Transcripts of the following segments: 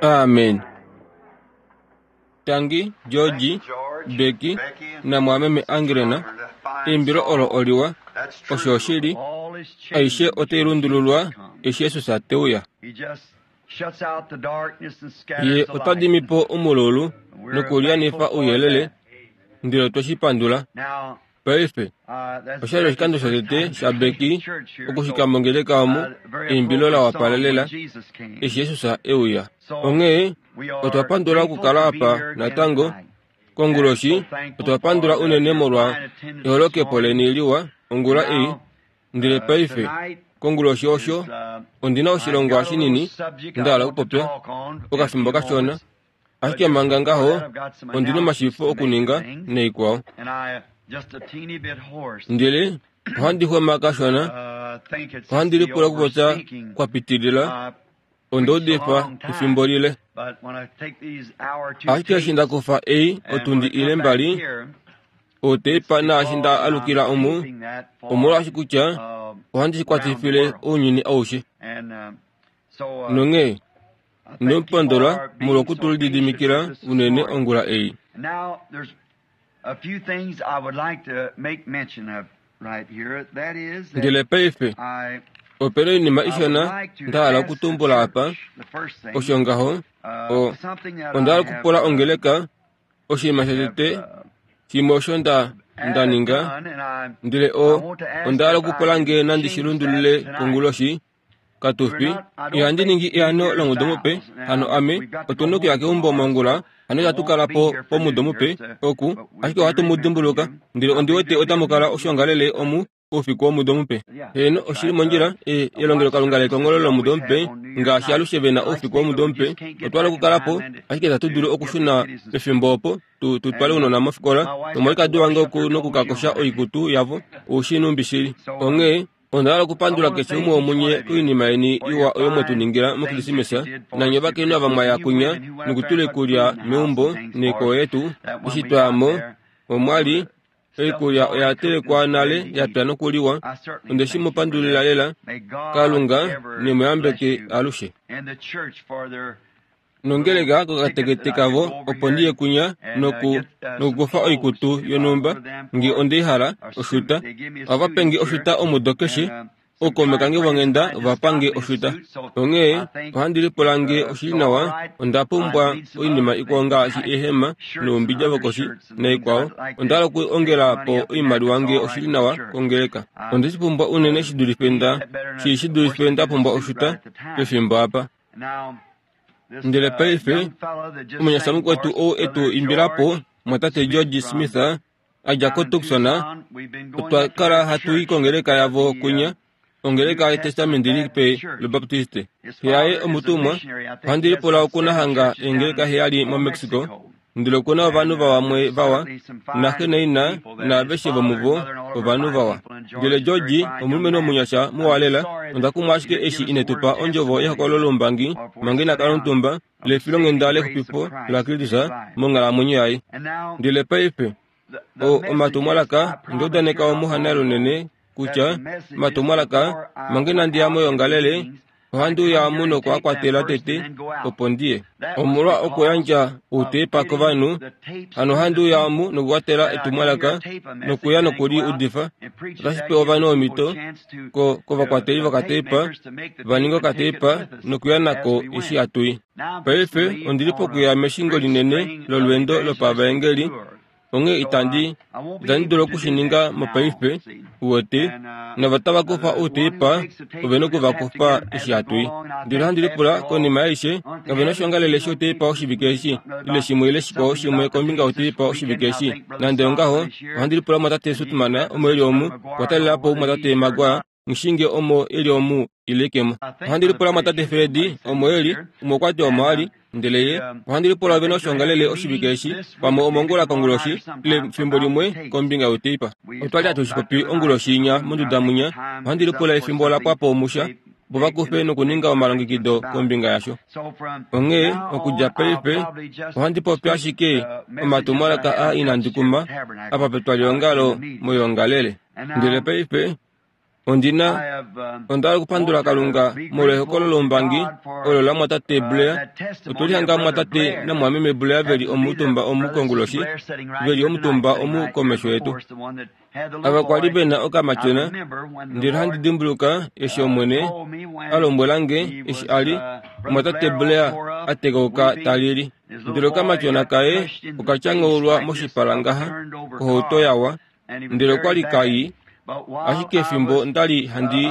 Amen. Tangi, George, Becky namwameme Angrena, eimbilo olo oliwa, osho oshili, aishe otai lundululwa eshi Jesus te uya. Ye ota dimi po omululu nokulyanifa ouyelele, ndele otwe shi pandula. Paife, osha li oshikando shotete shaBecky okushika mongeleka omu eimbilo la wapalelela eshi Jesus e uya. Onghee otwa pandula okukala apa natango konguloshi. Otwa pandula unene molwa eholokepo leni liwa ongula ei. Ndele paife, konguloshi osho, ondi na oshilongwa shinini nda hala okupopya okafimbo kashona. Ashike manga ngaho, ondi na omashifo okuninga naikwao. Ndele ohandi xwema kashona, ohandi lipula okupopya kwa pitilila, onda udifa efimbo lile. Ashike eshi nda kufa ei otundi ile mbali, outeipa naashi nda alukila omu, omolwaashi kutya ohandi shi kwatifile ounyuni aushe. Nonghee Ino pondola molwoku tu lididimikila unene ongula ei. Ndele paife, ope na oinima ishona nda hala okutumbula apa. Osho ngaho, o, onda hala okupula ongeleka oshinima shotete shimwe osho nda nda ninga, ndele o, onda hala okupula nge nandi shi lundulule konguloshi. Katufi, ihandi ningi eano lomudo mupe, hano ame, otu nokuya keumbo mongula, hano itatu kala po pomudo mupe, oku, ashike ohatu mu dimbuluka. Ndele ondi wete otamu kala oshiongalele omu oufiku womudo mupe. Heeno, oshi li mondjila, e, elongelokalunga lekongolo lomudo mupe, ngaashi alushe ve na oufiku womudo mupe, otwa hala okukala po, ashike itatu dulu okushuna pefimbo opo tu, tu twale ounona mofikola, nomwalikadi wange oku nokukakosha oikutu yavo, oushi numbi shili. Onghee, Onda hala okupandula keshe umwe womunye koinima yeni iwa oyo mwe tu ningila mOkrismesa, nanye ovakainhu ava mwa ya kunya nokutula oikulya meumbo noikwawo yetu. Eshi twa ya mo, omwa li oikulya oya telekwa nale ya pya nokuliwa. Onde shi mu pandulila lela. Kalunga ne mu yambeke alushe. Nongeleka kokatekete kavo opo ndi ye kunya noku, nokukufa oikutu yonhumba nge onde i hala, oshuta. Ohava pe nge oshuta omudo keshe. Ookaume kange vonghenda ova pa nge oshuta. Onghee ohandi lipula nge oshi li nawa, onda pumbwa oinima ikwao ngaashi eehema noumbidja vokoshi naikwao. Onda hala okuongela po oimaliwa nge oshi li nawa kongeleka. Onde shi pumbwa unene shi dulife nda, shi, shi dulife nda pumbwa oshuta pefimbo apa. Ndele paife, omunyasha mukwetu ou e tu imbila po, mwatate George Smith, a dja koTucson, otwa kala hatu i kongeleka yavo kunya, ongeleka yEtestamenti Lipe lObaptiste. Xe yaye omutumwa, ohandi lipula oku na hanga eengeleka heyali moMexico, Ndele oku na ovanhu vamwe vawa, naxe naina naaveshe vomuvo ovanhu vawa. Ndele George, omulumenhu omunyasha muwa lela, onda kumwa ashike eshi ine tu pa ondjovo yehokololo loumbangi manga ina kala omutumba, lefilonghenda lexupifo laKristus monghalamwenyo yaye. Ndele paife, o, omatumwalaka, onda udaneka omuhana lunene kutya omatumwalaka, manga inandi ya moyoongalele, Ohandi uya omu noku a kwatela tete, opo ndi ye. Omolwa okuyandja outepa kovanhu, hano ohandi uya omu nokukwatela etumwalaka, nokuya noku li udifa. Otashi pe ovanhu omhito, ko, kovakwateli vokatepa, va ninge okatepa nokuya nako eshi hatu i. Paife ondi li pokuya meshingo linene lolweendo lopavaengeli, Onghee itandi, itandi dulu oku shi ninga mopaife, uwete, nava tava kufa outeipa, ove noku va kufa eshi hatu i. Ndele ohandi lipula, konima yaishe, kave na oshiongalele shouteipa oshivike eshi, ile shimwe ile shikwao shimwe kombinga youteipa oshivike eshi. Nande ongaho, ohandi lipula Mumwatate Sutman, omo e li omu, okwa talela po Mumwatate Maguire, Nghishinge omo e li omu ile ke mo. Ohandi lipula mwatate Fredi omo e li, umwe okwa ti omo a li, ndele ye, ohandi lipula ove noshoongalele oshivike eshi, pamwe omongula konguloshi, ile fimbo limwe kombinga yoteipa. Otwa li hatu shi popi onguloshi inya monduda munya, ohandi lipula efimbo la pwa po omusha, opo va kufe nokuninga omalongekido kombinga yasho. Onghee, okudja paife, ohandi popi ashike omatumwalaka a inandi kuma apa petwaliongalo moyoongalele. Ndele paife, Ondi na onda hala okupandula Kalunga molwehokolo loumbangi olo lamwatate Blair. Otwe lihanga mwatate namwameme Blair ve li omutumba omu konguloshi, ve li omutumba omu komesho yetu. Ava kwa li ve na okamatyona, ndele ohandi dimbuluka eshi Omwene a lombwela nge eshi a li omwatate Blair a tekauka ta lili. Ndele okamatyona kaye oka tyanghaulwa moshipala ngaha kohauto yawa, ndele okwa li kai. Ashike efimbo nda li handi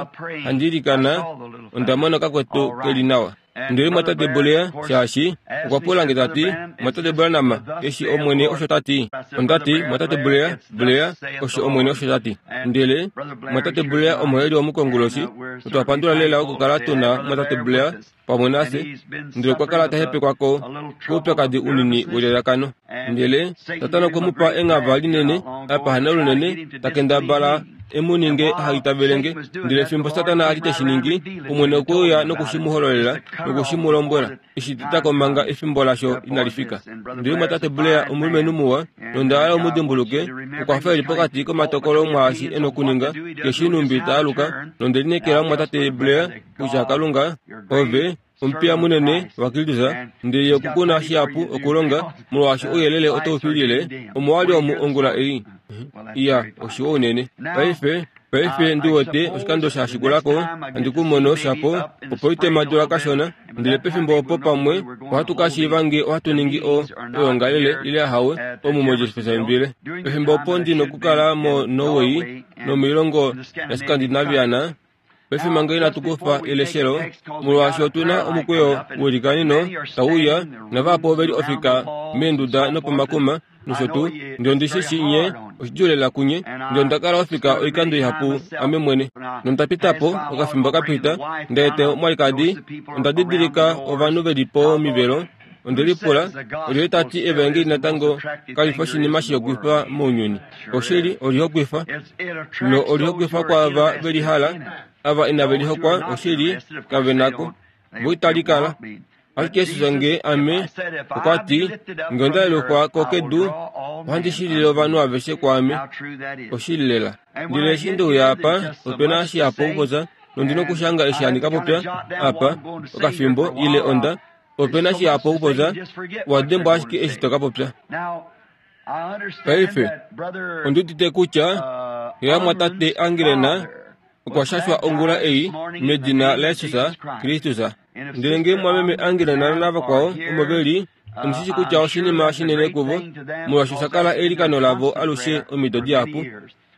handi ilikana, onda mona kakwetu ke li nawa. Ndele mwatate Blair, shaashi okwa pula nge ta ti, Mwatate Branham, eshi Omwene osho ta ti? Onda ti, Mwatate Blair, Blair, osho Omwene osho ta ti. Ndele Mwatate Blair omo e li omukonguloshi, otwa pandula lela okukala tu na Mwatate Blair pamwe nafye, ndele okwa kala ta hepekwa ko koupyakadi unini welelakano. Ndele Satana okwe mu pa enghava linene, apa hana lunene, ta kendabala e mu ninge aha itavele nge. Ndele fimbo Satana a li te shi ningi, Omwene okwe uya noku shi mu hololela noku shi mu lombwela, e shi teta ko manga efimbo lasho inali fika. Ndele omumwatate Blair omulumenhu muwa, nonda hala u mu dimbuluke, okwa fa e li pokati komatokolo mwaashi e nokuninga, ke shii nhumbi ta aluka, nonde lineekela omumwatate Blair kutya Kalunga, ove omupiya munene waKristus, ndele ye oku ku na shihapu okulonga, molwaashi ouyelele otau fiilile omo wa li omu ongula ei. Iya, oshiwa unene. Paife, paife ndi wete oshikando sha shikula ko, handi ku mono shapo opo itema dula kashona, ndele pefimbo opo pamwe ohatu ka shiiva nge ohatu ningi o, oyoongalele ile ahawe omu moJeffersonville. Pefimbo opo ndi nokukala moNorway nomoilongo yaScandinaviana, Paife manga inatu kufa eleshelo, molwaashi otu na omukweyo welikanino tau uya, navahapu ove li ofika meenduda nopomakuma, nosho tuu. Ndele ondi shi shii nye oshidjuu lela kunye, ndele onda kala ofika oikando ihapu ame mwene. Nonda pita po, okafimbo ka pita, nda eta omwalikadi, onda didilika ovanhu ve li pomivelo, Onde lipula, Olyelye ta ti evaengeli natango kali fi oshinima shihokwifa mounyuni? Oshili, olihokwifa. No olihokwifa kwaava ve li hala, ava inave li hokwa, oshili, kave nako. Vo itali kala. Ashike Jesus nge ame, okwa ti, Nge onda yelufwa ko kedu, ohandi shilile ovanhu aveshe kwaame. Oshili lela. Ndele eshi nde uya apa, ope na shihapu okupopya, nondi nokushanga eshi handi ka popya apa, okafimbo, ile onda, Ope na shihapu okupopya, wa dembwa ashike eshi to ka popya. Paife, ondi udite kutya xe yamwatate Angelena okwa shashwa ongula ei medina laJesus Kristus. Ndele ngee mwameme Angelena navakwao omo ve li, ondi shi shi kutya oshinima shinene kuvo, molwaashi osha kala eilikano lavo alushe omido dihapu.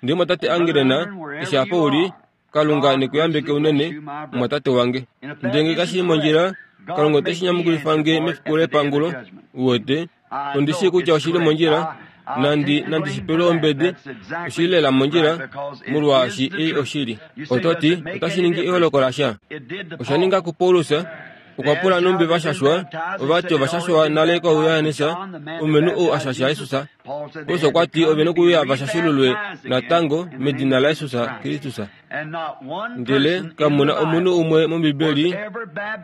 Ndele mwatate Angelena, eshi apa u li, Kalunga ne ku yambeke unene, mumwatate wange. Ndele nge kashi li mondjila, Kalunga ote shi nyamukulifa nge mefiku lepangulo. Uwete, ondi shii kutya oshi li mondjila, nandi nandi shi pelwe ombedi, oshi li lela mondjila, molwaashi ei oshili. Oto ti, otashi ningi eholoko lasha? Osha ninga kuPaulus, okwa pula nhumbi va shashwa, ova ti ova shashwa nale kOuyohannes, omulumenhu ou a shasha Jesus. Paulus okwa ti ove nokuuya va shashululwe natango medina laJesus Kristus. Ndele kamu na omunhu umwe mOmbibeli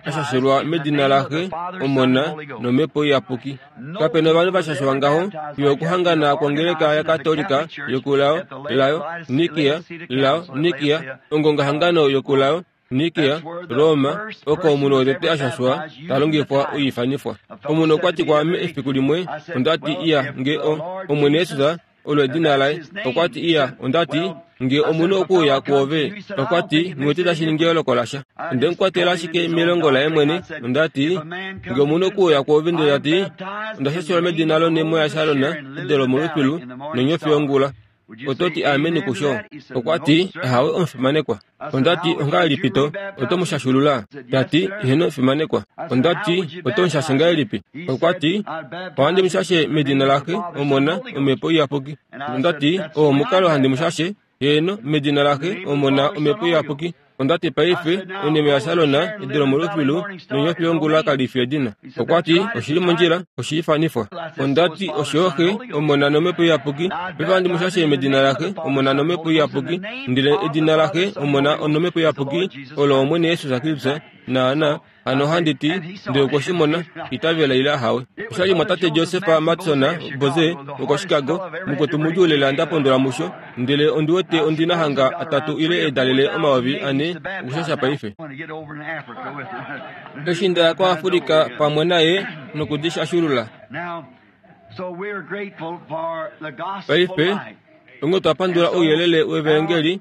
a shashulwa medina laXe, Omona nOmhepo Iyapuki. Kape na ovanhu va shashwa ngaho fiyo okuhangana kwongeleka yaKatolika yokulao layo Nikia lao Nikia ongongahangano yokulao Nikea, Roma, oko omunhu wotete a shashwa ta longifwa oiifanifwa. Omunhu okwa ti kwaame efiku limwe, onda ti, Iya, nge o, Omwene Jesus, olo edina laye. Okwa ti, Iya, onda ti, nge omunhu okwe uya kwoove, okwa ti, nghi wete tashi ningi eyooloko lasha. Onde mu kwatela ashike melongo laye mwene. Onda ti, Nge omunhu okwe uya kwoove ndele ta ti, Onda shashelwa medina lonhemo yaSharon, edo lomolufilu, nonyofi yongula. Oto ti ameni kusho? Okwa ti, Ahawe omufimanekwa. Onda ti, Ongahelipi to, oto mu shashulula? Ta ti, Eheno omufimanekwa. Onda ti, Oto mu shashe ngahelipi? Okwa ti, Ohandi mu shashe medina laXe, Omona, Omhepo Iyapuki. Onda ti, Oo omukalo handi mu shashe, heeno, medina laXe, Omona, Omhepo Iyapuki. Onda ti paife, onime yaSalon, edu lomolufilu, nonyofi yongula kali fi edina. Okwa ti, Oshi li mondjila, oshi ifanifwa. Onda ti, Osho Xe, Omona nOmhepo Iyapuki. Paife ohandi mu shashe medina laXe, Omona nOmhepo Iyapuki. Ndele edina laXe, Omona nOmhepo Iyapuki olo Omwene Jesus Kristus, naana. Hano ohandi ti, ndele okwe shi mona, itavela ile ahawe. Osha li mwatate Joseph Mattsson Boze wokoChicago, mukwetu mudjuu lela nda pondola musho, ndele ondi wete ondi na hanga atatu ile eedalele 4000 okushasha paife. Eshi nda ya koAfrica pamwe naye noku di shashulula. Paife, onghee otwa pandula ouyelele wEvaengeli,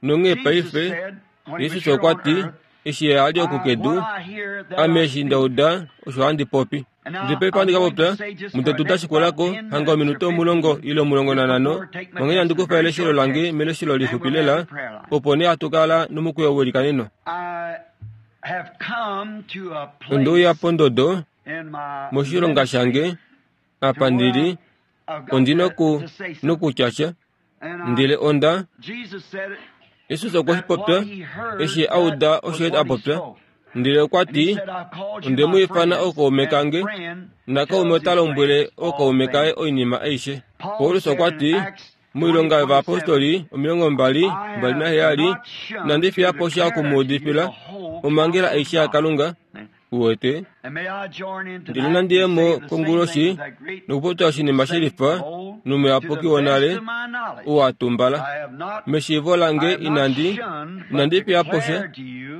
Nonghee paife, Jesus okwa ti, eshi ye a li oku kedu, Ame eshi nda uda, osho handi popi. Ndele paife ohandi ka popya, mudetu da shikula ko, hanga ominute 10 ile 15, onghee handi kufa eleshelo lange meleshelo lixupi lela, opo nee hatu kala nomukweyo welikaneno. Onde uya pondodo, moshilonga shange, apa ndi li, ondi noku, nokutya sha. Ndele onda Jesus okwe shi popya eshi a uda osho a popya. Ndele okwa ti, Onde mu ifana ookaume kange, nakaume ota lombwele ookaume kaye oinima aishe. Paulus okwa ti, moilonga yovayapostoli 27, Inandi fiya po sha oku mu udifila omhangela aishe yaKalunga, Uwete? Ndele nandi ye mo konguloshi nokupopya oshinima she lifa nomuyapuki wonale ou a tumbala. Meshiivo lange inandi, inandi fiya po sha,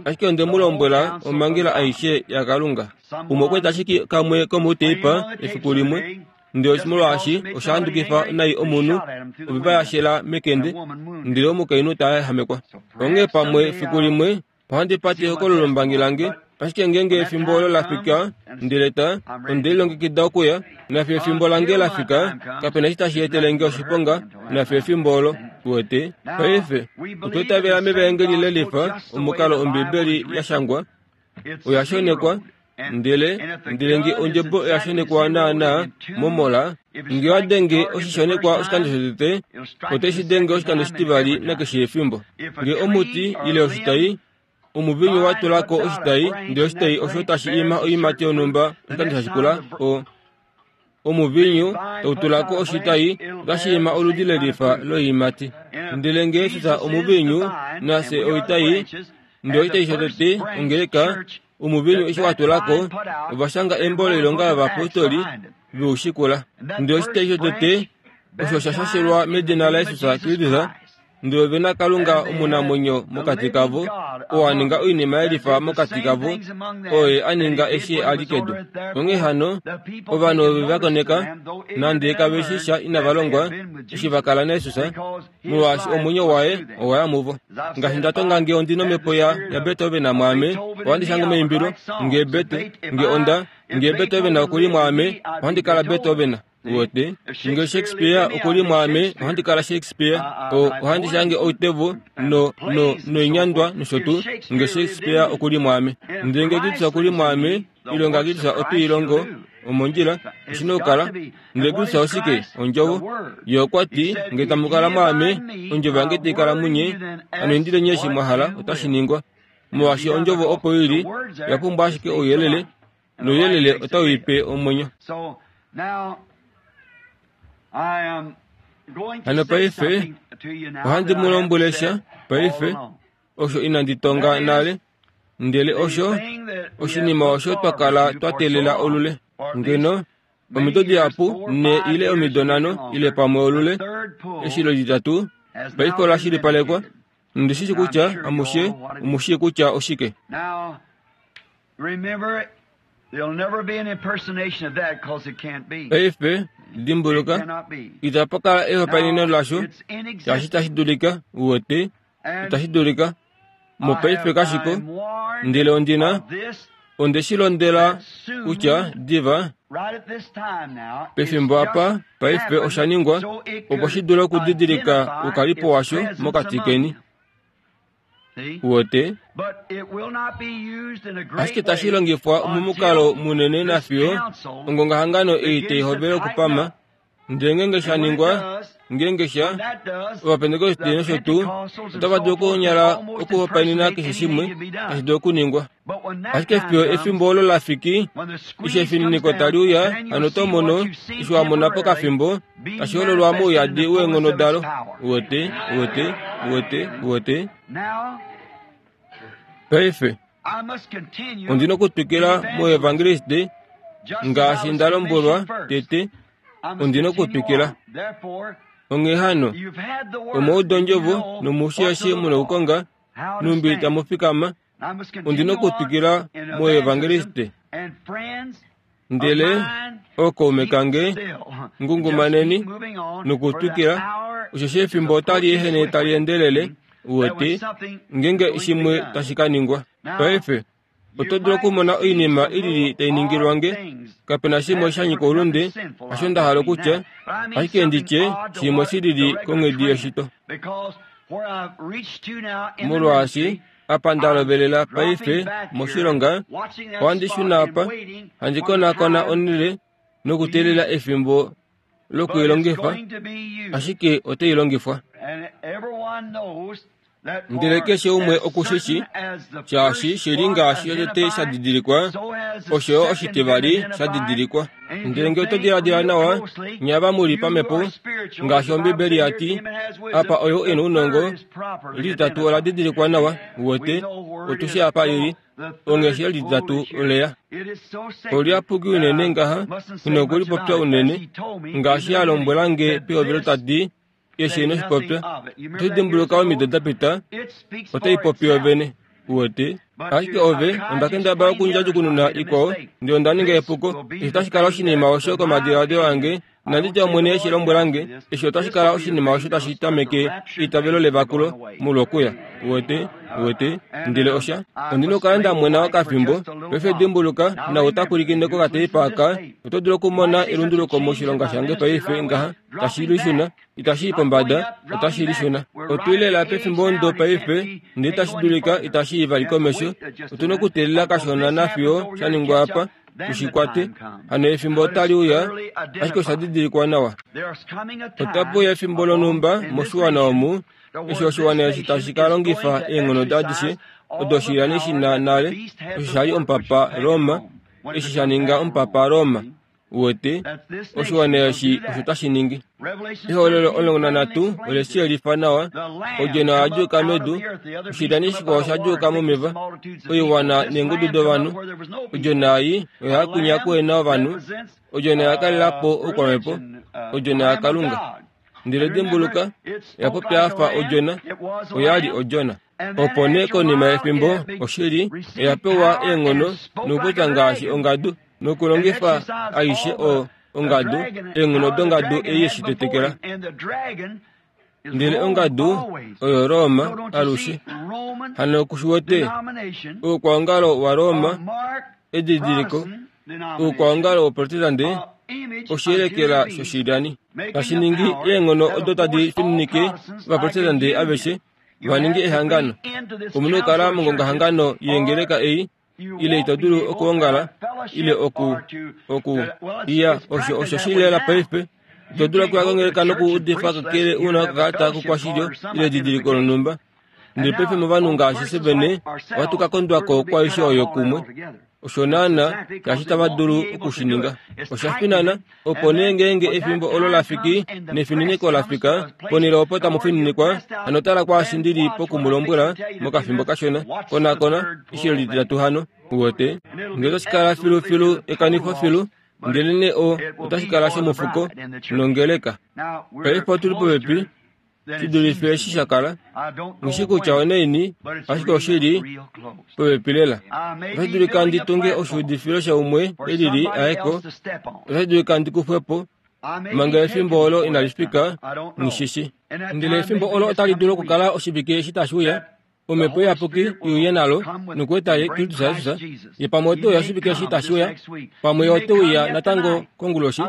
ashike onde mu lombwela omhangela aishe yaKalunga. Umwe okwa eta ashike kamwe komouteipa efiku limwe, ndele molwaashi osha handukifa nai omunhu, opipa ya shela mekende, ndele omukainhu ta yahamekwa. Onghee pamwe fiku limwe Ohandi pate ehokololombangi lange, ashike ngeenge efimbo olo la fika, ndele ta, onde lilongekida okuya, nafiyo efimbo lange la fika, kape na eshi tashi etele nge oshiponga, nafiyo efimbo olo. Uwete? Paife, otwa itavela mEvaengeli le lifa, omukalo Ombibeli ya shangwa. Oya shonekwa, ndele, ndele nge ondjebo oya shonekwa naanaa momola, nge owa denge oshishonekwa oshikando shotete, ote shi denge oshikando shitivali nakeshe efimbo. Nge omuti ile oshitai, omuvinyu wa tula ko oshitai, ndele oshitai osho tashi ima oiimati yonhumba oshikando sha shikula, o, omuvinyu tau tula ko oshitai, otashi ima oludi lelifa loiimati. Ndele nge Jesus omuvinyu, nafye oitai, ndele oshitai shotete, ongeleka, Omuvinyu eshi wa tula ko, ova shanga embo loilonga yovapostoli ve u shikula. Ndele oshitai shotete osho sha shashelwa medina laJesus Kristus, ndele ove na Kalunga omunamwenyo mokati kavo, oo a ninga oinima ye lifa mokati kavo, oye a ninga eshi a li kedu. Onghee hano, ovanhu ove va koneka, nande kave shi sha inava longwa, eshi va kala naJesus, molwaashi omwenyo waye owa ya muvo. Ngaashi nda tonga nge ondi nomhepo ya yaBeethoven mwaame, ohandi shange omaimbilo, nge Beetho, nge onda, nge Beethoven oku li mwaame, ohandi kala Beethoven. Uwete? Nge Shakespeare oku li mwaame, ohandi kala Shakespeare. O, ohandi shange outevo, no, no, noinyandwa nosho tuu, nge Shakespeare oku li mwaame. Ndele nge Kristus oku li mwaame, Oilonga yaKristus ote i longo omondjila, oshi na okukala. Ndele Kristus oshike? Ondjovo. Ye okwa ti, Nge tamu kala mwaame, ondjovo yange tai kala munye, hano indileni eshi mwa hala, otashi ningwa. Molwaashi ondjovo opo i li, oya pumbwa ashike ouyelele, nouyelele otau i pe omwenyo. Hano paife, ohandi mu lombwele sha, paife, osho inandi tonga nale. Ndele osho oshinima osho twa kala twa teelela olule. Ngeno omido dihapu, ne ile omido nhano ile pamwe olule, eshilo litatu paife ola shilipalekwa. Nondi shi shii kutya amushe omu shii kutya oshike. Paife, dimbuluka, itapa kala ehopaeneno lasho, shaashi itashi dulika, uwete, itashi dulika. Mopaife kashiko, ndele ondi na, onde shi londela kutya diva pefimbo apa paife osha ningwa opo shi dule okudidilika oukalipo washo mokati keni. Uwete? Ashike tashi longifwa momukalo munene nafiyo ongongahangano ei tai hovele okupama Ndele ngeenge sha ningwa, ngeenge sha, Ovapentekoste nosho tuu, otava dulu okunyala okuhopaenena keshe shimwe tashi dulu okuningwa. Ashike fiyo efimbo olo la fiki, eshi efininiko tali uya, hano oto mono, eshi wa mona pokafimbo, tashi hololwa mouyadi weenghono dalo. Uwete, uwete, uwete, uwete. Paife. Ondi na okutwikila moevangeliste ngaashi nda lombwelwa tete, ondi na okutwikila. Onghee hano, omwa uda ondjovo nomushi eshi mu na okukonga, nhumbi tamu fikama, ondi na okutwikila moevangeliste. Ndele ookaume kange, ngungumaneni nokutwikila, osheshi efimbo otali ehene tali endelele, uwete, ngeenge shimwe tashi ka ningwa. Paife, oto dulu okumona oinima i lili tai ningilwa nge. Kape na shimwe sha nyika oulunde, hasho nda hala okutya, ashike ndi tye shimwe shi lili konghedi yeshito. Molwaashi apa nda lovelela paife moshilonga, ohandi shuna apa, handi konakona onhele nokuteelela efimbo lokuilongifa, ashike otai longifwa. Ndele keshe umwe oku shi shi, shaashi shi li ngaashi shotete sha didilikwa, osho yo oshitivali sha didilikwa. Ndele nge oto diladila nawa, nye ava mu li pamhepo, ngaashi Ombibeli ya ti, apa oyo e na ounongo, lititatu ola didilikwa nawa, uwete, otu shii apa li li. Onghee lititatu oleya. Oliyapuki unene ngaha, ino okulipopya unene, ngaashi a lombwela nge pehovelo ta ti, Eshi ino shi popya, oto dimbuluka omido da pita, otai popi yovene. Uwete? Ashike ove, onda kendabala okundjadjukununa ikwao, ndele onda ninga epuko. Eshi otashi kala oshinima osho komadiladilo ange, inandi tya Omwene eshi lombwela nge, eshi otashi kala oshinima osho tashi tameke eitavelo levakulo molwokuya. Uwete? Uwete? Ndele osha. Ondi na okukala nda mwena okafimbo. Paife dimbuluka, nau ta pwilikine kokateipa aka, oto dulu okumona elunduluko moshilonga shange paife ngaha. Tashi lishuna, itashi i pombada, otashi lishuna. Otu li lela pefimbo ndo paife, ndele tashi dulika itashi i vali komesho. Otu na okuteelela kashona nafiyo sha ningwa apa, tu shi kwate. Hano efimbo otali uya, ashike osha didilikwa nawa. Otape uya efimbo lonhumba moshiwana omu, eshi oshiwana eshi tashi ka longifa eenghono adishe odo shilani shi na nale, osho sha li omupapa Roma, eshi sha ninga omupapa Roma. Uwete, oshiwana eshi osho tashi ningi. Ehololo 13 ole shi yelifa nawa. Odjona oya djuuka medu, oshilyani shikwao osha djuuka momeva, oiwana neengudu dovanhu. Odjona ei oya ya kwinya kuhena ovanhu. Odjona oya kalela po oukwamhepo, odjona yaKalunga. Ndele dimbuluka, oya popya ya fa odjona, oya li odjona. Opo nee konima yefimbo, oshili oya pewa eenghono nokupopya ngaashi ongadu nokulongifa aishe o ongadu, eenghono dongadu ei ye shi tetekela. Ndele ongadu oyo Roma alushe. Hano ku shi wete? Oukwaongalo waRoma, edidiliko, oukwaongalo woProtestante, oshiyelekela shoshilyani, tashi ningi eenghono odo tadi fininike Ovaprotestante aveshe va ninge ehangano. Omu na okukala mongongahangano yeengeleka ei, ile ito dulu okuongala, ile oku, oku, iya, osho, osho shi lela paife. Ito dulu okuya kongeleka nokuudifa kakele u na okakalata kokwashilyo ile edidiliko lonhumba. Ndele paife movanhu ngaashi fye vene, ohatu ka kondwa ko kwaaishe oyo kumwe. Osho naana ngaashi tava dulu oku shi ninga. Osha finana, opo nee ngeenge efimbo olo la fiki nefininiko la fika, ponhele opo tamu fininikwa, hano tala kwaashi ndi li poku mu lombwela mokafimbo kashona. Konakona, eshi lititatu hano. Uwete? Ngee otashi kala filufilu ekanifo filu, ndelenee o, otashi kala shomufuko nongeleka. Paife otu li popepi shi dulife eshi sha kala. Nghi shii kutya onaini, ashike oshi li popepi lela. Otashi dulika ndi tunge oshuudifilo shaumwe e lili aye ko. Otashi dulika ndi kufwe po manga efimbo olo inali fika, nghi shi shii. Ndele efimbo olo otali dulu okukala oshivike eshi tashi uya. Omhepo Iyapuki i uye nalo nokueta ye Kristus Jesus, ye pamwe ote uya oshivike eshi tashi uya, pamwe ye ote uya natango konguloshi.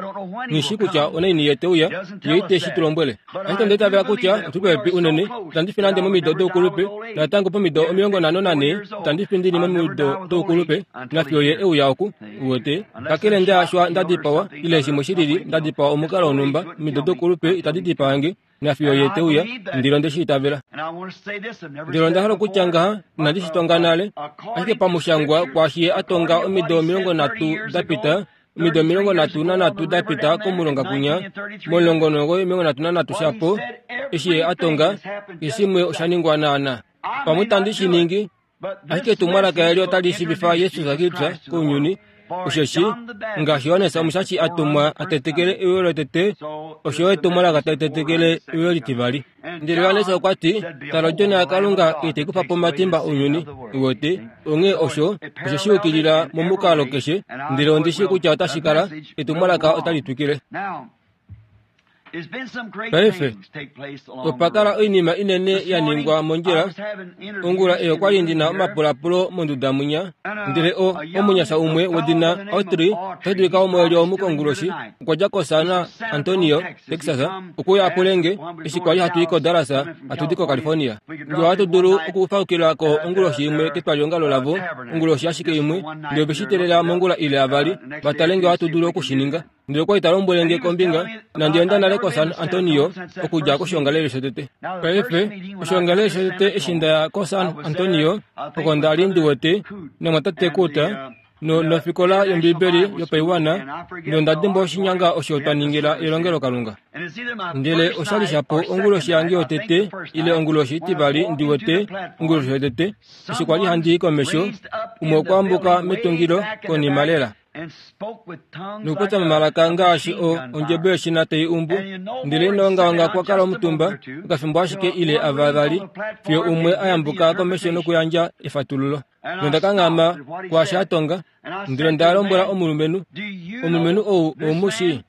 Nghi shii kutya onaini ye te uya, ye ite shi tu lombwele. Ashike onda itavela kutya otu popepi unene. Itandi fi nande momido doukulupe, natango pomido 54 itandi fi ndi li momido doukulupe, nafiyo ye e uya oku. Uwete? Kakele nda nda dipawa, ile shimwe shi lili, nda dipawa omukalo wonhumba, omido doukulupe itadi dipaa nge. Nafiyo ye te uya, ndele onde shi itavela. Ndele onda hala okutya ngaha, inandi shi tonga nale, ashike pamushangwa kwaashi ye a tonga omido 30 da pita, omido 33 da pita komulonga kwinya, mo-1933 shapo, eshi ye a tonga, keshe shimwe osha ningwa naana. Pamwe itandi shi ningi. Ashike etumwalaka eli otali shiivifa Jesus Kristus kounyuni, osheshi ngaashi Johannes Omushashi a tumwa a tetekele euyo lotete, osho yo etumwalaka tali tetekele euyo litivali. Ndele Johannes okwa ti, Tala Odjona yaKalunga ei tai kufa po omatimba ounyuni. Uwete? Onghee osho oshe shi yukilila momukalo keshe, ndele ondi shii kutya otashi kala, etumwalaka otali twikile. Paife, opa kala oinima inene ya ningwa mondjila. Ongula ei okwa li ndi na omapulapulo monduda mwinya, ndele o, omunyasha umwe wedina Autry, otashi dulika womoeli omu konguloshi, okwa dja koSan Antonio, Texas, okuya a pule nge, eshi kwa li hatu i koDallas, hatu di koCalifornia, nge ohatu dulu okufaukila ko onguloshi imwe ketwaliongalo lavo, onguloshi ashike imwe, ndele ove shi teelela mongula ile avali, va tale nge ohatu dulu oku shi ninga. Ndele okwa li ta lombwele nge kombinga, inandi enda nale koSan Antonio okudja koshoongalele shotete. Paife, oshoongalele shotete eshi nda ya koSan Antonio, oko nda li ndi wete nomwatate Kurt no, nofikola yOmbibeli yopaiwana, nonda dimbwa oshinyanga osho twa ningila elongelokalunga. Ndele osha li shapo onguloshi yange yotete ile onguloshi itivali ndi wete onguloshi yotete eshi kwa li handi i komesho, umwe okwa ambuka metungilo konima lela. Nokupopya momalaka ngaashi o ondjebo yeshina tai umbu, ndele ino ongaonga kwa kala omutumba okafimbo ashike ile ava vali, fiyo umwe a yambuka komesho nokuyandja efatululo. Nonda kanghama kwaasho a tonga, ndele nda lombwela omulumenhu, Omulumenhu ou ou mu shii?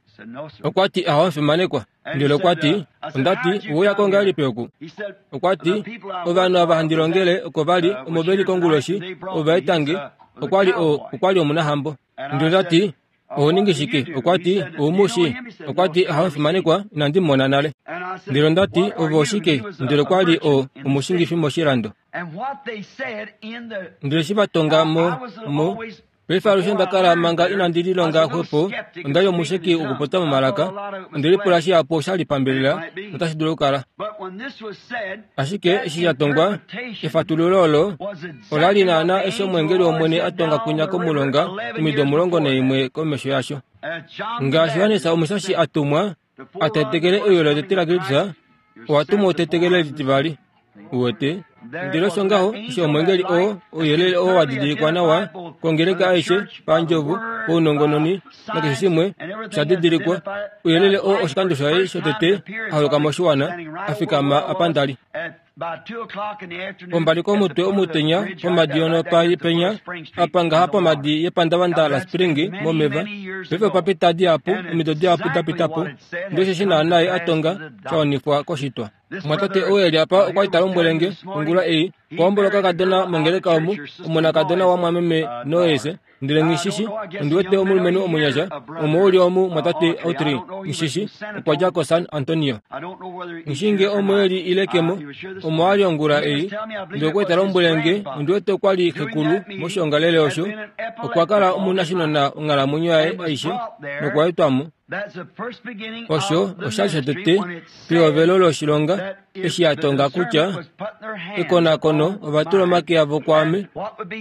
Okwa ti, Ahowe omufimanekwa. Ndele okwa ti, Onda ti, Owe uya ko ngahelipi oku? Okwa ti, Ovanhu ava handi longele oko va li, omo ve li konguloshi, ova eta nge. Okwa li o, okwa li omunahambo. Ndele onda ti, Oho ningi shike? Okwa ti, Ou mu shii? Okwa ti, Ahowe omufimanekwa, inandi mu mona nale. Ndele onda ti, Ove oshike? Ndele okwa li o, omushingifi moshilando. Ndele eshi va tonga mo, mo, Paife alushe onda kala manga inandi lilonga xwepo, onda li omusheki wokupopya momalaka. Onde lipula shihapu osha li pambelela notashi dulu okukala. Ashike eshi sha tongwa, efatululo olo ola li naanaa eshi omweengeli wOmwene a tonga kwinya komulonga omido 11 komesho yasho. Ngaashi Johannes Omushashi a tumwa a tetekele euyo lotete laKristus, owa tumwa u tetekele litivali. Uwete? Ndele osho ngaho, eshi omwengeli oo, ouyelele oo wa didilikwa nawa kongeleka aishe, pandjovo, paunongononi, nakeshe shimwe, osha didilikwa. Ouyelele oo oshikando shaye shotete a holoka moshiwana, a fikama apa nda li. Pombali komutwe omutenya, pomadi yonopa penya, apa ngaha pomadi yepandavanda laSpring momeva. Paife opa pita dihapu, omido dihapu da pita po, ndele osheshi naana ye a tonga, sha wanifwa koshitwa. Omumwatate ou e li apa okwa li ta lombwele nge ongula ei, okwa hombola okakadona mongeleka omu, omonakadona wamwameme Noyes, ndele nghi shi shi, ondi wete omulumenhu omunyasha, omo u li omu, mwatate Autry, nghi shi shi, okwa dja koSan Antonio. Nghi shii nge omo e li ile ke mo, omo a li ongula ei, ndele okwa li ta lombwele nge, ondi wete okwa li xekulu moshiongalele osho, okwa kala omunashinona onghalamwenyo yaye aishe, nokwa etwa mo. Osho osha li shotete pehovelo loshilonga eshi ya tonga kutya ekonakono ova tula omake avo kwaame,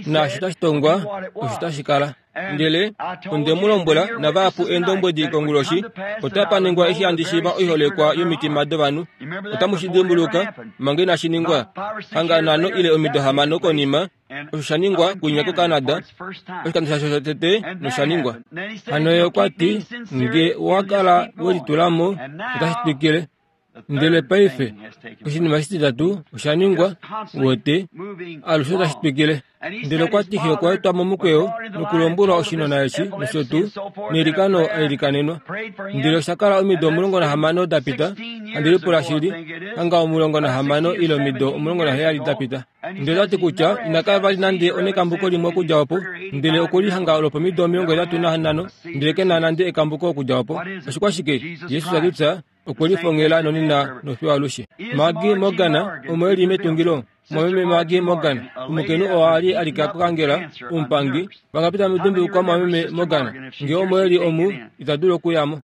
naashi tashi tongwa osho tashi kala. Ndele onde mu lombwela navahapu eendombwedi konguloshi, otapa ningwa eshi handi shiiva oiholekwa yomitima dovanhu. Otamu shi dimbuluka manga inashi ningwa, hanga nhano ile omido hamano konima, Osho sha ningwa kwinya koCanada, oshikando shasho shotete nosha ningwa. Hano ye okwa ti, nge owa kala we litula mo, otashi twikile. Ndele paife, oshinima shititatu osha ningwa, uwete, alushe otashi twikile. Ndele okwa ti xe okwa etwa momukweyo nokulombwelwa oshinona eshi nosho tuu, neilikano a ilikanenwa. Ndele osha kala omido 16 da pita, handi lipula shili, hanga 16 ile omido 17 da pita. Ndele ota ti kutya ina kala vali nande onekambuko limwe okudja opo, ndele okwe lihanga lwopomido 85, ndele ke na nande ekambuko okudja opo. Oshikwashike? Jesus Kristus okwe lifongela nonena nofiyo alushe. Maggie Morgan, omo e li metungilo, mwameme Maggie Morgan, omukainhu oo a li a lika kokangela, omupangi, Vangapi tamu dimbulukwa mwameme Morgan? Nge omo e li omu, ita dulu okuya mo.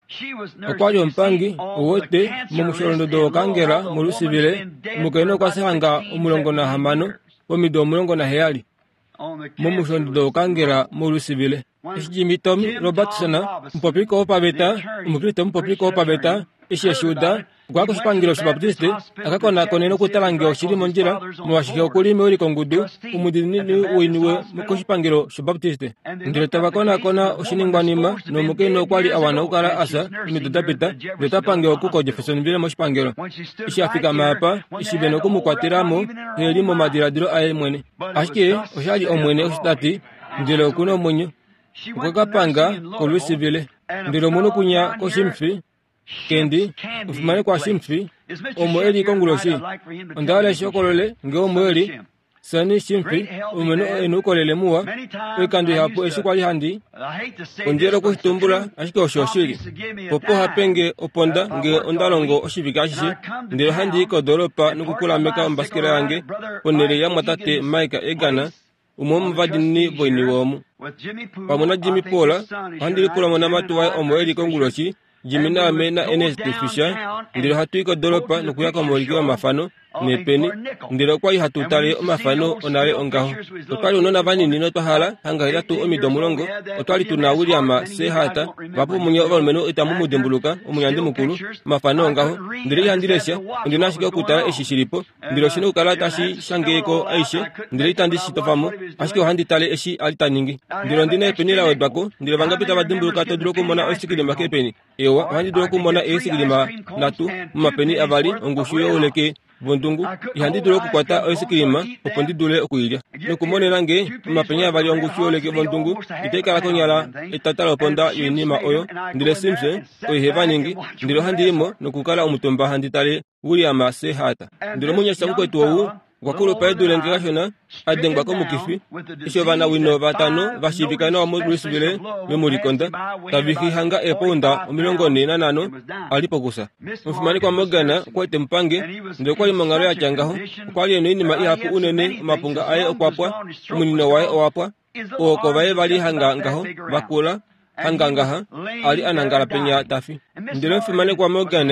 Okwa li omupangi, uwete, momusholondodo wokangela moLouisville, omukainhu okwa fya hanga 16, womido 17, momusholondodo wokangela moLouisville. Eshi Jimmy Tommy Robertson, omupopiliko wopaveta, Omukriste omupopiliko wopaveta, Eshi e shi uda, okwa ya koshipangelo shObaptiste a ka konakone nokutala ngee oshi li mondjila, molwaashi xe oku li mewilikongudu omudiinini woiniwe koshipangelo shObaptiste. Ndele tava konakona oshiningwanima, nomukainhu okwa li a wana okukala a fya omido da pita, ndele ota pange oku koJeffersonville moshipangelo. Eshi a fikama apa, eshi ve noku mu kwatela mo, e li momadiladilo aye mwene. Ashike osha li Omwene osho ta ti, ndele oku na omwenyo. Okwe ka panga koLouisville. Ndele omunhu kunya koshimfi, Kendi, omufimanekwa Shimfi, omo e li konguloshi. Onda hala eshi hokolole nge omo e li. Sonny Shimfi, omulumenhu e noukolele muwa. Oikando ihapu eshi kwa li handi kondjele okushitumbula, ashike osho oshili. Popo oha pe nge oponda nge onda longo oshivike ashishe, ndele ohandi i kodoolopa nokukulameka ombasikela yange ponhele yamwatate Mike Egan, umwe womovadiinini voiniwe omu. Pamwe naJimmy Paul, ohandi lipula omonamati waye omo e li konguloshi, Jimmy naame naErnest Fisher, ndele ohatu i kodoolopa nokuya komuuliki womafano neepeni, ndele okwa li hatu tale omafano onale ongaho. Otwa li ounona vanini notwa hala hanga hetatu omido omulongo. Otwa li tu na William C. Hart, vahapu vomunye ovalumenhu itamu mu dimbuluka, omunyandi mukulu, omafano ongaho. Ndele ihandi lesha, ondi na ashike okutala eshi shi li po. Ndele oshi na okukala tashi shange ko aishe, ndele itandi shi tofa mo, ashike ohandi tale eshi a li ta ningi. Ndele ondi na epeni la wedwa ko, ndele vangapi tava dimbuluka to dulu okumona oisikilima keepeni? Eewa, ohandi dulu okumona eesikilima nhatu momapeni avali ongushu youleke vondungu. Ihandi dulu okukwata oisikilima opo ndi dule oku i lya. Nokumonena nge omapeni avali ongushu youleke vondungu itai kala konyala etata loponda yoinima oyo. Ndele Simpson oye he va ningi. Ndele ohandi i mo nokukala omutumba handi tale William C. Hart. Ndele omunyasha mukwetu ou okwa kulupa e dule nge kashona, a dengwa komukifi, eshi ovanawino vatano va shiivika nawa moLouisville ve mu likonda, tava fi hanga eepounda 45, a li pokusa. Omufimanekwa Morgan okwa li te mu pange, ndele okwa li monghalo ya tya ngaho. Okwa li e na oinima ihapu unene, omapunga aye okwa pwa, omunino waye owa pwa, Ooko vaye va li hanga ngaho, va kula, hanga ngaha, a li a nangala penya ta fi. Ndele omufimanekwa Morgan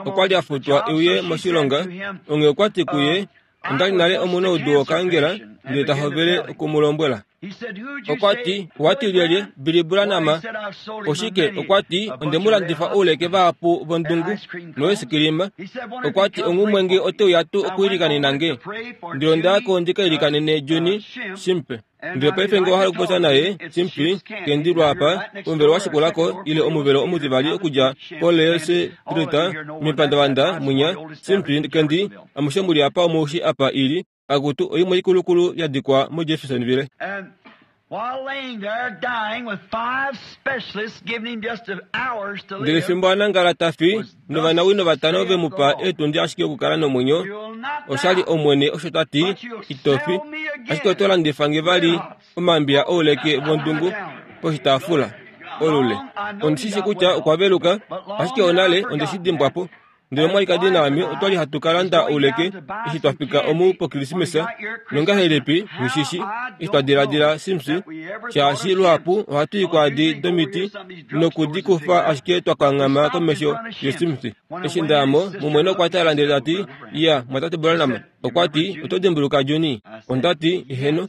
okwa li a futwa e uye moshilonga, onghee okwa ti kuye, Onda li nale omunaudu wokaangela, ndele ta hovele oku mu lombwela. Okwa ti, Owa ti lyelye, Billy Branham? Oshike, okwa ti, onde mu landifa ouleke vahapu vondungu noesikilima. Okwa ti, Onghumwe nge ote uya tuu okwiilikanena nge? Ndele onda ya ko ndi ka ilikanene Junie Shimpe. Ndele paife nge owa hala okupopya naye, Shimpi, kendilwa apa, omuvelo wa shikula ko, ile omuvelo omutivali okudja koLees Street, mepandavanda mwinya, Shimpi, kendi, amushe mu li apa omu shi apa i li, akutu, oimwe ikulukulu ya dikwa moJeffersonville. Ndele fimbo a nangala ta fi, novanawino vatano ve mu pa eetundi ashike okukala nomwenyo, osha li Omwene osho ta ti, Ito fi, ashike oto landifa nge vali omambiya ouleke vondungu poshitaafula. Olule. Ondi shi shi kutya okwa veluka, ashike onale onde shi dimbwa po. Ndele omwalikadi naame otwa li hatu ka landa ouleke eshi twa fika omu pOkrismesa, nongahelipi, nghishishi, eshi twa diladila simsi, shaashi luhapu ohatu i kwaadi domiti noku di kufa ashike twa kanghama komesho yosimsi. Eshi nda ya mo, mumwene okwa tala ndele ta ti, Iya, mwatate Branham, okwa ti, oto dimbuluka Junie? Onda ti, Eheno.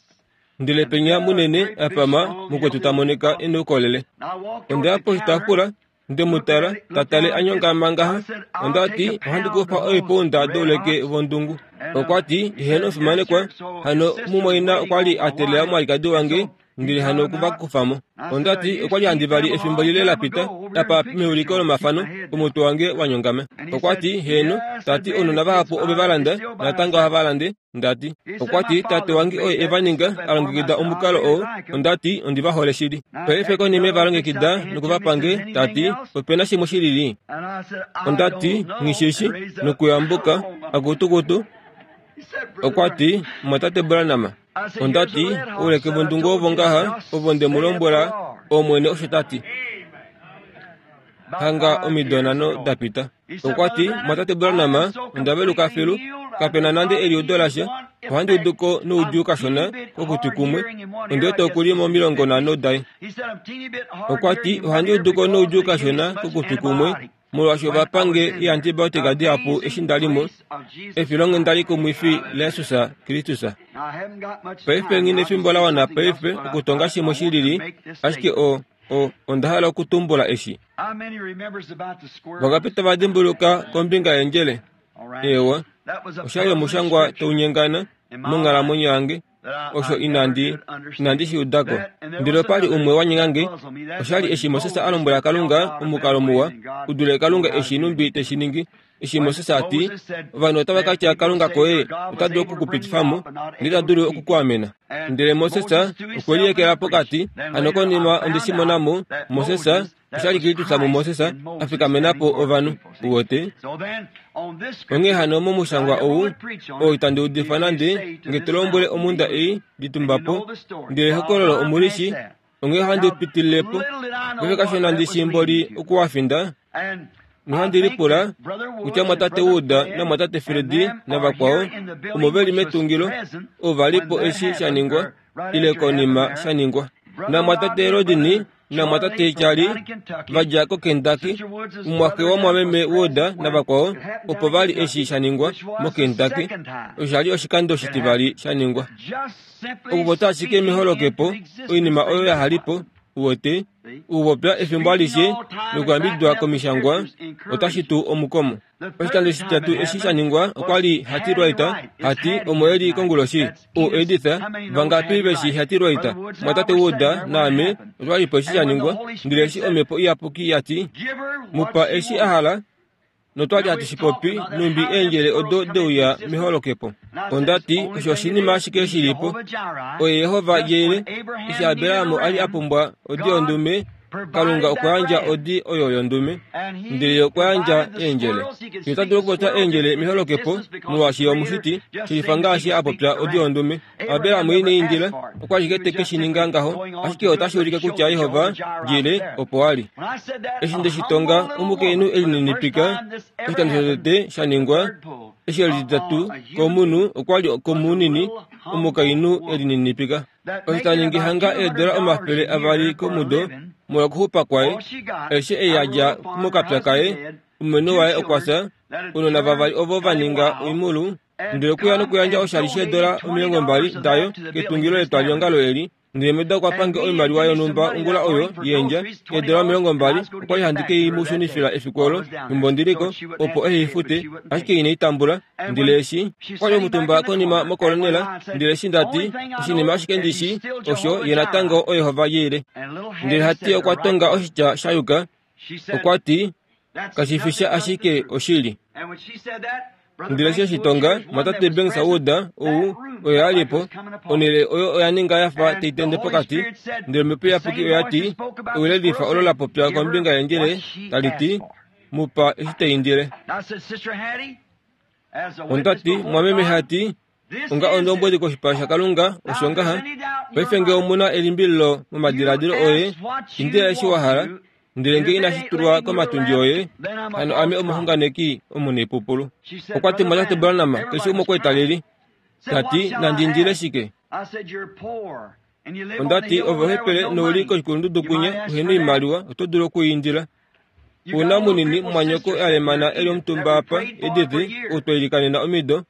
Ndele penya munene a pama mukwetu ta monika e noukolele. Onda ya poshitaafula Nde mu tala, ta tale a nyongama ngaha. Onda ti, Ohandi kufa oipounda douleke vondungu. Okwa ti, Eheno omufimanekwa. Hano mumwaina okwa li a teelela omwalikadi wange, ndele hano oku va kufa mo. Onda ti, Okwa li handi vali efimbo lile la pita, apa meuliko lomafano, omutwe wange wa nyongama. Okwa ti, Heeno. Ta ti, Ounona vahapu ove va landa, natango ohava lande. Nda ti, Okwa ti, Tate wange oye e va ninga, a longekida omukalo oo. Onda ti, Ondi va hole shili. Paife konima e va longekida noku va pa nge, ta ti, Ope na shimwe shi lili? Onda ti, Nghi shi shi. Nokuyambuka, akutukutu. Okwa ti, Mumwatate Branham. Onda ti, Ouleke vondungu ovo ngaha, ovo nde mu lombwela, Omwene osho ta ti. Hanga omido nhano da pita. Okwa ti, Mwatate Branham, onda veluka filu. Kape na nande eliudo lasha. Ohandi udu ko noudjuu kashona kokutwi kumwe. Ondi wete oku li momilongonhano daye. Okwa ti, Ohandi udu ko noudjuu kashona kokutwi kumwe, molwaashi ova pa nge eeantibiotika dihapu eshi nda li mo, efilonghenda likumwifi laJesus Kristus. Paife nghi nefimbo la wana paife okutonga shimwe shi lili, ashike o. O, onda hala okutumbula eshi. Vangapi tava dimbuluka kombinga yendjele? Eewa, osha li omushangwa tau nyengana monghalamwenyo yange, osho inandi, inandi shi uda ko. Ndele opa li umwe wa nyenga nge. Osha li eshi Moses a lombwela Kalunga omukalo muwa u dule Kalunga eshi numbi te shi ningi. Eshi Moses a ti, Ovanhu otava ka tya Kalunga koye ota dulu oku ku pitifa mo, ndele ita dulu oku ku amena. Ndele Moses okwe liyekela pokati. Hano konima onde shi mona mo, Moses, osha li Kristus muMoses a fikamena po ovanhu. Uwete? Onghee hano momushangwa ou, oo itandi udifa nande, nge to lombwele omhunda ei, Litumba po, ndele ehokololo omu li shii, onghee ohandi pitilile po. Paife kashona ndi shii mboli oku wa finda, nohandi lipula kutya mwatate Wood namwatate Fred navakwao omo ve li metungilo ova li po eshi sha ningwa ile konima sha ningwa. Namwatate Rodney namwatate Charlie va dja koKentucky, umwaxe wamwameme Wood navakwao opo va li eshi sha ningwa moKentucky. Osha li oshikando shitivali sha ningwa. Okupopya ashike meholokepo oinima oyo ya hali po, uwete, okupopya efimbo alishe nokuyambididwa komishangwa otashi tu omukomo. Oshikando shititatu eshi sha ningwa okwa li Hattie Wright, hati omo e li konguloshi. U Edith, vangapi ve shi Hattie Wright? Mwatate Wood naame otwa li po eshi sha ningwa, ndele eshi Omhepo Iyapuki ya ti, Mu pa eshi a hala, notwa li hatu shi popi nhumbi eendjele odo de uya meholokepo. Onda ti, Osho oshinima ashike shi li po. Oye Jehova Jireh. Eshi Abraham a li a pumbwa odi yondume, Kalunga okwa yandja odi oyo yondume, ndele ye okwa yandja eendjele. Ye ota dulu okupopya eendjele meholokepo, molwaashi ye omushiti, shelifa ngaashi a popya odi yondume. Abraham ine indila, okwa ashike te ke shi ninga ngaho, ashike otashi ulike kutya Jehova Jireh opo a li. Eshi nde shi tonga, omukainhu e lininipika, oshikando shotete sha ningwa, eshi e lititatu komunhu, okwa li komunini, omukainhu e lininipika. Osho ta ningi hanga eedola 200 komudo molwokuxupa kwaye, aishe ei ya dja mokapya kaye, omulumenhu waye okwa fya, ounona vavali ovo va ninga oimhulu, ndele okuya nokuyandja oshali sheedola 20 dayo ketungilo letwalihongalo eli, ndele Meda okwa pange oimaliwa yonhumba ongula oyo yeendja, eedola 20, okwa li handi ke i mu shunifila efiku olo, fimbo ndi li ko, opo ehe i fute, ashike ine i tambula. Ndele eshi kwa li omutumba konima mokolonela, ndele eshi nda ti, Oshinima ashike ndi shii, osho, ye natango oYehova Jireh. Ndele hati okwa tonga oshitya sha yuka, okwa ti, Kashi fi sha ashike oshili. Ndele eshi eshi tonga, Mwatate Banks Wood ou oye a li po, onhele oyo oya ninga ya fa tai tende pokati, ndele Omhepo Iyapuki oya ti, Ewi lelifa olo la popya kombinga yendjele, tali ti, Mu pa eshi ta indile. Onda ti, Mwameme Hattie, onga ondombwedi koshipala shaKalunga, osho ngaha. Paife nge omu na elimbililo momadiladilo oye, indila eshi wa hala, ndele nge inashi tulwa komatundji oye, hano ame omuxunganeki omunaipupulu. Okwa ti, Mwatate Branham, keshe umwe okwa li ta ti, Nandi indile shike? Onda ti, Ove ohepele nou li koshikulundudu kwinya, uhe na oimaliwa, oto dulu oku i indila. Ouna munini mumwanyoko a lemana e li omutumba apa, Edith, ou twa ilikanena omido,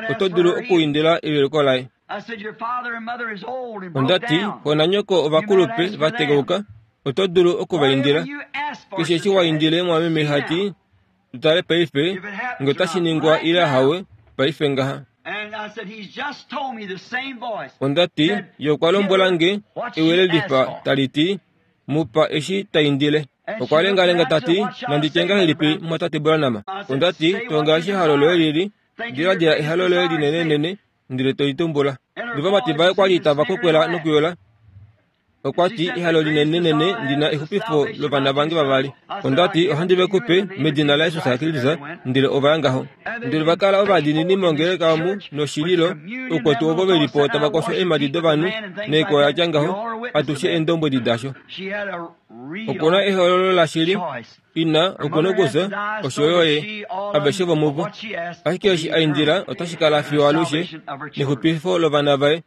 oto dulu okuindila eveluko laye. Onda ti, Xo nanyoko ovakulupe va tekauka, oto dulu oku va indila. Keshe eshi wa indile mwameme hati, tu tale paife nge otashi ningwa ile ahawe, paife ngaha. Onda ti, Ye okwa lombwela nge ewi lelifa tali ti, Mu pa eshi ta indile. Okwa lengalenga ta ti, Nandi tye ngahelipi, mumwatate Branham? Onda ti, Tonga eshi ehalo loye li li. Diladila ehalo loye linenenene, ndele to li tumbula. Novamati vaye kwa li tava kwekwela nokuyola. Okwa ti, Ehalo linenenene ndi na exupifo lovana vange vavali. Onda ti, Ohandi ve ku pe, medina laJesus Kristus. Ndele ova ya ngaho. Ndele ova kala ovadiinini mongeleka omu noshililo, oukwetu ovo ve li po tava kosho eemhadi dovanhu naikwao ya tya ngaho, atushe eendombwedi dasho. Oku na ehoololo lashili, ina oku na okufya, osho yo ye, aveshe vomuvo. Ashike eshi a indila otashi kala fiyo alushe, nexupifo lovana vaye.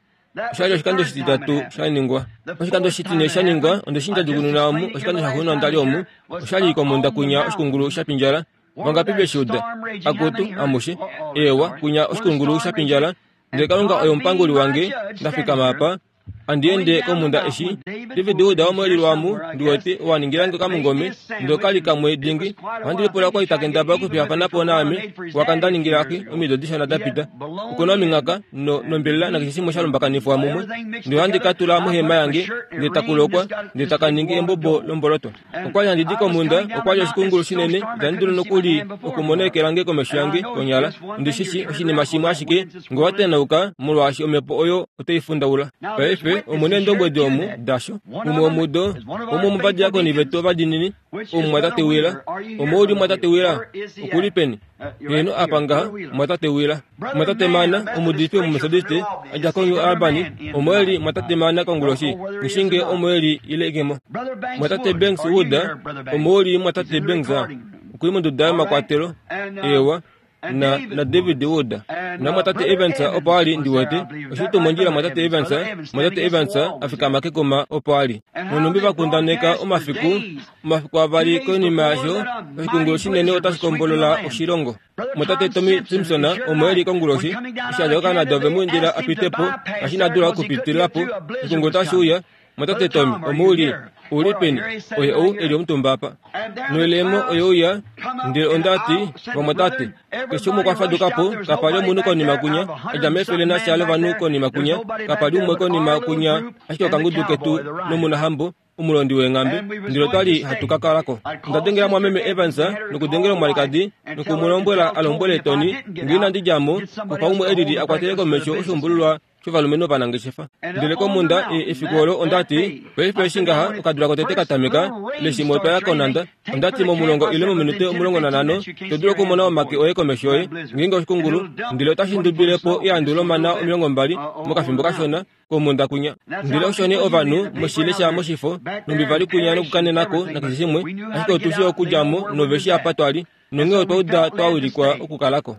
Osha li oshikando oshititatu sha ningwa. Oshikando oshitine sha ningwa, onde shi ndjadjukununa omu, oshikando shaxuuninwa onda li omu, osha li komhunda kwinya oshikungulu sha pindjala. Vangapi ve shi uda? Akutu, amushe. Eewa, kwinya oshikungulu sha pindjala. Ndele Kalunga oye omupanguli wange, nda fikama apa. Handi ende komhunda eshi David Wood womoelilwamu ndi wete owa ningila nge okamungome ndele oka li kamwe dingi. Ohandi lipula okwa li ta kendabala okufiyafana po naame waka nda ningila xe omido dishona da pita. Oku na ominghaka no, nombelela nakeshe shimwe sha lumbakanifwa mumwe. Ndele ohandi ka tula mohema yange ndele taku lokwa ndele taka ningi embobo lomboloto. Okwa li handi di komhunda, okwa li oshikungulu shinene, itandi dulu nokuli okumona eke lange komesho yange, konyala. Ondi shi shii oshinima shimwe ashike, nge owa tenauka, molwaashi omhepo oyo otai fundaula. Paife, omu na eendombwedi omu, dasho. Umwe womudo, umwe womovadiakoni vetu ovadiinini, omumwatate Wheeler. Omo u li, mumwatate Wheeler? Oku li peni? Heeno, apa ngaha, mumwatate Wheeler. Mumwatate Mann, omuudifi Omumetodiste, a dja koNew Albany, omo e li, mumwatate Mann konguloshi. Nghi shii ngee omo e li ile ke mo. Mumwatate Banks Wood, omo u li, mumwatate Banks? Oku li monduda yomakwatelo. Eewa. Na, naDavid Wood. Namumwatate Evans opo a li, ndi wete. Oshi li tuu mondjila, mumwatate Evans? Mumwatate Evans a fikama kekuma opo a li. Nonhumbi va kundaneka omafiku, omafiku avali konima yasho, oshikungulu shinene otashi kombolola oshilongo. Mumwatate Tommy Simpson omo e li konguloshi, eshi a dja koCanada ove mu indila a pite po, ngaashi ina dula okupitilila po. Oshikungulu otashi uya. Mumwatate Tommy, omo u li? U li peni? Oye ou e li omutumba apa. Noilemo oye uya, ndele onda ti, Vamwatate, keshe umwe okwa faduka po, kapa li omunhu konima kwinya, a dja mefele nasha lovanhu konima kwinya, kapa li umwe konima kwinya, ashike okangudu ketu nomunahambo, omulondi weenghambe, ndele otwa li hatu ka kala ko. Onda dengela mumwameme Evans nokudengela omwalikadi noku mu lombwela a lombwele Tony nge inandi dja mo, kufa umwe e lili a kwatele komesho oshuumbululwa shovalumenhu ovanangeshefa. Ndele komhunda e, efiku olo onda ti, Paife eshi ngaha okadula kotete ka tameka, leshimwe otwa ya konhanda. Onda ti, Momulongo ile mominute 15, to dulu okumona omake oye komesho yoye, ngeenge oshikungulu, ndele otashi ndubile po eandu lomana 20 mokafimbo kashona. komhunda kwinya. Ndele osho nee ovanhu moshilesha moshifo, nhumbi va li kwinya nokukanena ko nakeshe shimwe, ashike otu shii okudja mo nove shii apa twa li, nonghee otwa uda twa wilikwa okukala ko.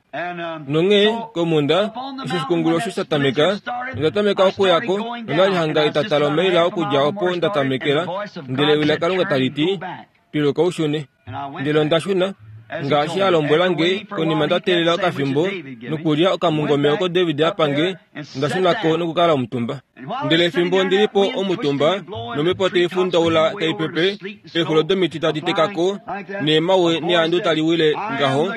Nonghee, komhunda, eshi oshikungulu osho sha tameka, nonda tameka okuya ko, nonda li hanga etata lomaila okudja opo nda tamekela, ndele Ewi laKalunga tali ti, Piluka u shune. Ndele onda shuna, ngaashi a lombwela nge, konima nda teelela okafimbo nokulya okamungome oko David a pa nge, onda shuna ko nokukala omutumba. Ndele fimbo ndi li po omutumba, nomhepo tai fundaula tai pepe, eexulo domiti tadi teka ko, neemawe neandu tali wile ngaho,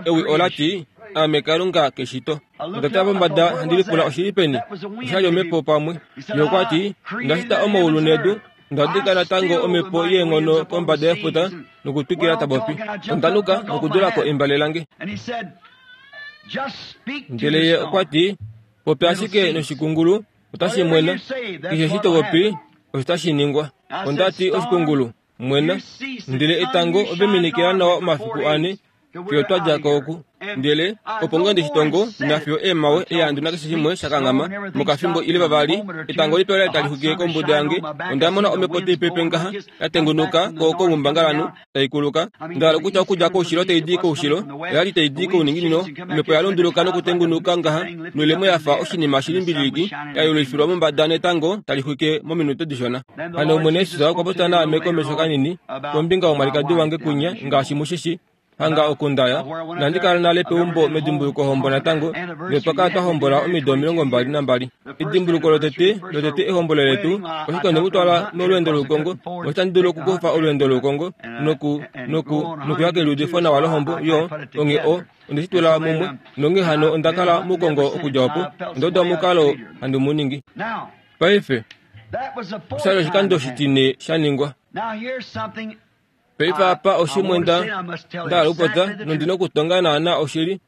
ewi ola ti, Aame Kalunga keshito. Onda tala pombada handi lipula oshi li peni? Osha li omhepo pamwe. Ye okwa ti, Onda shita omaulu nedu, Onda dika natango omhepo yeenghono kombada yefuta nokutwikila ta popi. Onda nuka nokudula ko embale lange. Ndele ye okwa ti, Popya ashike noshikungulu, otashi mwena. Keshe eshi to popi, osho tashi ningwa. Onda ti, Oshikungulu, mwena. Ndele etango ove minikila nawa omafiku ane, fiyo twa dja ko oku. Ndele opo ngoo ndi shi tongo, nafiyo eemhawe, ehandu nakeshe shimwe sha kanghama, mokafimbo ile vavali, etango lipe ola li tali xwikile kombuda yange, onda mona omhepo tai pepe ngaha, ya tengunuka ko koumbangalanhu, tai kuluka. Nda hala okutya okudja koushilo tai di koushilo, oya li tai di kouninginino, omhepo ya lunduluka nokutengunuka ngaha, noilemo ya fa oshinima shilimbililiki, ya yelufilwa mombada netango tali xwike mominute dishona. Hano Omwene Jesus okwa popya naame komesho kanini kombinga yomwalikadi wange kwinya, ngaashi mu shi shii. Hanga oku nda ya, inandi kala nale peumbo medimbulukohombo natango, ndele otwa kala twa hombola omido 22. Edimbuluko lotete, lotete ehombolo letu, oshike onde mu twala molweendo loukongo, otandi dulu okukufa olweendo loukongo noku, noku, nokuya keliudifo nawa lohombo, yo, onghee o, onde shi tula mumwe, nonghee hano onda kala moukongo okudja opo, onda uda omukalo handi mu ningi. Paife, osha li oshikando oshitine sha ningwa. Paife apa oshimwe nda nda hala okupopya nondi na okutonga naana oshili.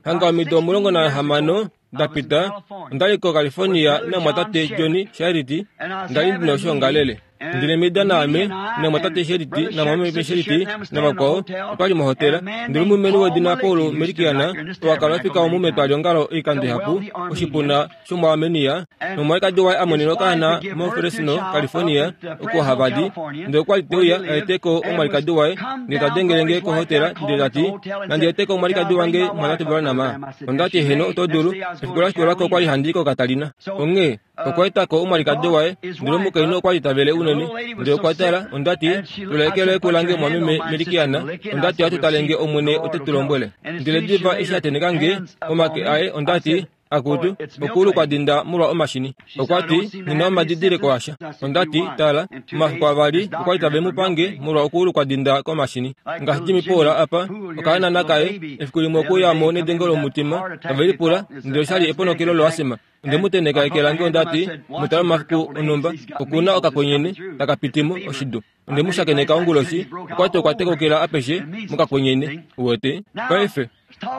Hanga omido 16 da pita, onda li koCalifornia namumwatate Johnny Sharity, nda li ndi na oshoongalele. Ndele Meda naame, namumwatate Sharity namumwameme Sharity navakwao, otwa li mohotela. Ndele omulumenhu wedina Paul Melikian, oo a kala ofika omu metwaliongalo oikando ihapu, oshipuna shomuArmenia, nomwalikadi waye a monene okaana moFresno, California, oko hava di. Ndele okwa li te uya a ete ko omwalikadi waye, ndele ta dengele nge kohotela, ndele ta ti, Nandi ete ko omwalikadi wange Mwatate Branham? Onda ti, Heeno, oto dulu. Efiku la shikula ko okwa li handi i koKatalina. Onghee okwa eta ko omwalikadi waye, ndele omukainhu okwa li ta vele unene. Ndele okwa tala, onda ti, Tula eke loye kulange, mwameme Melikiana. Onda ti, Ohatu tale nge Omwene ote tu lombwele. Ndele diva eshi a tenheka nge omake aye, onda ti, Akutu, okuulu kwa dinda molwa omashini. Okwa ti, Nghi na omadidiliko asha. Onda ti, Tala, omafiku avali okwa li tave mu pange molwa okuulu kwa dinda komashini. Ngaashi Jimmy Pool apa, okahanana kaye, efiku limwe okwe uya mo nedengo lomutima, tave lipula, ndele osha li eponokelo loasima. Onde mu tenheka eke lange onda ti, Mu tala omafiku onhumba, oku na okakwenyene taka piti mo, oshidu. Onde mu shakeneka onguloshi, okwa ti okwa tekokela apeshe mokakwenyene. Uwete? Paife,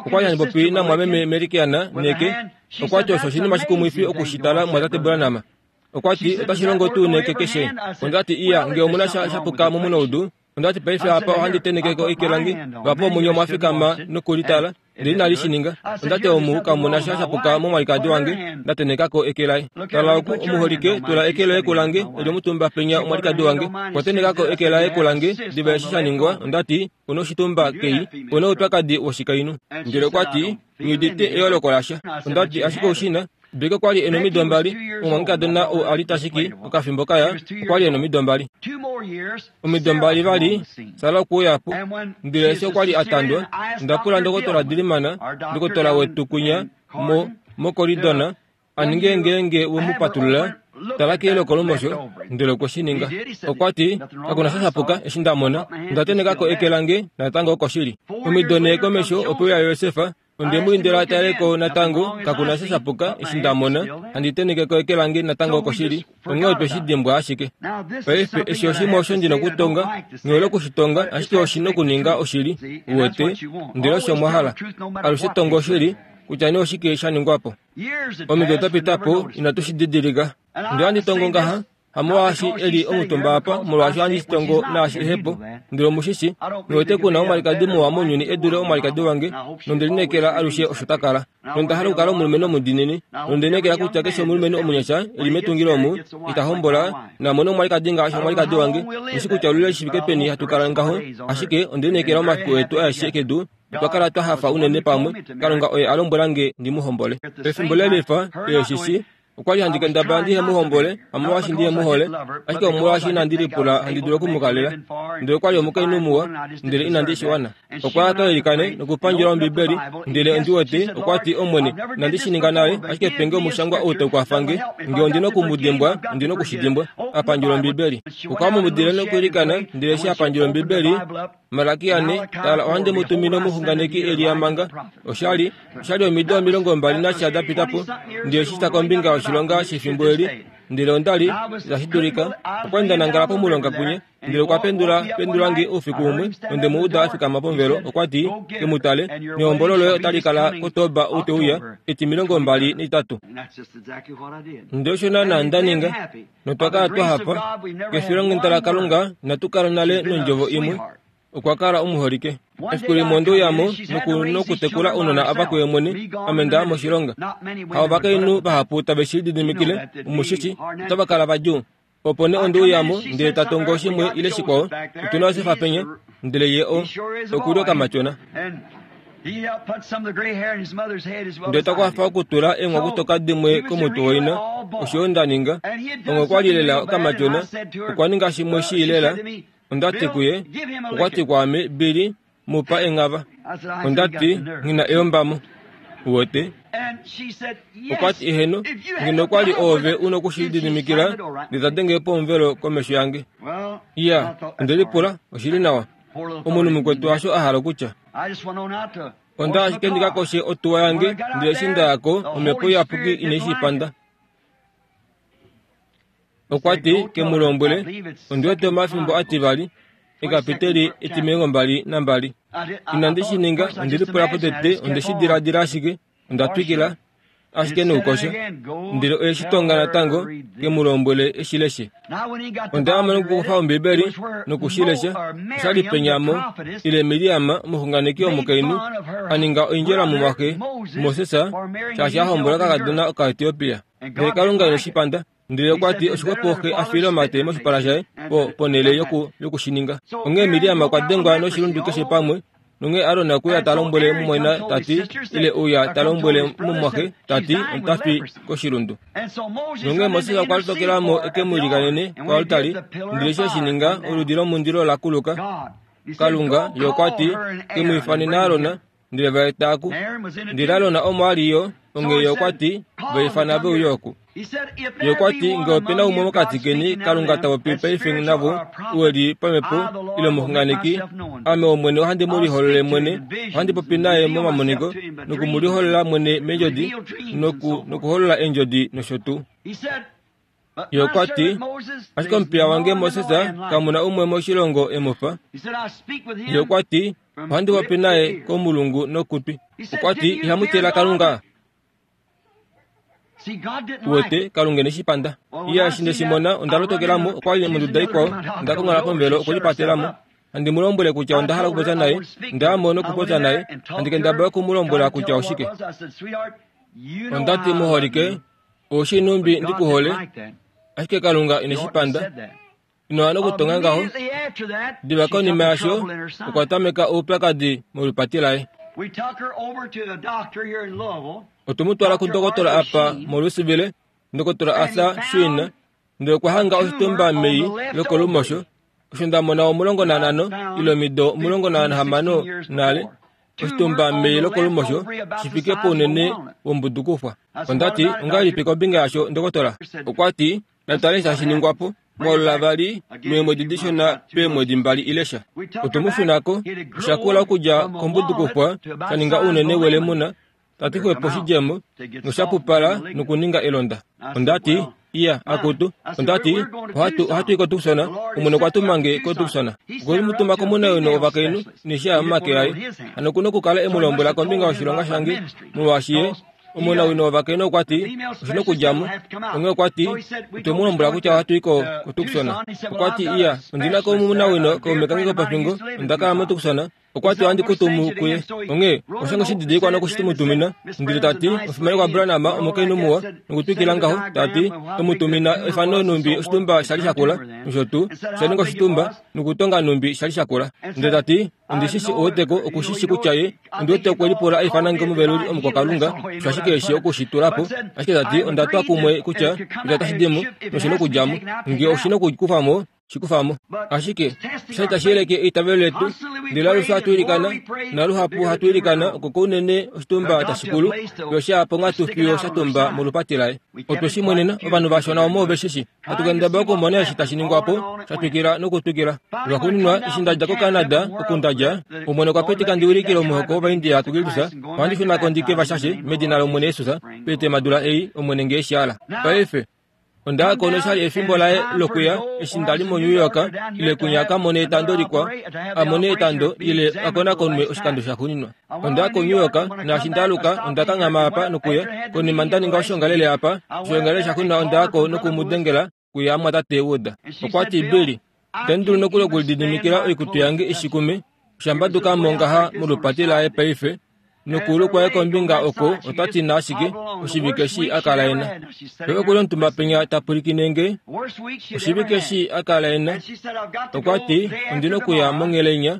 okwa li handi popi namwameme Merikiana neke, okwa ti osho oshinima shikumwifi oku shi tala mwatate Branham. Okwa ti, Otashi longo tuu neke keshe? Onda ti, Iya, nge omu na sha sha puka momunaudu, Onda ti paife apa ohandi tenheke ko eke lange, vapo omunye omwa fikama noku li tala, ndele inali shi ninga. Onda ti omu kamu na sha shapuka momwalikadi wange, nda tenheka ko eke laye. Tala oku, omuholike, tula eke loye kulange, e li omutumba penya omwalikadi wange. Okwa tenheka ko eke laye kulange, diva eshi sha ningwa, onda ti, U na oshitumba kei, u na oupyakadi woshikainhu. Ndele okwa ti, Nghi udite eyooloko lasha. Onda ti, Ashike ou shi na? Becky okwa li e na omido mbali, omumwangekadona ou a li ta shiki okafimbo kaya, okwa li e na omido mbali. Omido mbali vali, Sara okwe uya po. Ndele eshi okwa li a tandwa, onda pula ndokotola Diliman, ndokotola wetu kwinya mo, moKoridona, a ninge ngeenge we mu patulula, tala keeloko lomosho, ndele okwe shi ninga. Okwa ti, Kaku na sha sha puka eshi nda mona. Onda tenheka ko eke lange, natango okoshili. Omido nhee komesho okwe uya Josef, Onde mu indila a tale ko natango, kaku na sha sha puka eshi nda mona, handi tenheke ko eke lange natango okoshili, onghee otwe shi dimbwa ashike. Paife, eshi oshimwe osho ndi nokutonga, nghi hole oku shi tonga, ashike oshi nokuninga oshili, uwete, ndele osho mwa hala. Alushe tonga oshili, kutya nee oshike sha ningwa po. Omido da pita po, inatu shi didilika. Ndele ohandi tongo ngaha, Hamolwaashi e li omutumba apa, molwaashi ohandi shi tongo naashi ehe po. Ndele omu shi shi, nghi wete ku na omwalikadi muwa mounyuni e dule omwalikadi wange, nonde lineekela alushe osho ta kala. Nonda hala okukala omulumenhu omudiinini, nonde lineekela kutya keshe omulumenhu omunyasha e li metungilo omu, ita hombola, na mone omwalikadi ngaashi omwalikadi wange. Nghi shi kutya olule shi fike peni hatu kala ngaho, ashike onde lineekela omafiku etu aeshe kedu, otwa kala twa hafa unene pamwe. Kalunga oye a lombwela nge ndi mu hombole. Pefimbo lelifa, oye shi shi, Okwa li handi kendabala ndihe mu hombole, hamolwaashi ndihe mu hole, ashike omolwaashi inandi lipula handi dulu oku mu kalela. Ndele okwa li omukainhu muwa, ndele inandi shi wana. Okwa ya ka ilikane nokupandjula Ombibeli, ndele ondi wete, okwa ti, Omwene, inandi shi ninga nale, ashike pe nge omushangwa ou tau kwafa nge. Nge ondi noku mu dimbwa, ondi noku shi dimbwa. A pandjula Ombibeli. Okwa mumudile nokwiilikana, ndele eshi a pandjula Ombibeli, Malakia 4, Tala, ohandi mu tumine omuxunganeki Elia manga. Osha li, osha li omido 20 nasha da pita po, ndele eshi sha kombinga yoshilonga shefimbo eli, ndele onda li, itashi dulika, okwa li nda nangala pomulonga punya, ndele okwa pendula, pendula nge oufiku umwe, nonde mu uda a fikama pomuvelo, okwa ti, Ke mu tale, nehombolo loye otali kala kOtoba ou te uya, eti 23. Ndele osho naanaa nda ninga. Notwa kala twa hafa. Kefilonghenda laKalunga, inatu kala nale nondjovo imwe. Okwa kala omuholike. Efiku limwe onde uya mo noku, nokutekula ounona ava kuye mwene, ame nda ya moshilonga. Ha ovakainhu vahapu tave shi lididimikile, omu shi shi, otava kala vadjuu. Opo nee onde uya mo, ndele ta tongo shimwe ile shikwao, Otu na Josefa penya, ndele ye o, oku li okamatyona. Ndele ta kwafa okutula eenghwakutoka dimwe komutwe waina, osho yo nda ninga. Onghee okwa li lela okamatyona, okwa ninga shimwe shii lela. Onda ti kuye, okwa ti kwaame, Billy, mu pa enghava. Onda ti, Nghi na eyombamo. Uwete? Okwa ti, Eheno, ngeno okwa li oove u noku shi lididimikila, ndele ta denge pomuvelo komesho yange. Iya, onde lipula, oshi li nawa. Omunhu mukwetu hasho a hala okutya. Onda ashike ndi ka koshe otuwa yange, ndele eshi nda ya ko, Omhepo Iyapuki inai shi panda. Okwa ti, Ke mu lombwele, ondi wete omafimbo ativali, ekapiteli etimilongombali nambali. Inandi shi ninga, onde lipula potete, onde shi diladila ashike, onda twikila ashike noukosha. Ndele oye shi tonga natango, ke mu lombwele e shi leshe. Onda ya mo nokukufa Ombibeli noku shi lesha. Osha li penya mo, ile Miriam, omuxunganeki womukainhu, a ninga oindjela mumwaxe Moses, shaashi a hombola okakadona Okaetiopia. Ndele Kalunga ine shi panda. Ndele okwa ti oshixwepo xe a fiile omate moshipala shaye po, ponhele yoku, yoku shi ninga. Onghee Miriam okwa dengwa noshilundu keshe pamwe, nonghee Aron okwe uya ta lombwele mumwaina ta ti, ile uya ta lombwele mumwaxe ta ti, Ota fi koshilundu. Nonghee Moses okwa lotokela mo e ke mu ilikanene koaltari, ndele eshi e shi ninga, oludi lomundilo ola kuluka. Kalunga, ye okwa ti, Ke mu ifanene Aron. Ndele va eta oku. Ndele Aron omo a li yo, onghee ye okwa ti, Va ifana ve uye oku. Ye okwa ti, Nge ope na umwe mokati keni Kalunga ta popi paife navo, u e li pamhepo, ile omuxunganeki, Ame Omwene ohandi mu liholole mwene, ohandi popi naye momamoniko, noku mu liholola mwene meendjodi, noku, nokuholola eendjodi nosho tuu. Ye okwa ti, Ashike omupiya wange Moses kamu na umwe moshilongo e mu fa. Ye okwa ti, Ohandi popi naye komulungu nokutwi. Okwa ti, Ihamu tila Kalunga? Uwete, Kalunga ine shi panda. Iya, eshi nde shi mona, onda lotokela mo, okwa li monduda ikwao, onda konghola pomuvelo okulipatela mo. Handi mu lombwele kutya onda hala okupopya naye, nda ya mo nokupopya naye, handi kendabala oku mu lombwela kutya oshike. Onda ti, Muholike, Ou shii nhumbi ndi ku hole, ashike Kalunga ine shi panda. Ino wana okutonga ngaho. Diva konima yasho, okwa tameka oupyakadi molupati laye. Otwe mu twala kundokotola apa moLouisville, Ndokotola Arthur Sheen, ndele okwa hanga oshitumba mei lokolumosho, osho nda mona 15 ile omido 16 nale, oshitumba mei lokolumosho shi fike pounene wombudukufwa. Onda ti, Ongahelipi kombinga yasho, ndokotola? Okwa ti, Natale eshi tashi ningwa po. Mwaulula vali meemwedi dishona peemwedi mbali ile sha. Otwe mu shuna ko. Osha kula okudja kombudukufwa sha ninga ounene welemuna, ta ti xwepo oshidjemo, nosha pupala nokuninga elonda. Onda ti, Iya, akutu. Onda ti, Ohatu, ohatu i koTucson. Omwene okwa tuma nge koTucson. Okwe mu tuma komunawino wovakainhu nesha momake aye. Hano oku na okukala e mu lombwela kombinga yoshilonga shange, molwaashi ye Omunawino wovakainhu okwa ti, Oshi na okudja mo. Onghee okwa ti, Otwe mu lombwela kutya ohatu i ko, koTucson. Okwa ti, Iya, ondi na ko omunawino kaume kange kopofingo, onda kala moTucson. Okwa ti, Ohandi ku tumu kuye. Onghee, osha nge oshididilikwa noku shi mu tumina. Ndele ta ti, Omufimanekwa Branham, omukainhu muwa, nokutwikila ngaho, ta ti, e mu tumina efano nhumbi oshitumba sha li sha kula, nosho tuu, osha ninga oshitumba, nokutonga nhumbi sha li sha kula. Ndele ta ti, Ondi shi shi ouweteko, oku shi shi kutya ye, ondi wete okwe lipula a ifana nge omuveluli omukwakalunga, osho ashike eshi oku shi tula po. Ashike ta ti, Onda twa kumwe kutya, kutya otashi di mo, noshi nokudja mo. Nge oshi nokukufa mo, shi kufa mo. Ashike, osha li tashi yeleke eitavelo letu, ndele alushe ohatu ilikana, naluhapu hatu ilikana oko kounene oshitumba tashi kulu, fiyo sha ya ponghatu fiyo sha tumba molupati laye. Otwe shi mwenena, ovanhu vashona omo ove shi shi. Hatu kendabala okumona eshi tashi ningwa po, sha twikila nokutwikila. Lwaxuuninwa, eshi nda dja koCanada, oku nda dja, Omwene okwa pitika ndi wilikile omuhoko wOvaindia kuKristus, ohandi shuna ko ndi ke va shashe, medina lOmwene Jesus, peetemadula ei, Omwene nge e shi hala. Paife, onda ya ko nosha li efimbo laye lokuya, eshi nda li moNew York, ile kwinya a ka mone etando likwao, a mone etando, ile a konakonwe oshikando shaxuuninwa. Onda ya koNew York, naashi nda aluka, onda kanghama apa nokuya. Konima nda ninga oshoongalele apa, oshoongalele shaxuuninwa onda ya ko noku mu dengela kuya mumwatate Wood. Okwa ti, Billy, itandi dulu nokuli okulididimikila oikutu yange i shikume. Osha mbaduka mo ngaha molupati laye paife, nokuulu kwaye kombinga oko ota ti na ashike oshivike eshi a kala e na. Ye oku li omutumba penya ta pwilikine nge, oshivike eshi a kala e na. Okwa ti, Ondi nokuya monhele inya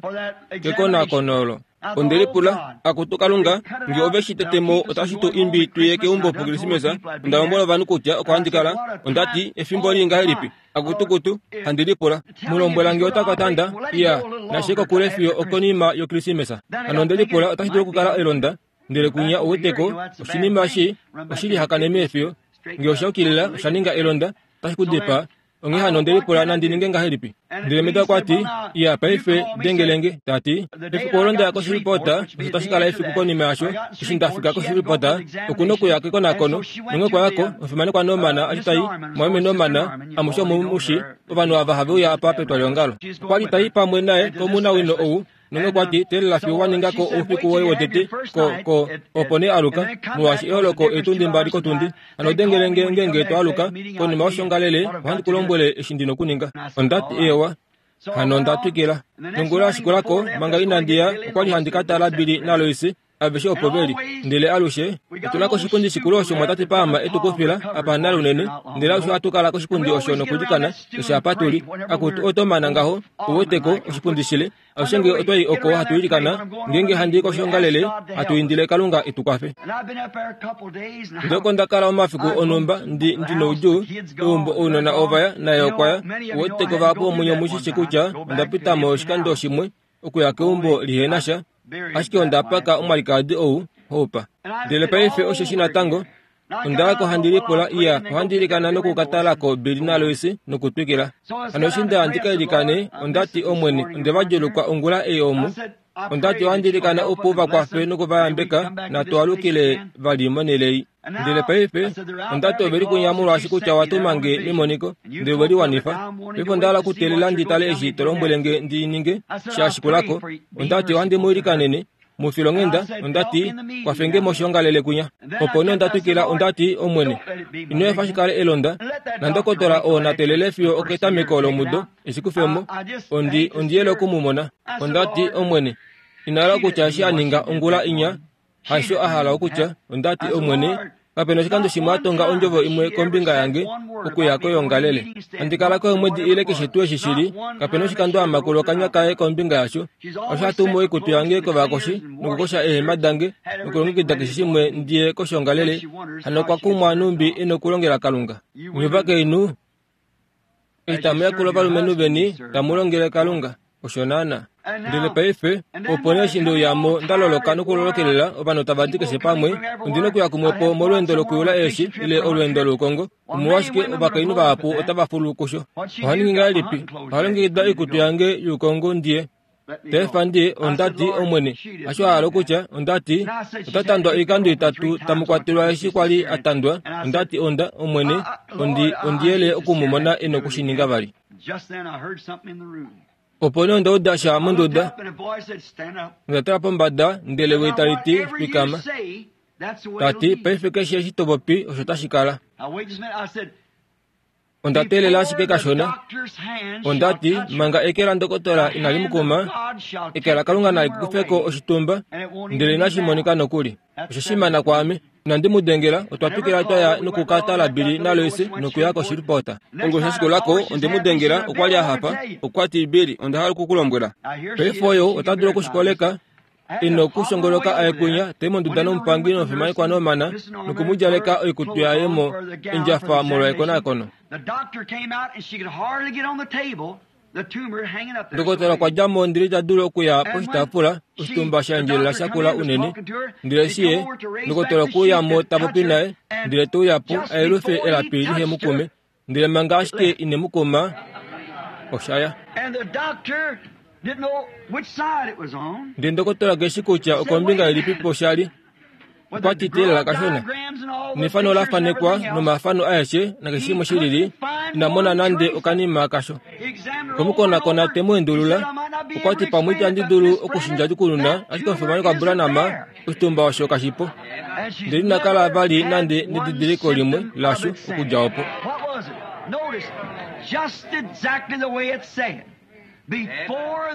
kekonakono olo. Onde lipula, Akutu Kalunga, nge ove shi tete mo otashi tu imbi tu ye keumbo pOkrismesa? Onda lombwela ovanhu kutya oko handi kala. Onda ti, Efimbo lii ngahelipi? Akutukutu, handi lipula. Mu lombwela nge ota ka tanda, iya, nashi ye kokule fiyo okonima yOkrismesa. Hano onde lipula otashi dulu okukala elonda, ndele kunya ou wete ko, oshinima eshi oshi lihakane meefiyo. Nge osha yukilila, osha ninga elonda, otashi ku dipaa. Onghee hano onde lipula nandi ninge ngahelipi. Ndele Meda okwa ti, Iya, paife, dengele nge. Ta ti, Efiku olo nda ya koShreveport, osho tashi kala efiku konima yasho, eshi nda fika koShreveport, oku nokuya kekonakono. Nonghee okwa ya ko, omufimanekwa Norman a li ta i, mumwameme Norman, amushe omu mu shi, ovanhu ava have uya apa petwaliongalo. Okwa li ta i pamwe naye komunawino ou, Nonge okwa ti, Teelela fiyo wa ninga ko oufiku woye wotete, ko, ko, opo nee aluka, molwaashi eholoko eetundi mbali kotundi. Hano dengele nge ngeenge to aluka, konima yoshongalele, ohandi ku lombwele eshi ndi nokuninga. Onda ti, Eewa. Hano onda twikila. Nongula ya shikula ko, manga inandi ya, okwa li handi ka tala Billy naLois, Aveshe opo ve li. Ndele alushe, otu na koshipundi shikulu osho mwatate Palmer e tu kufila, apa nale unene. Ndele alushe ohatu kala koshipundi osho nokwiilikana, keshe apa tu li. Akutu, oto mana ngaho, u wete ko, oshipundi shile. Alushe nge otwa i oko hatu ilikana, ngeenge handi i koshoongalele, hatu indile Kalunga e tu kwafe. Ndele oko nda kala omafiku onhumba, ndi, ndi noudjuu, eumbo ounona ova ya, naye okwa ya. U wete ko vahapu vomunye omu shi shi kutya onda pita mo oshikando shimwe, okuya keumbo lihe na sha. Ashike onda paka omwalikadi ou, Hope. Ndele paife osheshi natango, onda ya ko handi lipula, iya, ohandi ilikana noku ka tala ko Billy naLois nokutwikila. Hano eshi nda ya ndi ka ilikane, onda ti, Omwene, onde va djuulukwa ongula ei omu. Onda ti ohandi ilikana opo u va kwafe noku va yambeka, natu alukile vali monhele ei. Ndele paife, onda ti ove li kunya molwaashi kutya owa tuma nge memoniko, ndele ove li wanifa. Paife onda hala okuteelela ndi tale eshi to lombwele nge ndi ninge, sha shikula ko. Onda ti ohandi mu ilikanene, mu filonghenda, onda ti, kwafe nge moshiongalele kunya. Opo nee onda twikila, onda ti, Omwene, ino efa shi kale elonda, nandokotola oo na teelele fiyo oketameko lomudo, e shi kufe mo. Ondi, ondi yele oku mu mona. Onda ti, Omwene, ina hala okutya eshi a ninga ongula inya, Hasho a hala okutya, onda ti, Omwene, kape na oshikando shimwe a tonga ondjovo imwe kombinga yange okuya koyoongalele. Handi kala ko eemwedi ile keshe tuu eshi shi li, kape na oshikando a makula okanya kaye kombinga yasho. Osho a tumu oikutu yange kovakoshi nokukosha eehema dange nokulongekida keshe shimwe ndi ye koshoongalele, hano okwa kumwa nhumbi e nokulongela Kalunga. Nye ovakainhu, Eshi tamu yakula ovalumenhu veni, tamu longele Kalunga. Osho naanaa. Ndele paife, opo nee eshi nde uya mo nda loloka nokulolokelela ovanhu tava di keshe pamwe, ondi na okuya kumwe po molweendo lokuyula eeshi ile olweendo loukongo. Omolwashike ovakainhu vahapu otava fulu kusho? Oha ningi ngahelipi? Oha longekida oikutu yange youkongo ndi ye. Tefa ndi, onda ti, Omwene, hasho a hala okutya, onda ti, ota tandwa oikando itatu tamu kwatelwa eshi kwa li a tandwa, onda ti, onda, Omwene, ondi, ondi yele oku mu mona e noku shi ninga vali. Opo nee onda uda sha monduda. Onda tala pombada, ndele ewi tali ti, Fikama. Ta ti, Paife keshe eshi to popi, osho tashi kala. Onda teelela ashike kashona. Onda ti, manga eke landokotola inali mu kuma, eke laKalunga nali kufe ko oshitumba, ndele inashi monika nokuli. Osha shimana kwaame. Inandi mu dengela, otwa twikila twa ya noku ka tala Billy naLois nokuya koShreveport. Onguloshi ya shikula ko, onde mu dengela, okwa li a hafa. Okwa ti, Billy, onda hala oku ku lombwela. Paife oyo, ota dulu oku shi koleka. E nokushongoloka a ye kwinya, ta i monduda nomupangi nomufimanekwa Norman, noku mu djaleka oikutu yaye mo endjafa molwa ekonakono. Ndokotola okwa dja mo ndele ita dulu okuya poshitaafula, oshitumba sha endjelela sha kula unene. Ndele eshi ye, ndokotola okwe uya mo ta popi naye, ndele te uya po a yelufe elapi lihe mu kume, Ndele manga ashike ine mu kuma, osha ya. Ndele ndokotola ke shi kutya okombinga ilipipo sha li. Okwa ti teelela kashona. Nefano ola fanekwa nomafano aeshe nakeshe shimwe shi lili, ina mona nande okanima kasho. Okwe mu konakona te mu endulula. Okwa ti pamwe itandi dulu oku shi ndjadjukununa, ashike omufimanekwa Branham, Oshitumba osho kashi po. Ndele ina kala vali nande nedidiliko limwe lasho okudja opo.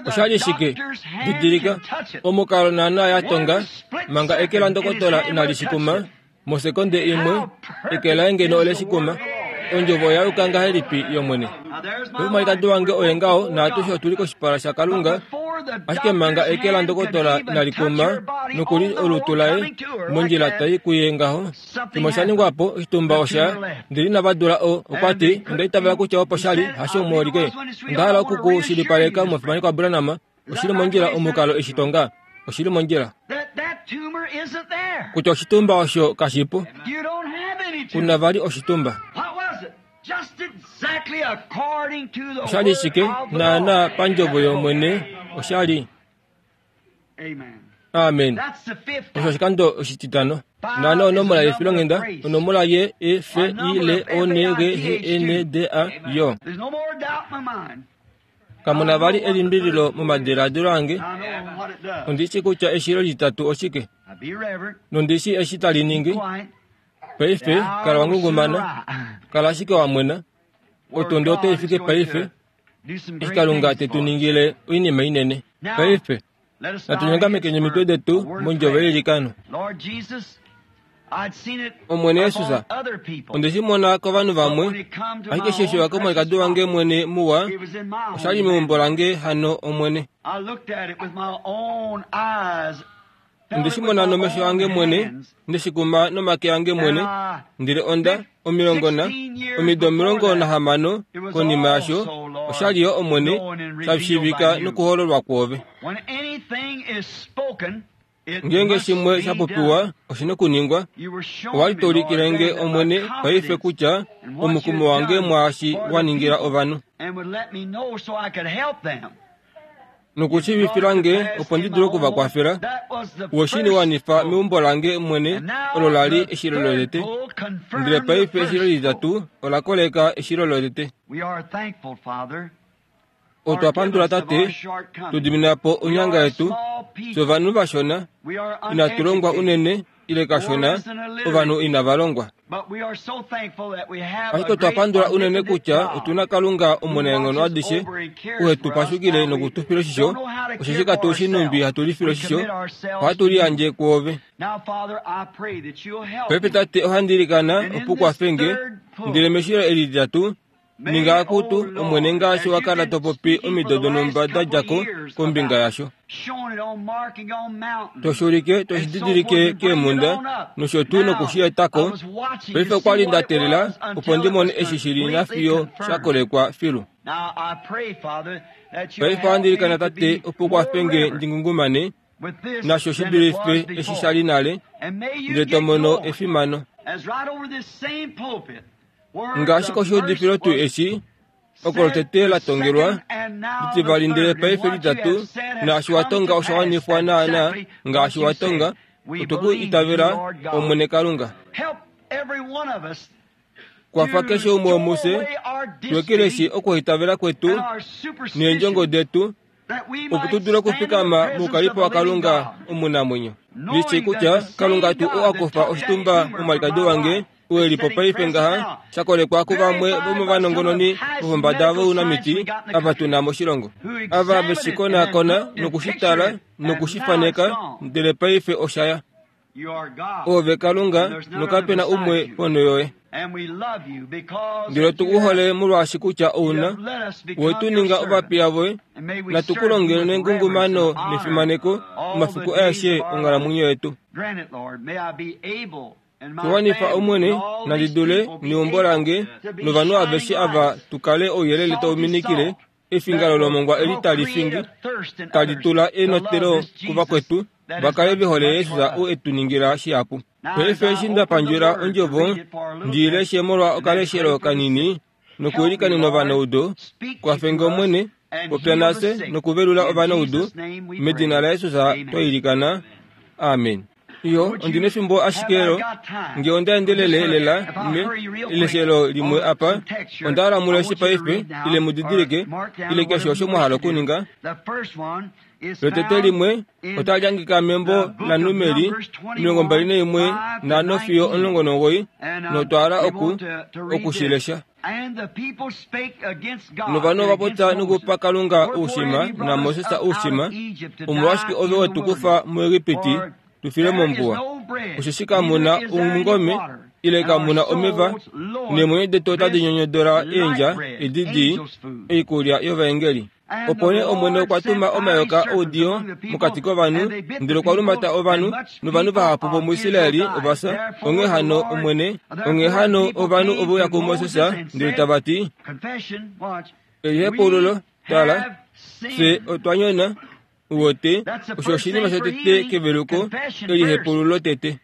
Osha li shike? Didilika, omukalo naanaa ya tonga, manga eke landokotola inali shi kuma, mosekonde imwe, eke laye ngeno ole shi kuma. Ondjovo oya yuka ngahelipi yOmwene? Omumalikadi wange oye ngaho, naatushe otu li koshipala shaKalunga, ashike manga eke landokotola inali kuma nokuli olutu laye mondjila tai kuye ngaho, shimwe osha ningwa po, oshitumba osha ndele inava dula o, okwa ti, onda itavela kutya opo sha li, hasho omuholike. Onda hala oku ku shilipaleka omufimanekwa Branham, oshi li mondjila omukalo eshi tonga. Oshi li mondjila. Kutya oshitumba osho kashi po. Ku na vali oshitumba. Osha li shike? Naanaa pandjovo yOmwene, osha li. Amen. Osho oshikando oshititano. Naanaa onomola yefilonghenda, onomola ye E F I L O N G H E N D A yo. Kamu na vali elimbililo momadiladilo ange. Ondi shi kutya eshilo litatu oshike, nondi shi eshi tali ningi. Paife, kala wa ngungumana, kala ashike wa mwena. Otundi otai fike paife, eshi Kalunga te tu ningile oinima inene. Paife, natu nyongamekeni omitwe detu mondjovo yeilikano. Omwene Jesus, onde shi mona kovanhu vamwe, ashike eshi oshiwa komwalikadi wange mwene muwa, osha li meumbo lange hano, Omwene. Onde shi mona nomesho ange mwene, nde shi kuma nomake ange mwene, ndele onda, omilongo na, omido 16 konima yasho, osha li yo Omwene, sha shiivika nokuhololwa kwoove. Ngeenge shimwe sha popiwa, oshi nokuningwa. Owa li to ulikile nge, Omwene, paife kutya omukumo wange mwaashi wa ningila ovanhu. Nokushiivifila nge opo ndi dule oku va kwafela. We shi wanifa meumbo lange mwene, olo la li eshilo lotete. Ndele paife eshilo lititatu ola koleka eshilo lotete. Otwa pandula Tate, tu dimina po onyanga yetu. Fye ovanhu vashona, inatu longwa unene ile kashona, ovanhu inava longwa. Ashike otwa pandula unene kutya otu na Kalunga omunaenghono adishe, ou he tu pashukile noku tu fila oshisho, osheshi katu shi nhumbi hatu lifile oshisho, ohatu liyandje kwoove. Paife Tate, ohandi ilikana opo u kwafe nge, ndele meshilo eli lititatu, Ninga akutu, Omwene ngaashi wa kala to popi omido donhumba da dja ko kombinga yasho. To shi ulike, to shi didilike keemhunda, nosho tuu noku shi eta ko. Paife okwa li nda teelela opo ndi mone eshi shi li nafiyo sha kolekwa filu. Paife ohandi ilikana Tate opo u kwafe nge ndi ngungumane nasho shi dulife eshi sha li nale, ndele to mono efimano. Ngaashi koshiudifilo tuu eshi, oko lotete la tongelwa, litivali ndele paife litatu, naashi wa tonga osha wanifwa naanaa ngaashi wa tonga, otwe ku itavela, Omwene Kalunga. Kwafa keshe umwe womufye tu ekeleshi okuhaitavela kwetu neendjongo detu, opo tu dule okufikama moukalipo waKalunga omunamwenyo. Ndi shii kutya Kalunga tuu oo a kufa oshitumba momwalikadi wange oo e li po paife ngaha, sha kolekwa kuvamwe vomovanongononi vopombada vounamiti ava tu na moshilongo, ava ve shi konakona noku shi tala noku shi faneka, ndele paife osha ya. Oove Kalunga, nokape na umwe ponho yoye. Ndele otu ku hole molwaashi kutya ou na, we tu ninga ovapiya voye, natu ku longele nengungumano nefimaneko omafiku aeshe onghalamwenyo yetu. Tu wanifa Omwene, nandi dule neumbo lange novanhu aveshe ava tu kale ouyelele tau minikile Efingalo lomongwa eli tali fingi, tali tula enotelo kuvakwetu va kale ve hole Jesus ou e tu ningila shihapu. Paife eshi nda pandjula ondjovo, ndi i leshe molwa okaleshelo kanini nokuilikanena ovanaudu, kwafe nge Omwene, popya nafye nokuvelula ovanaudu, medina laJesus twa ilikana. Amen. Iyo, ondi nefimbo ashike lo, nge onda endelele lela me, eleshelo limwe apa, onda hala mu leshe paife, ile mu didilike, ile keshe osho mwa hala okuninga. Lotete limwe otali hangika membo laNumeri 21 nhano fiyo 19, notwa hala oku, oku shi lesha. Novanhu ova popya nokupa Kalunga oushima naMoses oushima, Omolwashike ove we tu kufa muEgipiti tu file mombuwa? Osheshi kamu na omungome ile kamu na omeva, neemwenyo detu otadi nyonyodola eendja edi dii, oikulya yovaengeli. Opo nee Omwene okwa tuma omayoka oudiyo mokati kovanhu, ndele okwa lumata ovanhu, novanhu vahapu vomuIsraeli ova fya. Onghee hano Omwene, onghee hano ovanhu ove uya kuMoses ndele tava ti, Elihepaululo, tala, fye otwa nyona, u wete, osho oshinima shotete keveluko, elihepaululo tete.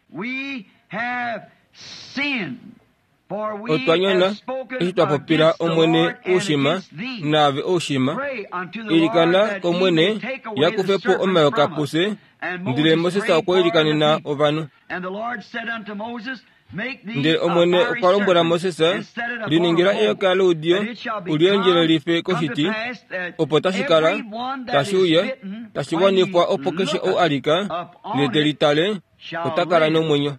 Otwa nyona eshi twa popila Omwene oushima, naave oushima. Ilikana kOmwene ya kufe po omayoka pufye. Ndele Moses okwa ilikanena ovanhu. Ndele Omwene okwa lombwela Moses, Liningila eyoka loudiyo, u li endjelelife koshiti, opo tashi kala, tashi uya, tashi wanifwa opo keshe ou a lika, ndele te li tale, ota kala nomwenyo.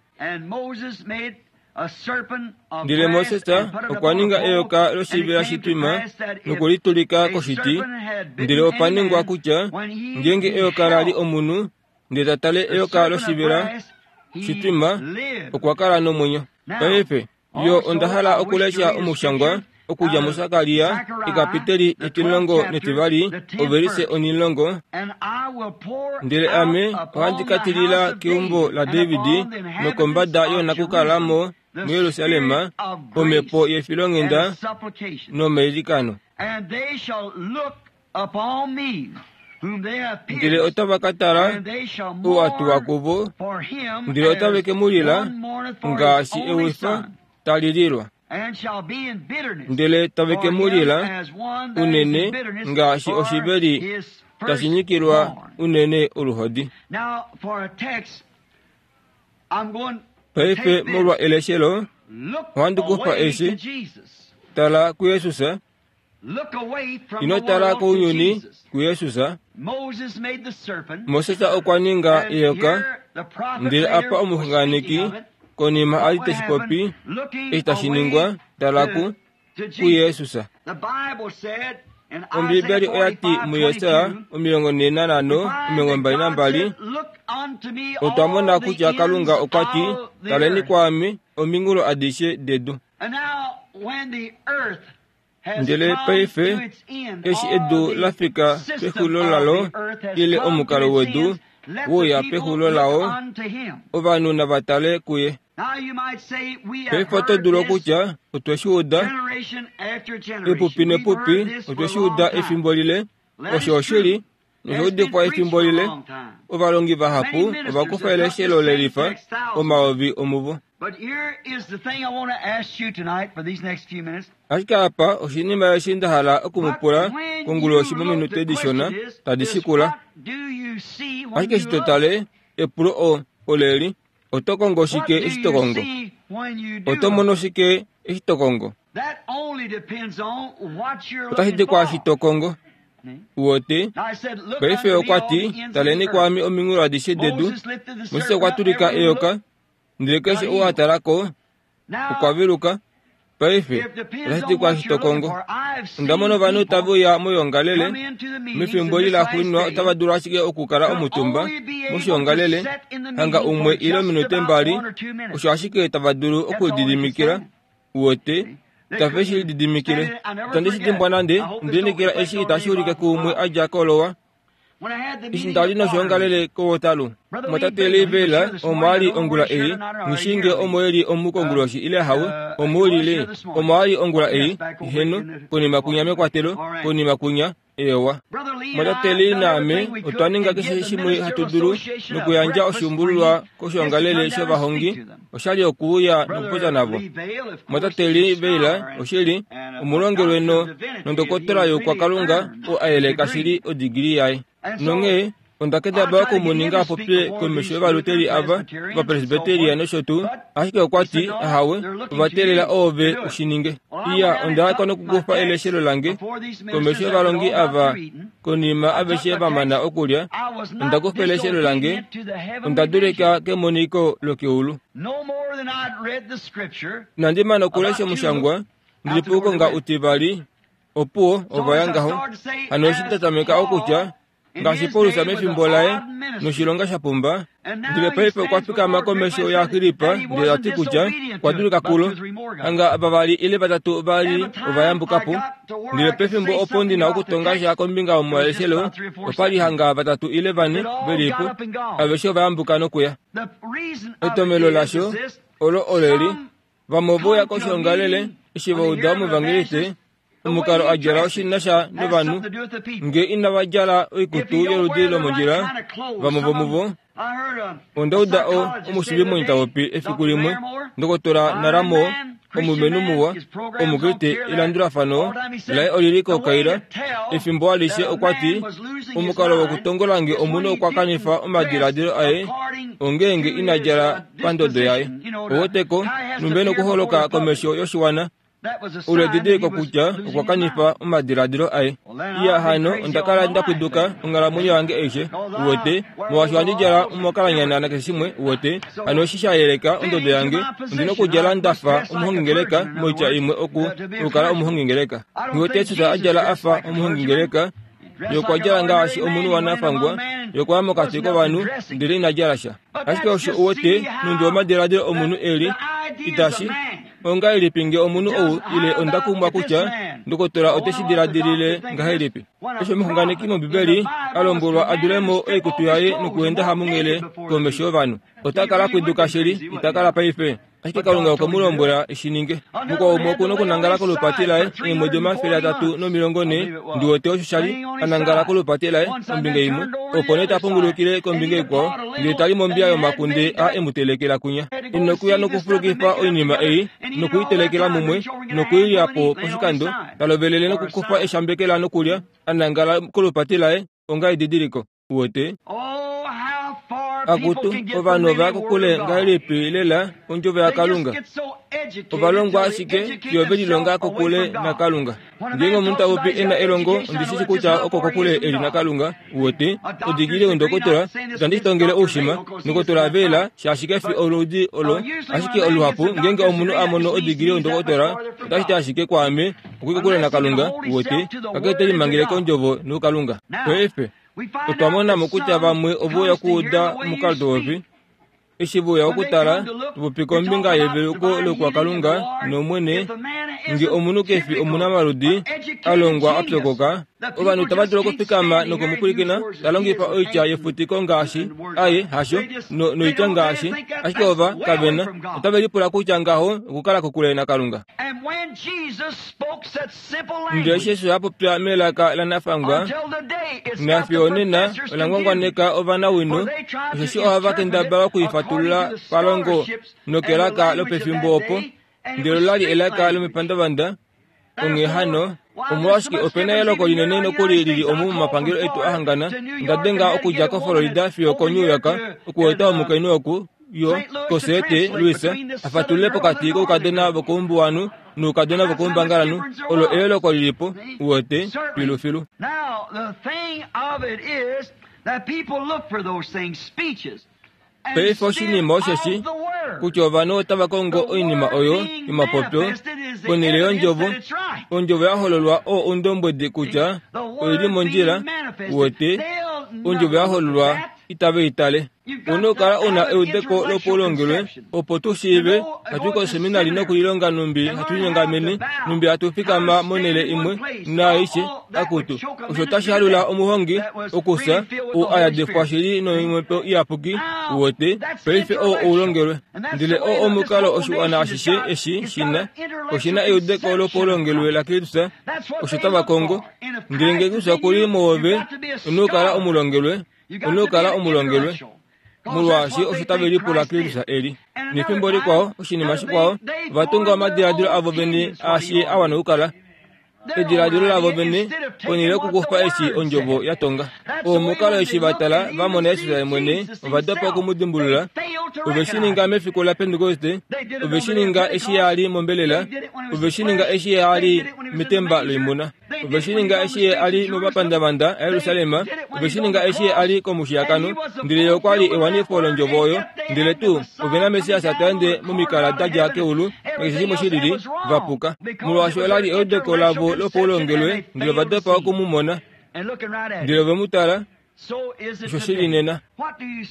Ndele Moses okwa ninga eyoka loshivela shitwima noku li tulika koshiti, ndele opa ningwa kutya ngeenge eyoka la li omunhu, ndele ta tale eyoka loshivela shitwima, okwa kala nomwenyo. Paife, yo onda hala okulesha omushangwa. Okudja muSakaria ekapiteli etimulongo netivali ovelise onimulongo, Ndele ame ohandi ka tilila keumbo laDavid nokombada yoonakukalamo muJerusalem omhepo yefilonghenda nomailikano. Ndele otava ka tala ou a tuwa kuvo, ndele otave ke mu lila ngaashi ewifa tali lilwa. Ndele tave ke mu lila unene ngaashi oshiveli tashi nyikilwa unene oluhodi. Paife molwa eleshelo, ohandi kufa eshi, Tala kuJesus. Ino tala kounyuni, kuJesus. Moses okwa ninga eyoka, ndele apa omuxunganeki konima a li te shi popi, eshi tashi ningwa, tala ku, kuJesus. Ombiibeli oya ti muJesaja 45:22, Otwa mona kutya Kalunga okwa ti, Taleni kwaame ominghulo adishe dedu. Ndele paife, eshi edu la fika pexulilo lalo, ile omukalo wedu wouya pexulilo lao, ovanhu nava tale kuye. Paife oto dulu okutya, Otwe shi uda, epupi nepupi, otwe shi uda efimbo lile. Osho oshili, nosha udifwa efimbo lile. Ovalongi vahapu ova kufa eleshelo lelifa omayovi omuvo. Ashike apa oshinima eshi nda hala oku mu pula konguloshi mominute dishona tadi shikula. Ashike eshi to tale, epulo o, oleli, Oto kongo shike eshi to kongo? Oto mono shike eshi to kongo? Otashi di kwaashi to kongo. Uwete? Paife okwa ti, Taleni kwaame ominghulo adishe dedu. Moses okwa tulika eyoka, ndele keshe ou a tala ko, okwa veluka. Paife, otashi ti kwaashi to kongo. Onda mona ovanhu tave uya moyoongalele, mefimbo eli laxuuninwa otava dulu ashike okukala omutumba moshiongalele, hanga umwe ile ominute mbali, osho ashike tava dulu okulididimikila. Uwete, itave shi lididimikile. Itandi shi dimbwa nande, onda lineekela eshi itashi ulike kuumwe a dja kolowa. Eshi nda li noshoongalele koWaterloo, omumwatate Lee Vayle omo a li ongula ei, nghi shii ngee omo e li omu konguloshi ile hawe, omo u li Lee? Omo a li ongula ei, heeno, konima kwinya mekwatelo, konima kwinya, eewa. Omumwatate Lee naame otwa ninga keshe shimwe hatu dulu nokuyandja oshuumbululwa koshoongalele shovahongi, oshali okuuya nokupopya navo. Omumwatate Lee Vayle, oshili, omulongelwe no, nondokotola youkwakalunga oo a yeleka shili odigili yaye. Nonghee onda kendabala oku mu ninga a popye komesho yovaluteli ava, Ovapresbiteria nosho tuu, ashike okwa ti, Ahawe, ova teelela oove u shi ninge. Iya, onda ya ko nokukufa eleshelo lange komesho yovalongi ava konima aveshe va mana okulya. Onda kufa eleshelo lange, onda dulika kemoniko lokeulu. Inandi mana okulesha omushangwa, Ndi li puukonga utivali, opuwo, ova ya ngaho. Hano eshi nda tameka okutya, ngaashi Paulus mefimbo laye noshilonga sha pumba, ndele paife okwa fikama komesho yaAgrippa ndele ta ti kutya okwa dulika kulo, hanga vavali ile vatatu va li ova yambuka po. Ndele pefimbo opo ndi na okutonga sha kombinga yomaleshelo, opa li hanga vatatu ile vane ve li po, aveshe ova yambuka nokuya. Etomhelo lasho olo oleli, Vamwe ove uya koshoongalele eshi va uda omuvangeliste omukalo a djala oshi na sha novanhu nge inava djala oikutu yoludi lomondjila. Vamwe vomuvo onda uda o omushiivimwenyo ta popi efiku limwe, Ndokotola Naramo, omulumenhu muwa, Omukriste, elandulafano laye oli li kokaila efimbo alishe. Okwa ti, Omukalo wokutongola nge omunhu okwa kanifa omadiladilo aye ongeenge ina djala pandodo yaye. Oweteko, numbe nokuholoka komesho yoshiwana, olo edidiliko kutya okwa kanifa omadiladilo aye. Iya hano, onda kala nda pwiduka onghalamwenyo yange aishe, uwete, molwaashi ohandi djala omakalanyana nakeshe shimwe, uwete. Hano eshi sha yeleka ondodo yange, ondi nokudjala nda fa omuhongingeleka, moitya imwe oku, okukala omuhongingeleka. Nghi wete Jesus a djala a fa omuhongingeleka, Ye okwa djala ngaashi omunhu wanafangwa. Ye okwa ya mokati kovanhu, ndele ina djala sha. Ashike osho u wete, nhumbi omadiladilo omunhu e li, itashi. Ongahelipi nge omunhu ou ile onda kumwa kutya ndokotola ote shi diladilile ngahelipi? Eshi omuxunganeki mOmbibeli a lombwelwa a dule mo oikutu yaye nokuenda hamunghele komesho yovanhu, ota kala pwiduka shili, ita kala paife. Ashike Kalunga okwe mu lombwela e shi ninge. Mukwao umwe oku nokunangala kolupati laye eemwedi 340, ndi wete osho sha li, a nangala kolupati laye ombinga imwe, opo nee ta pungulukile kombinga ikwao, ndele ta li mombiya yomakunde a e mu telekela kunya. Inokuya nokufulukifa oinima ei, noku i telekela mumwe, noku i lya po poshikando, ta lovelele nokukufa eshambekela nokulya, a nangala kolupati laye onga edidiliko. Uwete? Akutu, ovanhu ova ya kokule ngahelipi lela ondjovo yaKalunga? Ova longwa ashike fiyo ve lilonga kokule naKalunga. Ngeenge omunhu ta popi e na elongo, ondi shi shi kutya oko kokule e li naKalunga. Uwete? Odikile ondokotola, itandi shi tongele oushima, ndokotola vela, shaashi ke fi oludi olo. Ashike oluhapu ngeenge omunhu a mono odigili yondokotola, otashi ti ashike kwaame, Oku li kokule naKalunga, uwete, kakele te limangele kondjovo nokuKalunga. Paife, otwa mona mo kutya vamwe ove uya okuuda omukalo to popi. Eshi ve uya okutala, to popi kombinga yeveluko loukwakalunga nOmwene, nge omunhu ke fi omunamaludi, a longwa a pyokoka, ovanhu itava dulu okufikama noku mu pwilikina ta longifa oitya yefutiko ngaashi aye hasho no, noitya ngaashi ashike ova kave na otave lipula kutya ngaho okukala kokule naKalunga. Ndele eshi Jesus a popya melaka lanafangwa, nafiyo onena ola ngwangwaneka ovanawino, osheshi ohava kendabala oku i fatulula palongo nokelaka lopefimbo opo, ndele ola li elaka lomepandavanda. Onghee hano, omolwashike ope na eloko linene nokuli li li omu momapangelo etu a hangana, onda denga okudja koFlorida fiyo koNew York okueta omukainhu oku yo koSt. Louis a fatulule pokati koukadona vokoumbuwanhu noukadona vokoumbangalanhu olo eyooloko li li po, uwete, filufilu. Paife oshinima osheshi kutya ovanhu otava kongo oinima oyo yomapopyo ponhele yondjovo. Ondjovo ya hololwa oo oundombwedi kutya oi li mondjila, uwete, ondjovo ya hololwa itave i tale. Ou na okukala u na eudeko lopaulongelwe opo tu shiive hatu i koseminari nokulilonga nhumbi hatu linyongamene, nhumbi hatu fikama monhele imwe, naaishe. Akutu, osho otashi halula omuhongi okufya ou a yadekwa shili nomhepo iyapuki, uwete, paife oo oulongelwe. Ndele oo omukalo oshiwana ashishe eshi shi na, oshi na eudeko lopaulongelwe laKristus, osho tava kongo. Ndele nge Kristus oku li muove, ou na okukala omulongelwe. Ou na okukala omulongelwe, molwaashi osho tave lipula Kristus e li. Nefimbo likwao, oshinima shikwao, ova tunga omadiladilo avo vene aashi a wana okukala. Ediladilo lavo vene, ponhele yokukufa eshi ondjovo ya tonga. Omukalo eshi va tala va mona Jesus ye mwene, ova dopa oku mu dimbulula. Ove shi ninga mefiku laPentekoste, ove shi ninga eshi a li mombelela, ove shi ninga eshi a li metemba loimuna. Ove shi ninga eshi ye a li momapandavanda aJerusalem, ove shi ninga eshi ye a li komushiyakano, ndele ye okwa li ewanifo londjovo oyo. Ndele tuu ove naMessias ta ende momikala da dja keulu, nakeshe shimwe shi lili, va puka. Molwaashi ola li eudeko lavo lopaulongelwe, ndele ova dopa oku mu mona. Ndele ove mu tala, osho shi li nena.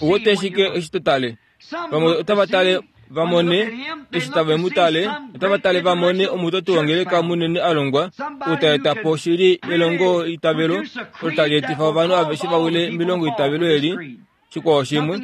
Ou wete shike eshi to tale? Vamwe otava tale va mone eshi tave mu tale, otava tale va mone omutoti wongeleka munene a longwa, ou ta eta po shili elongo itavelo olo tali etifa ovanhu aveshe va wile melongo itavelo eli. Shikwao shimwe,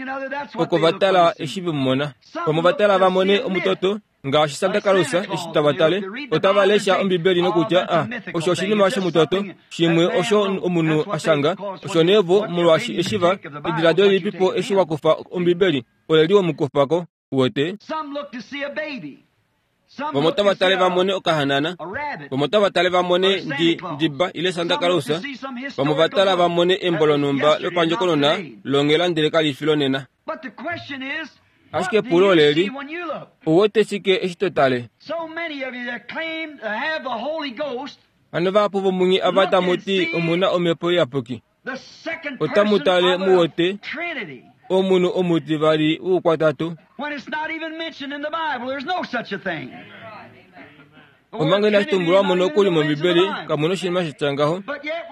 oko va tala eshi ve mu mona. Vamwe ova tala va mone omutoto Ngaashi Santa Claus eshi tava tale, otava lesha Ombibeli nokutya, Ah, osho oshinima shomutoto, shimwe osho omunhu a shanga. Osho nee vo, molwaashi eshi va, ediladilo lilipipo eshi wa kufa Ombibeli, ole li omukufa ko, uwete. Vamwe otava tale va mone okahanana, vamwe otava tale va mone ndi, ndiba ile Santa Claus, vamwe ova tala va mone embo lonhumba lopandjokonona longhela ndele kali fi lonena. Ashike epulo oleli, Ou wete shike eshi to tale? Hano vahapu vomunye ava tamu ti omu na Omhepo Iyapuki, otamu tale mu wete omunhu omutivali woukwatatu. Omanga inashi tumbulwa mo nokuli mOmbibeli, kamu na oshinima sha tya ngaho.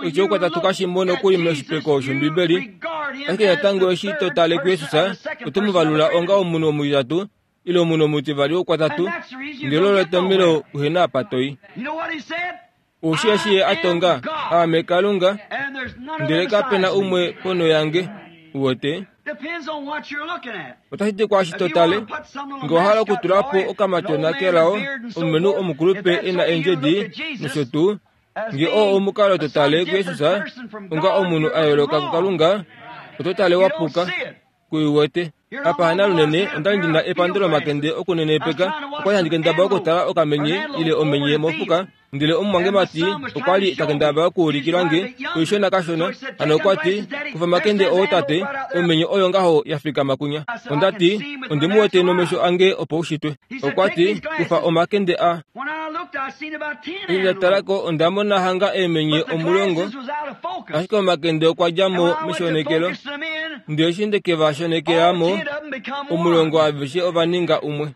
Oitya oukwatatu kashi mo nokuli moshipeko shOmbibeli. Ashike natango eshi to tale kuJesus, oto mu valula onga omunhu omutitatu. ile omunhu omutivali woukwatatu, ndele olo etomhelo uhe na apa to i. Ou shi eshi ye a tonga, Aame Kalunga, ndele kape na umwe ponho yange. Uwete? Otashi ti kwaashi to tale. Nge owa hala okutula po okamatyona kelao, omulumenhu omukulupe e na eendjedi, nosho tuu, nge oo omukalo to tale kuJesus onga omunhu a yooloka kuKalunga, oto tale wa puka. Ku wete? Apa hanalunene onda li ndi na epando lomakende okunenepeka. Okwa li handi kendabala okutala okamenye ile omenye mofuka, ndele omumwangemati okwa li ta kendabala okuulikila nge oishona kashona. Hano okwa ti, Kufa omakende oo tate, omenye oyo ngaho ya fikama kunya. Onda ti, Ondi mu wete nomesho ange opaushitwe. Okwa ti, Kufa omakende a. Eshi nda tala ko onda mona hanga eemenye omulongo, ashike omakende okwa dja mo meshonekelo. Ndele eshi nde ke va shonekela mo, omulongo aveshe ova ninga umwe.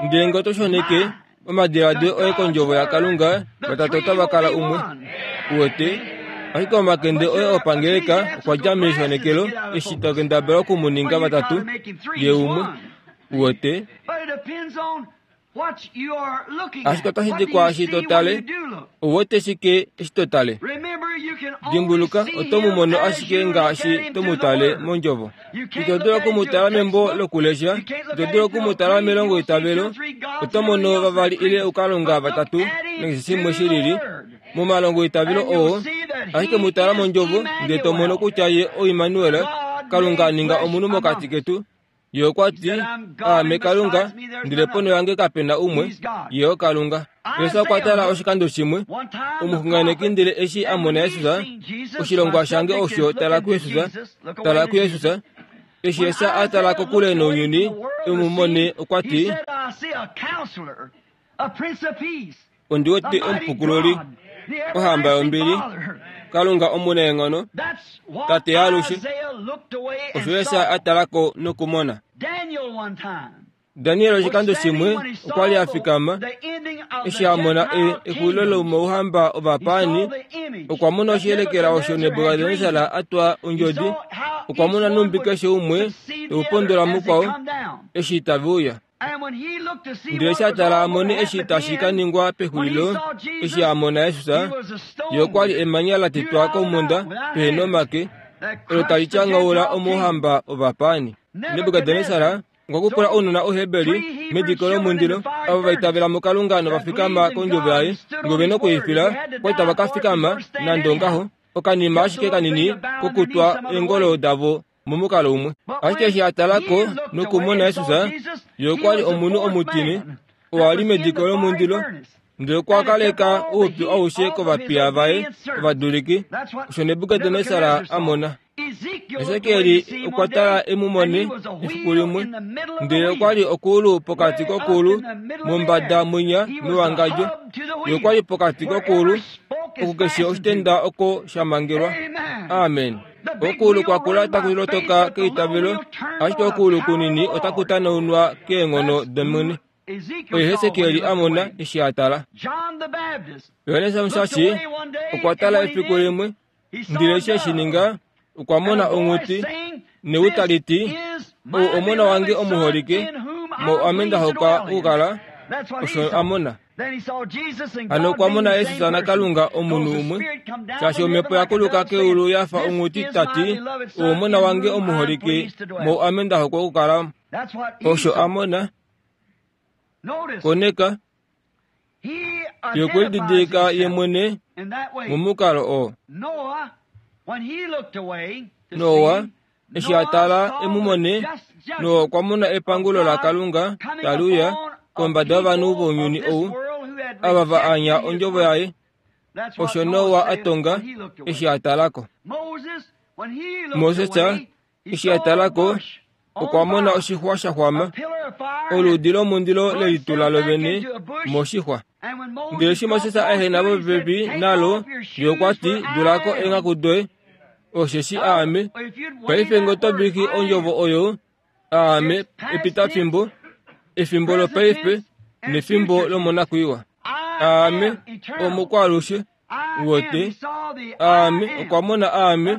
Ndele nge oto shoneke omadiladilo oye kondjovo yaKalunga, vatatu otava kala umwe. Uwete? Ashike omakende oye opangeleka okwa dja meshonekelo eshi to kendabala oku mu ninga vatatu, ye umwe. Uwete? Ashike otashi di kwaashi to tale. Ou wete shike eshi to tale? Dimbuluka, oto mu mono ashike ngaashi to mu tale mondjovo. Ito dulu oku mu tala membo lokulesha, ito dulu oku mu tala melongoitavelo. Oto mono vavali ile ukalunga vatatu nakeshe shimwe shi lili momalongoitavelo oo, ashike mu tala mondjovo ndele to mono kutya ye oImmanuel, Kalunga a ninga omunhu mokati ketu. Ye okwa ti, Aame Kalunga, ndele ponho yange kape na umwe. Ye oKalunga. Jesus okwa tala oshikando shimwe, omuxunganeki ndele eshi a mona Jesus, oshilongwa shange osho tala kuJesus, tala kuJesus. Eshi Jesus a tala kokule nounyuni, e mu mone, okwa ti, Ondi wete omupukululi, ohamba yombili, Kalunga omunaenghono, Tate yaalushe. Osho Jesus a tala ko nokumona. Daniel oshikando shimwe okwa li a fikama eshi a mona exulilo lomouhamba ovapaani. Okwa mona oshiyelekela osho Nebukadnesar a twa ondjodi. Okwa mona nhumbi keshe umwe te u pondola mukwao eshi tave uya. Ndele eshi a tala a mone eshi tashi ka ningwa pexulilo, eshi a mona Jesus, ye okwa li emanya la tetwa komhunda pehe nomake, olo tali tyanghaula omouhamba ovapaani. Nebukadnesar okwa kupula ounona Ouheberi mediko lomundilo, avo va itavela muKalunga nova fikama kondjovo yaye, nge ove na okuifila, okwa li tava ka fikama nande ongaho, okanima ashike kanini kokutwa eengolo davo momukalo umwe. Ashike eshi a tala ko nokumona Jesus, ye okwa li omunhu omutine, oo a li mediko lomundilo, ndele okwa kaleka oupyu aushe kovapiya vaye ovaduliki, osho Nebukadnesar a mona. Esekiel okwa tala e mu mone efiku limwe, ndele okwa li okuulu pokati kokuulu mombada mwinya mewangadjo. Ye okwa li pokati kokuulu, oku keshe oshitenda oko sha mangelwa. Amen. Okuulu kwa kula taku lotoka keitavelo, ashike okuulu kunini otaku tanaunwa keenghono dOmwene. Oye Hesekiel a mona eshi a tala. Johannes Omushashi okwa tala efiku limwe, ndele eshi e shi ninga, okwa mona onghuti newi tali ti, Ou omona wange omuholike, mo ame nda hokwa okukala. Osho a mona. Hano okwa mona Jesus naKalunga omunhu umwe, shaashi omhepo ya kuluka keulu ya fa onghuti ta ti, Ou omona wange omuholike, mo ame nda hokwa okukala. Osho a mona. Koneka, ye okwe lididilika ye mwene momukalo oo. Noa, eshi a tala e mu mone, Noa okwa mona epangulo laKalunga tali uya kombada yovanhu vounyuni ou, ava va anya ondjovo yaye. Osho Noa a tonga eshi a tala ko. Moses Eshi a tala ko, okwa mona oshixwa sha xwama, oluudi lomundilo le litula lo vene moshixwa. Ndele eshi Moses a ehena popepi nalo, ye okwa ti, Dula ko eenghaku doye, osheshi aame paife nge oto viki ondjovo oyo, aame epitafimbo, efimbo lopaife nefimbo lomonakwiiwa. Aame omukwaalushe. Uwete, aame okwa mona aame,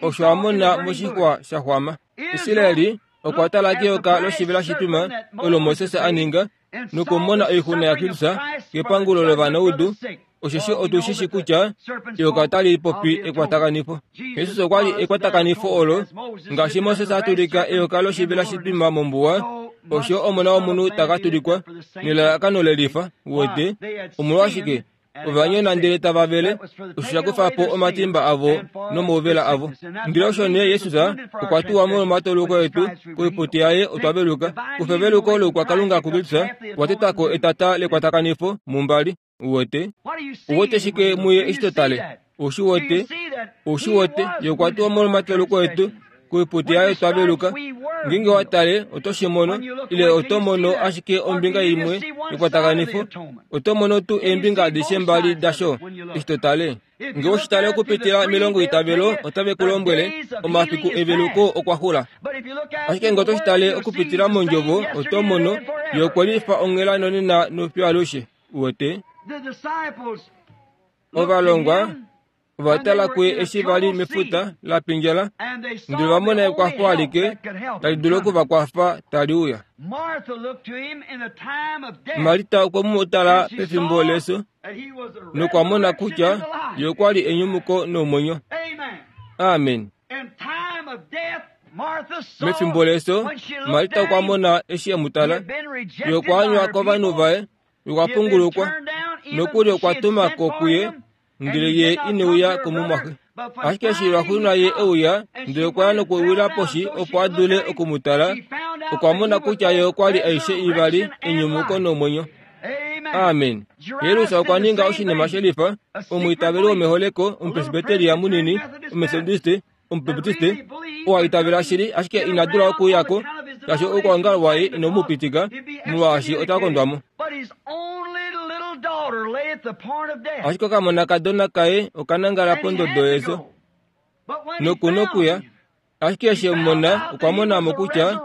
osho a mona moshixwa sha xwama. Israeli Okwa tala keyoka loshivela shitwima olo Moses a ninga nokumona oixuna yaKristus kepangulo lovanaudu, osheshi otu shi shi kutya eyoka otali popi ekwatakanifo. Jesus okwa li ekwatakanifo olo, ngaashi Moses a tulika eyoka loshivela shitwima mombuwa, osho Omona wOmunhu ta ka tulikwa nelalakano lelifa. Uwete? Omolwashike? Ova nyona ndele tava vele, osho sha kufa po omatimba avo nomauvela avo. Ndele osho nee Jesus okwa tuwa molwomatoloko etu, koiputi yaye otwa veluka. Kufa eveluko loukwakalunga kuKristus, okwa teta ko etata lekwatakanifo mumbali. Uwete? Uwete shike muye eshi to tale? Ou shi wete? Ou shi wete? Ye okwa tuwa molwomatoloko etu, koiputi yaye otwa veluka. Ngeenge wa tale, oto shi mono, ile oto mono ashike ombinga imwe yekwatakanifo. Oto mono tuu eembinga adishe mbali dasho, eshi to tale. Nge oshi tale okupitila melongoitavelo, otave ku lombwele, Omafiku eveluko okwa xula. Ashike nge oto shi tale okupitila mOndjovo, oto mono, Ye okwe lifa onghela nonena nofiyo alushe. Uwete? Ovalongwa ova tala kuye eshi va li mefuta la pindjala, ndele va mona ekwafo alike tali dulu oku va kwafa tali uya. Marta okwe mu tala pefimbo leso nokwa mona kutya ye okwa li enyumuko nomwenyo. Amen. Mefimbo leso, Marta okwa mona eshi e mu tala, ye okwa anywa kovanhu vaye Okwa pungulukwa, nokuli okwa tuma ko kuye, ndele ye ine uya komumwaxe. Ashike eshi lwaxuuninwa ye e uya, ndele okwa ya nokuwila poshi opo a dule oku mu tala, okwa mona kutya ye okwa li aishe ivali enyumuko nomwenyo. Amen. Jairus okwa ninga oshinima shelifa, omwiitaveli womeholeko, omupresbeteria munini, ometodiste, Omubaptiste oo a itavela shili ashike ina dula okuuya ko, shaashi oukwaongalo waye inau mu pitika, molwaashi ota kondwa mo. Ashike okamonakadona kaye oka nangala pondodo yeso noku nokuya, ashike eshi e mu mona, okwa mona mo kutya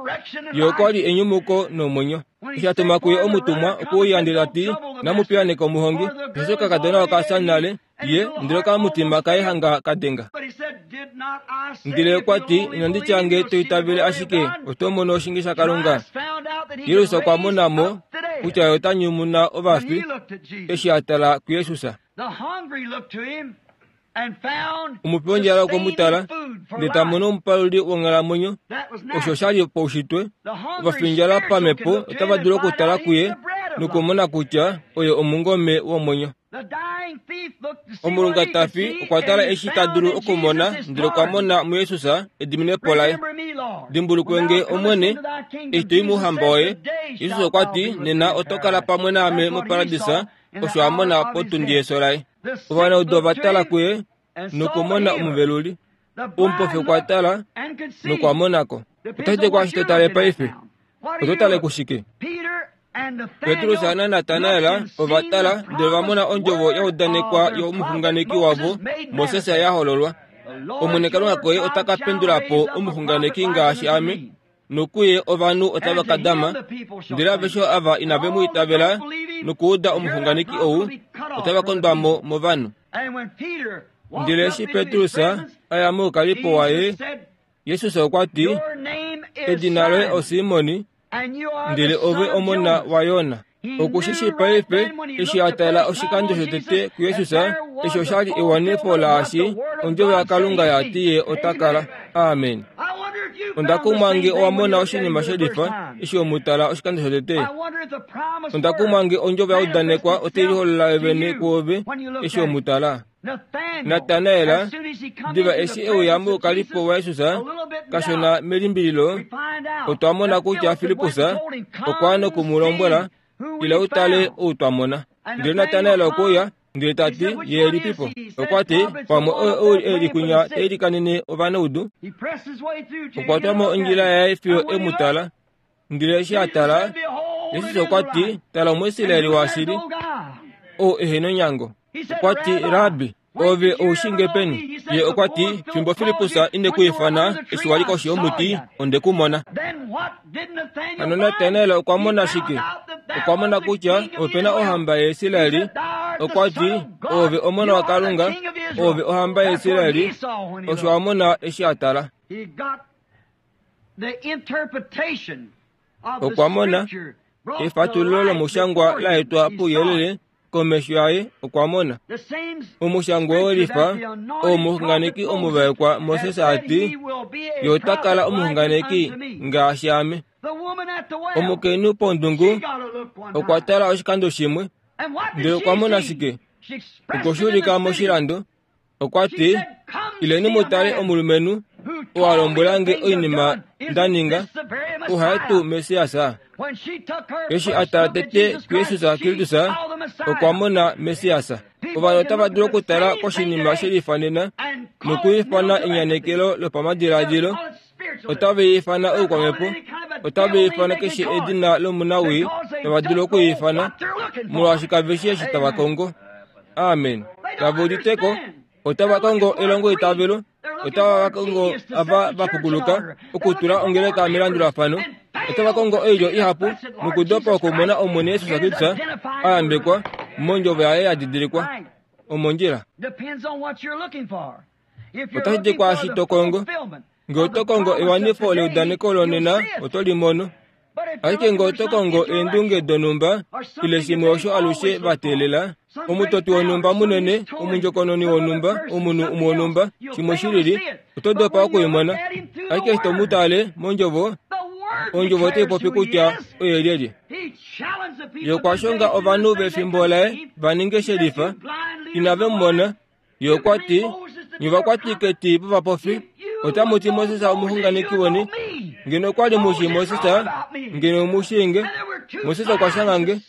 ye okwa li enyumuko nomwenyo. Eshi a tuma kuye omutumwa okuuya ndele ta ti, Namu piyaaneka omuhongi, osheshi okakadona oka fya nale, ye ndele okamutima kaye hanga ka denga. Ndele okwa ti, Inandi tya nge to itavele ashike, oto mono oshinge shaKalunga. Jesus okwa mona mo kutya ye ota nyumuna ovafi eshi a tala kuJesus. Omupi wondjala okwe mu tala, ndele ta mono omupaluli wonghalamwenyo. Osho sha li paushitwe. Ovafindjala pamhepo otava dulu okutala kuye nokumona kutya oye omungome womwenyo. Omulungatafi okwa tala eshi ta dulu okumona ndele okwa mona muJesus ediminepo laye. Dimbulukwe nge, Omwene, eshi to i mouhamba woye. Jesus okwa ti, Nena oto kala pamwe naame moparadisa, osho a mona potundi yeso laye. Ovanaudu ova tala kuye nokumona omuveluli. Omupofi okwa tala nokwa mona ko. Otashi ti kwaashi to tale paife. Oto tale kushike? Petrus naNatanael ova tala ndele va mona ondjovo ya udanekwa yomuxunganeki wavo Moses ya hololwa. Omwene Kalunga koye ota ka pendula po omuxunganeki ngaashi ame, nokuye ovanhu otava ka dama. Ndele aveshe ava inave mu itavela nokuuda omuxunganeki ou, otava kondwa mo movanhu. Ndele eshi Petrus a ya moukalipo waye, Jesus okwa ti, Edina loye oSimon, ndele ove omona waYona. Oku shi shii paife, eshi a tala oshikando shotete kuJesus, eshi osha li ewanifo laashi ondjovo yaKalunga ya ti ye ota kala. Amen. Onda kumwa nge owa mona oshinima she lifa eshi we mu tala oshikando shotete. Onda kumwa nge ondjovo ya udanekwa otai liholola yo vene kuove eshi we mu tala. Natanael, diva eshi e uya moukalipo waJesus, kashona melimbililo, otwa mona kutya Filippus okwa noku mu lombwela, Ila u tale ou twa mona. Ndele Natanael okwe uya, ndele ta ti, Ye elipipo? Okwa ti, Pamwe oye ou e li kwinya ta ilikanene ovanaudu. Okwa twa mo ondjila yaye fiyo e mu tala. Ndele eshi a tala, Jesus okwa ti, Tala Omuisraeli washili, ou ehe nonyango. Okwa ti, Rabbi, ove ou shi nge peni? Ye okwa ti, Fimbo Filippus ine ku ifana, eshi wa li koshi yomuti, onde ku mona. Hano Natanael okwa mona shike? Okwa mona kutya ope na ohamba yaIsraeli. Okwa ti, Ove omona waKalunga, ove ohamba yaIsraeli. Osho a mona eshi a tala. Okwa mona efatululo lomushangwa la etwa pouyelele komesho yaye okwa mona omushangwa welifa oo omuxunganeki omuvaekwa Moses a ti, Ye ota kala omuxunganeki ngaashi ame. Omukainhu pondungu okwa tala oshikando shimwe, ndele okwa mona shike? Okwe shi ulika moshilando. Okwa ti, Ileni mu tale omulumenhu oo a lombwela nge oinima nda ninga, ohaye tuu Messias? Eshi a tala tete kuJesus Kristus, okwa mona Messias. Ovanhu otava dulu okutala koshinima she lifanena nokwiifana enyanekelo lopamadiladilo, otava ifana oukwamhepo, otava ifana keshe edina lomunawii tava dulu okwiifana, molwaashi kave shii eshi tava kongo. Amen. Kave udite ko, otava kongo elongoitavelo, otava va kongo ava va pukuluka okutula ongeleka melandulafano, otava kongo oilyo ihapu nokudopa okumona Omwene Jesus Kristus a yambekwa mondjovo yaye ya didilikwa. Omondjila. Otashi di kwaashi to kongo. Nge oto kongo ewanifo leudaneko lonena, oto li mono. Ashike nge oto kongo eendunge donhumba ile shimwe osho alushe va teelela, omutoti wonhumba munene, omundjokononi wonhumba, omunhu umwe wonhumba, shimwe shi lili, oto dopa oku i mona. Ashike eshi to mu tale mondjovo, ondjovo otai popi kutya oye lyelye. Ye okwa shonga ovanhu vefimbo laye va ninge shelifa, inave mu mona. Ye okwa ti, Nye ovakwatiketi vovapofi, otamu ti Moses omuxunganeki weni. Ngeno okwa li mu shii Moses, ngeno mu shii nge. Moses okwa shanga nge.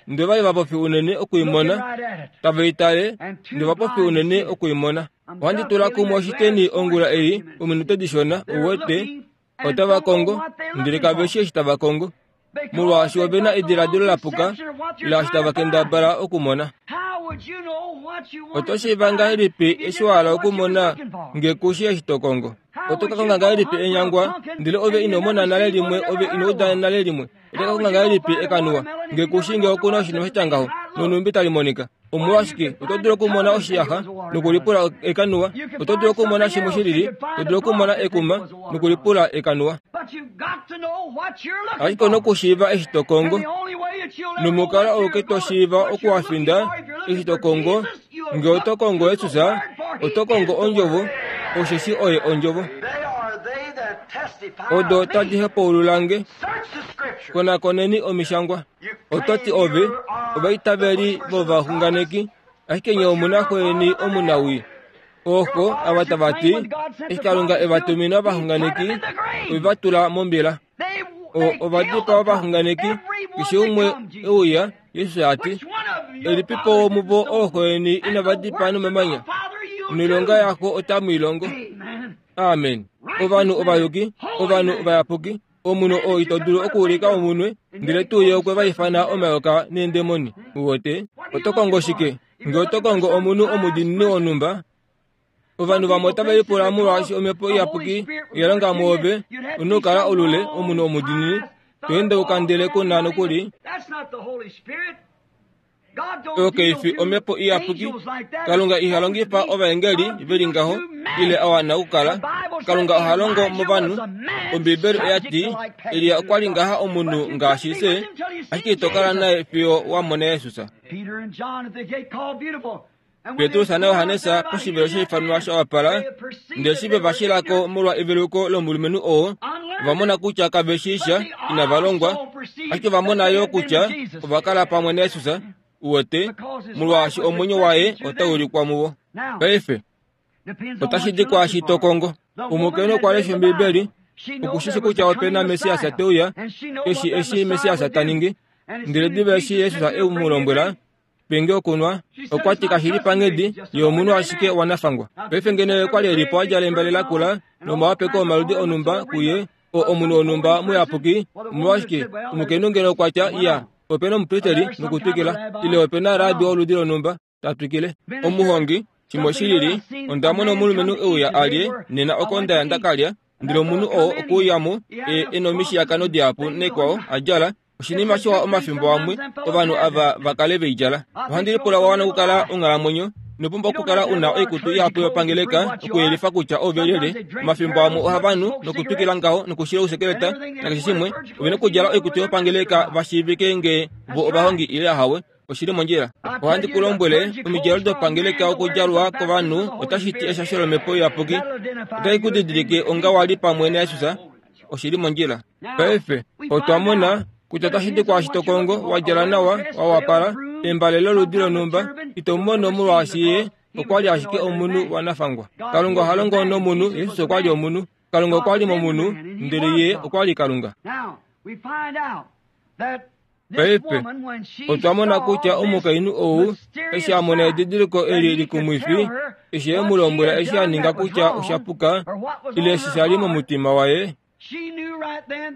Ndele ova li vapofi unene oku i mona, tava i tale, ndele ovapofi unene oku i mona. Ohandi tula kumwe oshiteni ongula ei, ominute dishona, uwete, otava kongo, ndele kave shii eshi tava kongo. molwaashi ove na ediladilo la puka laashi tava kendabala okumona. Oto shiiva ngahelipi eshi wa hala okumona nge ku shii eshi to kongo? Oto ka konga ngahelipi enyangwa ndele ove ino mona nale limwe ove ino uda nale limwe? Oto ka konga ngahelipi ekanuwa nge ku shii nge oku na oshinima sha tya ngaho nonhumbi tali monika? Omolwashike oto dulu okumona oshiyaxa nokulipula ekanuwa? Oto dulu okumona shimwe shi lili, to dulu okumona ekuma nokulipula ekanuwa. Ashike ou na okushiiva eshi to kongo, nomukalo auke to shiiva okuwafinda eshi to kongo, nge oto kongo Jesus, oto kongo Ondjovo, osheshi Oye Ondjovo. Odo tadi hepaulula nge. Konakoneni Omishangwa. Oto ti ove, ovaitaveli vovaxunganeki, ashike nye omu na xweni omunawii. Ooko ava tava ti, eshi Kalunga e va tumina ovaxunganeki, ove va tula mombila. O, ova dipaa ovaxunganeki, keshe umwe e uya, Jesus a ti, Elipipo womuvo ooxweni inava dipaa nomamanya? Noilonga yaxo otamu i longo. Amen. Ovanhu ovayuki, ovanhu ovayapuki, Omunhu oo ito dulu okuulika omunwe, ndele tuu ye okwe va ifana omayoka neendemoni. Uwete? Oto kongo shike? Nge oto kongo omunhu omudiinini wonhumba, ovanhu vamwe otave lipula molwaashi omhepo iyapuki oya longa mwoove, u na okukala olule, omunhu omudiinini, to endeuka ndele ku na nokuli. Oyo kai fi omhepo iyapuki. Kalunga iha longifa ovaengeli ve li ngaho ile a wana okukala. Kalunga oha longo movanhu. Ombiibeli oya ti, Elia okwa li ngaha omunhu ngaashi fye, ashike ito kala naye fiyo wa mona Jesus. Petrus naJohannes poshivelo sheifanwa sha wapala, ndele eshi ve va shila ko molwa eveluko lomulumenhu oo, ova mona kutya kave shii sha, inava longwa, ashike ova mona yo kutya ova kala pamwe naJesus, uwete, molwaashi omwenyo waye otau ulikwa muvo. Paife, otashi di kwaashi to kongo. Omukainhu okwa lesha Ombiibeli, oku shi shi kutya ope na Messias te uya, eshi eshi Messias ta ningi. Ndele diva eshi Jesus e mu lombwela, Pe nge okunwa. Okwa ti kashi li panghedi yomunhu ashike wanafangwa. Paife ngeno ye kwa li e li po a djala embale lakula nomawapeko omaludi onhumba kuye, o, omunhu wonhumba muyapuki, omolwashike, omukainhu ngeno okwa tya, Iya, ope na omupristeli, nokutwikila. Ile ope na raabi woludi lonhumba, ta twikile. Omuhongi, shimwe shi lili, onda mona omulumenhu e uya a lye, nena oko nda ya nda ka lya, ndele omunhu oo okwe uya mo, e, e nomishiyakano dihapu nekwao, a djala, Oshinima shiwa omafimbo amwe ovanhu ava va kale ve i djala. Ohandi lipula wa wana okukala onghalamwenyo. Ino pumbwa okukala u na oikutu ihapu yopangeleka okuyelifa kutya ove lyelye. Omafimbo amwe ohava nu nokutwikila ngaho nokushila ousekeleta nakeshe shimwe. Ove na okudjala oikutu yopangeleka va shiivike ngee vo ovahongi ile ahawe. Oshi li mondjila. Ohandi ku lombwele, omidjalo dopangeleka okudjalwa kovanhu otashi ti eshasho lOmhepo Iyapuki. Otai ku didilike onga wa li pamwe naJesus. Oshi li mondjila. Paife, otwa mona kutya otashi di kwaashi to kongo, wa djala nawa, wa wapala, embale loludi lonhumba, ito mu mono molwaashi ye okwa li ashike omunhu wanafangwa. Kalunga oha longo nomunhu, Jesus okwa li omunhu. Kalunga okwa li momunhu, ndele ye okwa li Kalunga. Paife, otwa mona kutya omukainhu ou, eshi a mona edidiliko eli likumwifi, eshi e mu lombwela eshi a ninga kutya osha puka, ile eshi sha li momutima waye,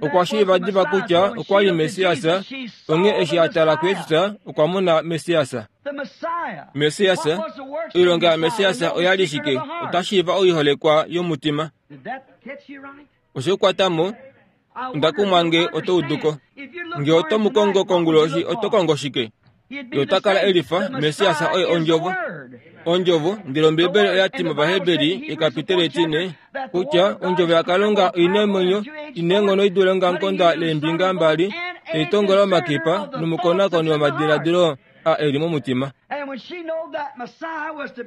okwa shiiva diva kutya okwa li Messias, onghee eshi a tala kuJesus, okwa mona Messias. Messias, oilonga yaMessias oya li shike? Ota shiiva oiholekwa yomutima. Oshe ku kwata mo? Onda kumwa nge oto udu ko. Nge oto mu kongo konguloshi, oto kongo shike? Ye ota kala e lifa, Messias oye Ondjovo. Ondjovo, ndele Ombibeli oya ti mOvaheberi, ekapiteli etine, kutya Ondjovo yaKalunga oi na omwenyo, i na eenghono i dule ongamukonda leembinga mbali, tai tongola omakipa nomukonakoni womadiladilo a e li momutima.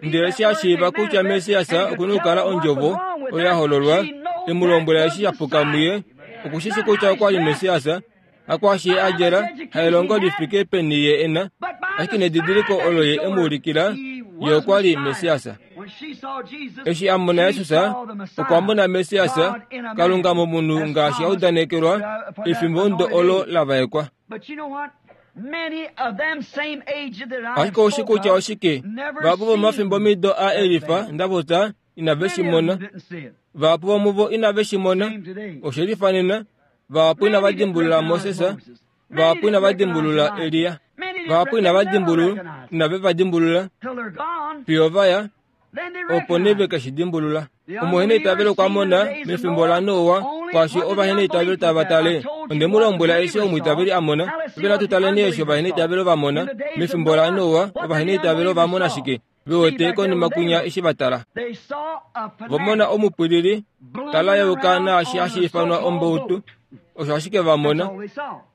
Ndele eshi a shiiva kutya Messias oku na okukala Ondjovo oyo ya hololwa, e mu lombwela eshi sha puka muye, oku shi shi kutya okwa li Messias, hakwaashi ye a djala, haelongo li fike peni ye e na, ashike nedidiliko olo ye e mu ulikila, ye okwa li Messias. Eshi a mona Jesus, okwa mona Messias, Kalunga momunhu ngaashi a udanekelwa efimbo olo la vaekwa. Ashike oushi kutya oshike? Vahapu vomafimbomido a elifa nda popya inave shi mona. Vahapu vomuvo inave shi mona. Oshe lifanena. Vahapu inava dimbulula Moses. Vahapu inava dimbulula Elia. Vahapu inava dimbulula, inave va dimbulula. Fiyo va ya, opo nee ve ke shi dimbulula. Omuheneitavelo okwa mona mefimbo laNoa kwaashi ovaheneitavelo tava tale. Onde mu lombwela eshi omwiitaveli a mona. Paife natu taleni eshi ovaheneitavelo va mona. Mefimbo laNoa, ovaheneitavelo ova mona shike? Ve wete konima kwinya eshi va tala. Va mona omupwilili, tala yeuka naashi hashi ifanwa ombautu. Osho ashike va mona.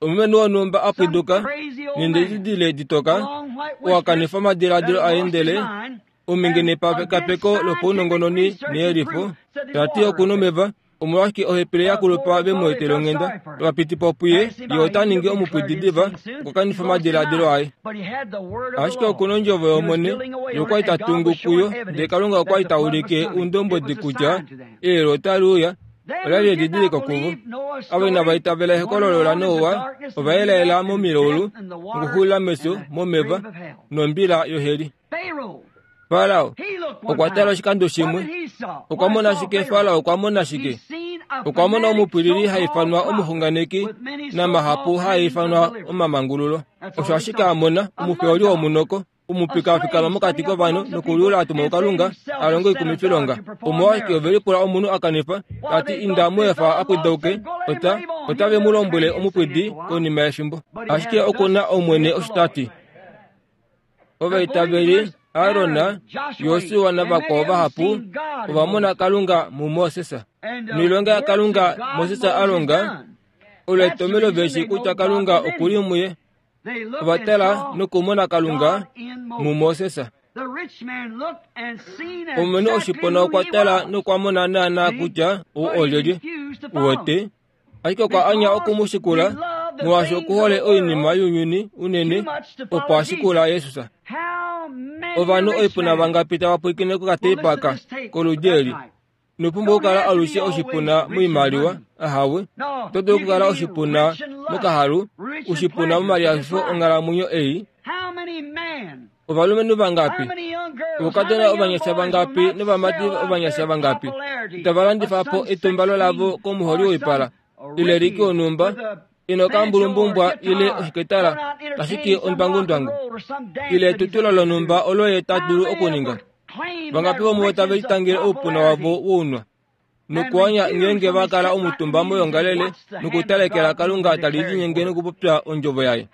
Omulumenhu wonhumba a pwiduka, nendididile ditoka, oo a kanifa omadiladilo aye ndele Omhinge nepekapeko lopaunongononi neyelifo, ta ti oku nomeva, omolwashike ohepele ya kulupa ve mu etele onghenda? Ova piti po puye, ye ota ningi omupwidi diva, okwa kanifa omadiladilo aye. Ashike oku nondjovo yOmwene, ye okwa li ta tungu kuyo, ndele Kalunga okwa li ta ulike oundombwedi kutya eyelu otali uya, ola li edidiliko kuvo. Avo inava itavela ehokololo laNoa ova elaela momilaulu, nokuxulila mefyo, momeva, nombila yoheli. Farao okwa tala oshikando shimwe. Okwa mona shike? Farao okwa mona shike? Okwa mona omupwilili ha ifanwa omuxunganeki namahapu haa ifanwa omamangululo. Osho ashike a mona, omufeoli womunoko, omupika a fikama mokati kovanhu nokuliula a tumwa kuKalunga a longe oikumifilonga. Omolwashike ove lipula omunhu a kanifa, ta ti inda mu efa a pwidauke, ota, otave mu lombwele omupwidi konima yefimbo. Ashike oku na Omwene osho ta ti. Ovaitaveli Aron, Josua navakwao vahapu ova mona Kalunga muMoses. Noilonga yaKalunga Moses a longa, olo etomhelo ve shii kutya Kalunga oku li muye. Ova tala nokumona Kalunga muMoses. Omulumenhu oshipona okwa tala nokwa mona naanaa kutya ou olyelye. Uwete? Ashike okwa anya oku mu shikula, molwaashi oku hole oinima younyuni unene, opo a shikula Jesus. Ovanhu oipuna vangapi tava pwilikine kokateipa aka koludi eli? Ino pumbwa okukala alushe oshipuna moimaliwa, ahawe. Oto dulu okukala oshipuna mokahalu, oshipuna momalihafifo onghalamwenyo ei. Ovalumenhu vangapi, oukadona ovanyasha vangapi novamati ovanyasha vangapi tava landifa po etumbalo lavo komuholi woipala ile liki wonhumba ina okambulumbumbwa ile oshiketala tashi ti ondwangundwangu ile etutulo lonhumba olo ye ta dulu okuninga? Vangapi vomuvo tave litangele oupuna wavo wounwa nokuanya ngeenge va kala omutumba moyoongalele nokutalekela Kalunga tali linyenge nokupopya ondjovo yaye?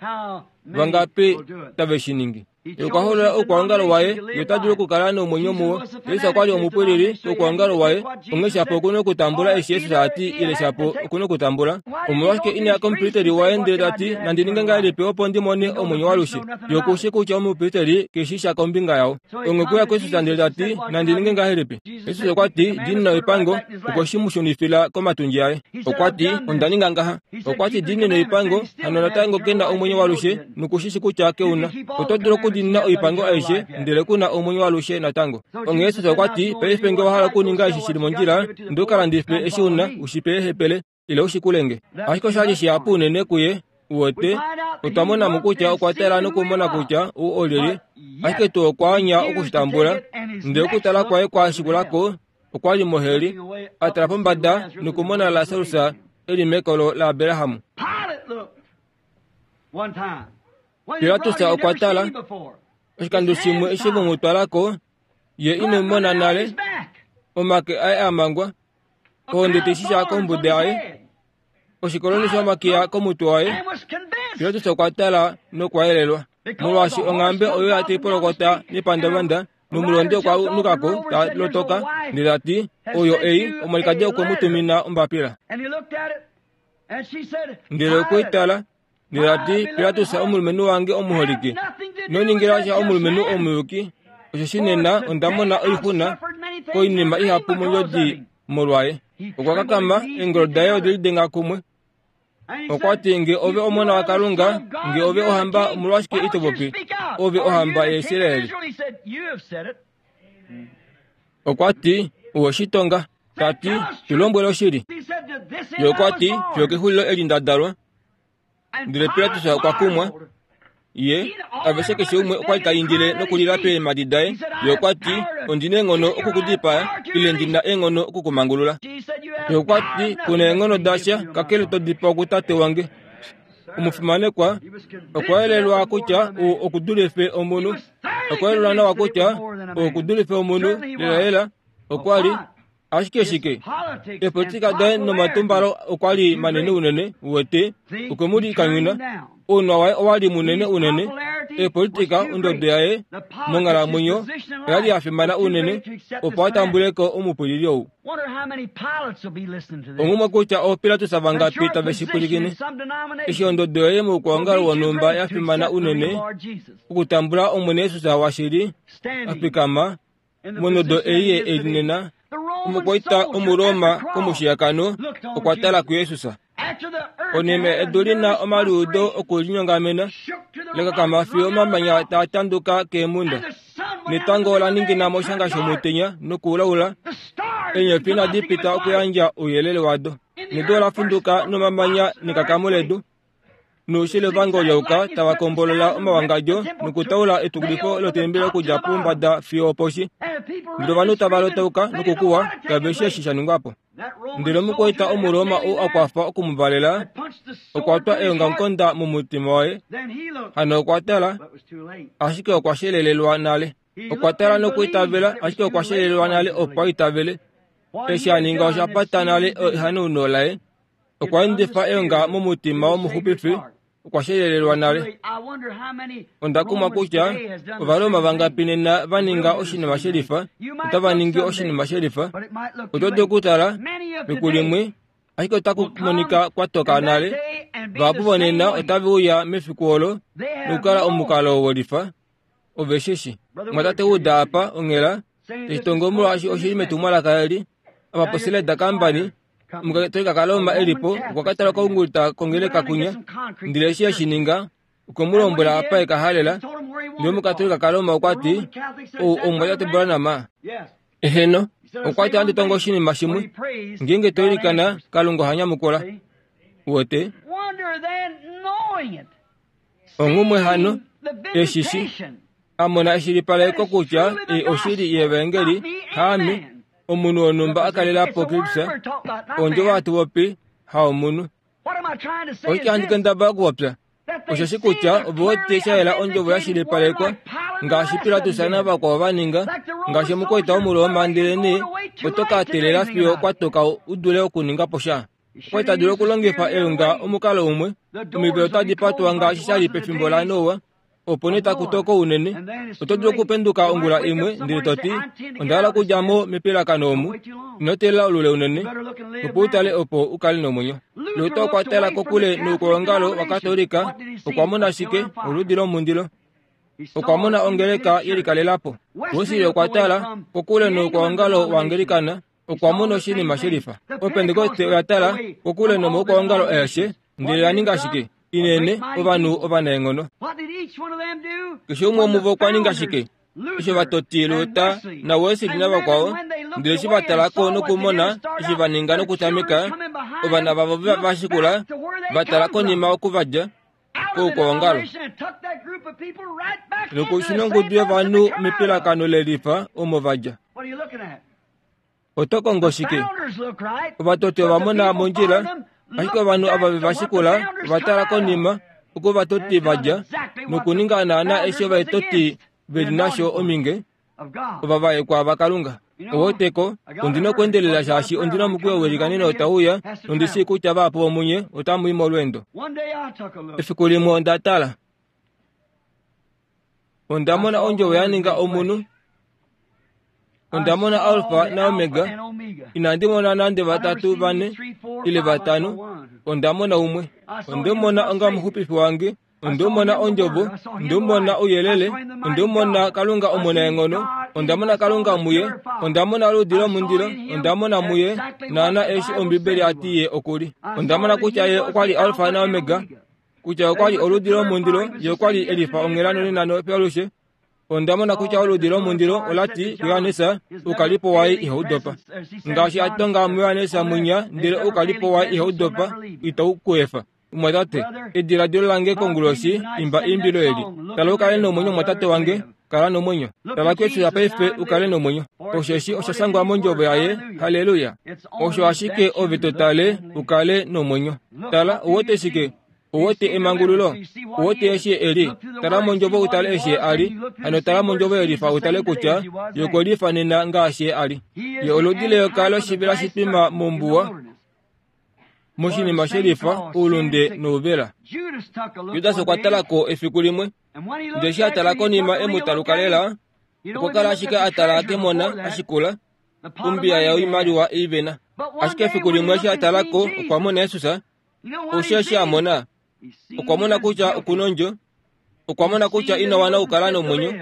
Vangapi tave shi ningi? Ye okwa hoolola oukwaongalo waye, ye ota dulu okukala nomwenyo muwo. Jesus okwa li omupwilili woukwaongalo waye, onghee shapo oku na okutambula eshi Jesus a ti ile shapo oku na okutambula. Omolwashike ina ya komupristeli waye ndele ta ti, Nandi ninge ngahelipi opo ndi mone omwenyo walushe? Ye oku shii kutya omupristeli ke shii sha kombinga yao. Onghee okwe uya kuJesus ndele ta ti, Nandi ninge ngahelipi? Jesus okwa ti, Diinina oipango, okwe shi mu shunifila komatundji aye. Okwa ti, Onda ninga ngaha. Okwa ti, Diinina oipango, hano natango ke na omwenyo walushe, noku shi shi kutya ke u na. Oto dulu okudiinina oipango aishe, ndele ku na omwenyo walushe natango. Onghee Jesus okwa ti, Paife nge owa hala okuninga eshi shi li mondjila, ndele u ka landife eshi u na, u shi pe eehepele, ile u shikule nge. Ashike osha li shihapu unene kuye, uwete. Otwa mona mo kutya okwa tala nokumona kutya ou olyelye, ashike tuu okwa anya oku shi tambula. Ndele okutala kwaye kwa shikula ko, okwa li moheli, a tala pombada nokumona Lasarus e li mekolo laAbraham. Pilatus okwa tala, oshikando shimwe eshi ve mu twala ko, ye ine mu mona nale, omake aye a mangwa, ohonde tai shisha kombuda yaye, oshikoloni shomakiya komutwe waye. Pilatus okwa tala nokwa yelelwa, molwaashi onghambe oyo ya tai polokota nepandavanda nomulondi okwa nuka ko ta lotoka ndele ta ti, Oyo ei, omwalikadi okwe mu tumina ombapila. Ndele okwe i tala ndele ta ti, Pilatus omulumenhu wange omuholike, ino ningila sha omulumenhu omuyuki, osheshi nena onda mona oixuna koinima ihapu mondjodi molwaye. Okwa kakama, eengolo daye ode lidenga kumwe. Okwa ti, Nge ove omona waKalunga, nge ove ohamba, omolwashike ito popi? Ove ohamba yaIsrael. Okwa ti, Owe shi tonga. Ta ti, Tu lombwele oshili. Ye okwa ti, Fiyo kexulilo eli nda dalwa. Ndele Pilatus okwa kumwa. Ye, aveshe keshe umwe okwa li ta indile nokulila peemhadi daye. Ye okwa ti, Ondi na eenghono oku ku dipaa, ile ndi na eenghono oku ku mangulula. Ye okwa ti, Ku na eenghono dasha, kakele to dipawa kutate wange. Omufimanekwa okwa yelelwa kutya ou oku dulife omunhu. Okwa yelelwa nawa kutya ou oku dulife omunhu lelalela. Okwa li Ashike shike? Eepolitika daye nomatumbalo okwa li manene unene, uwete, okwe mu likanyuna. Ounwa waye owa li munene unene. Eepolitika, ondodo yaye monghalamwenyo oya li ya fimana unene, opo a tambule ko omupwilili ou. Onghumwe kutya ooPilatus vangapi tave shi pwilikine, eshi ondodo yoye moukwaongalo wonhumba ya fimana unene okutambula Omwene Jesus washili a fikama Monodo ei ye e li nena, omukwaita Omuroma komushiyakano okwa tala kuJesus. Konima edu li na omaliudo okulinyongamena la kakama fiyo omamanya taa tanduka keemhunda, netango ola ningina moshanga shomutenya nokulaula, eenyofi inadi pita okuyandja ouyelele wado, nedu ola funduka nomamanya nekakamo ledu. Noushili ovangolyauka tava kombolola omawangadjo nokutaula etukulifo lotembeli okudja pombada fiyo oposhi. Ndele ovanhu tava lotauka nokukuwa, kave shii eshi sha ningwa po. Ndele omukwaita Omuroma ou a kwafa oku mu valela, okwa twa eongamukonda momutima waye. Hano okwa tala, ashike okwa shelelelwa nale. Okwa tala nokwiitavela, ashike okwa shelelelwa nale opo a itavele. Eshi a ninga osha pata nale ehanauno laye. Okwa endifa eonga momutima womuxupifi, okwa shelelelwa nale. Onda kumwa kutya Ovaroma vangapi nena va ninga oshinima shelifa, otava ningi oshinima shelifa. Oto dulu okutala, fiku limwe, ashike otaku monika kwa toka nale. Vahapu vonena otave uya mefiku olo nokukala omukalo wolifa. Ove shi shi. Mwatate Wood apa, onghela, tashi tongo molwaashi oshi li metumwalaka eli, apa poSeleda Company, Omukatolika kaRoma e li po okwa ka tala koungulita kongeleka kunya, ndele eshi e shi ninga, okwe mu lombwela apa e ka halela. Ndele Omukatolika kaRoma okwa ti, Ou omumwatate Branham? Eheno. Okwa ti, Ohandi tongo oshinima shimwe. Ngeenge to ilikana, Kalunga oha nyamukula. Uwete? Onghumwe hano, eshi shi a mona eshilipaleko kutya ei oshili yevaengeli, haame, omunhu wonhumba a kalela po Kristus, ondjovo hatu popi, haomunhu. Oshike handi kendabala okupopya? Osheshi kutya ove wete sha yela ondjovo ya shilipalekwa, ngaashi Pilatus navakwao va ninga, ngaashi omukwaita wOmuroma, ndelenee oto ka teelela fiyo kwa toka u dule okuninga po sha. Okwa li ta dulu okulongifa eonga omukalo umwe. Omivelo otadi patwa ngaashi sha li pefimbo laNoa. Opo nee taku toko unene. Oto dulu okupenduka ongula imwe ndele to ti, Onda hala okudja mo mepilakano omu. Ino teelela olule unene opo u tale opo u kale nomwenyo. Luther okwa tala kokule noukwaongalo waKatolika. Okwa mona shike? Oludi lomundilo. Okwa mona ongeleka ye likalela po. Wesley okwa tala kokule noukwaongalo waAngelikana. Okwa mona oshinima shelifa. Opentekoste oya tala kokule nomaukwaongalo aeshe, ndele ya ninga shike? Inene, ovanhu ovanaenghono. Keshe umwe womuvo okwa ninga shike? Eshi ovatoti Luther naWesley navakwao, ndele eshi va tala ko nokumona eshi va ninga nokutameka, ovana vavo va shikula, va tala konima oku va dja koukwaongalo. Nokushuna ongudu yovanhu mepilakano lelifa omo va dja. Oto kongo shike? Ovatoti ova mona mondjila, ashike ovanhu ava ve va shikula ova tala konima oko ovatoti va dja nokuninga naanaa eshi ovaetoti ve li nasho ominge, ovavaekwa vaKalunga. Oweteko, ondi na okuendelela shaashi ondi na omukweyo welikaneno tau uya, nondi shii kutya vahapu vomunye otamu i molweendo. Efiku limwe onda tala. Onda mona ondjovo ya ninga omunhu. Onda mona Alfa naOmega. Inandi mona nande vatatu, vane, ile vatano. Onda mona umwe. Onde mu mona onga omuxupifi wange. Onde mu mona ondjovo. Onde mu mona ouyelele. Onde mu mona Kalunga omunaenghono. Onda mona Kalunga muye. Onda mona oludi lomundilo. Onda mona muye naana eshi Ombibeli ya ti ye oku li. Onda mona kutya ye okwa li Alfa naOmega, kutya okwa li oludi lomundilo, ye okwa li e lifa onghela nonena nopealushe. Onda mona kutya oludi lomundilo ola ti kuJohannes, Oukalipo waye ihau dopa. Ngaashi a tonga muJohannes mwinya, ndele oukalipo waye ihau dopa, itau ku efa. Mumwatate, ediladilo lange konguloshi, imba eimbilo eli. Tala u kale nomwenyo, mumwatate wange, kala nomwenyo. Tala kuJesus paife u kale nomwenyo. Osheshi osha shangwa mOndjovo yaye, Halleluya! Osho ashike ove to tale u kale nomwenyo. Tala, ou wete shike? Ou wete emangululo? Ou wete eshi e li? Tala mOndjovo u tale eshi Ye a li. Hano tala mOndjovo yelifa u tale kutya Ye okwe lifa nena ngaashi Ye a li. Ye oludi leyoka loshivela shitwima mombuwa, moshinima shelifa, oulunde nouvela. Judas okwa tala ko efiku limwe, ndele eshi a tala konima e mu taluka lela, okwa kala ashike a tala kemona a shikula ombiya yoimaliwa ei ve na. Ashike efiku limwe eshi a tala ko, okwa mona Jesus. Osho eshi a mona, okwa mona kutya oku nondjo, okwa mona kutya ina wana okukala nomwenyo,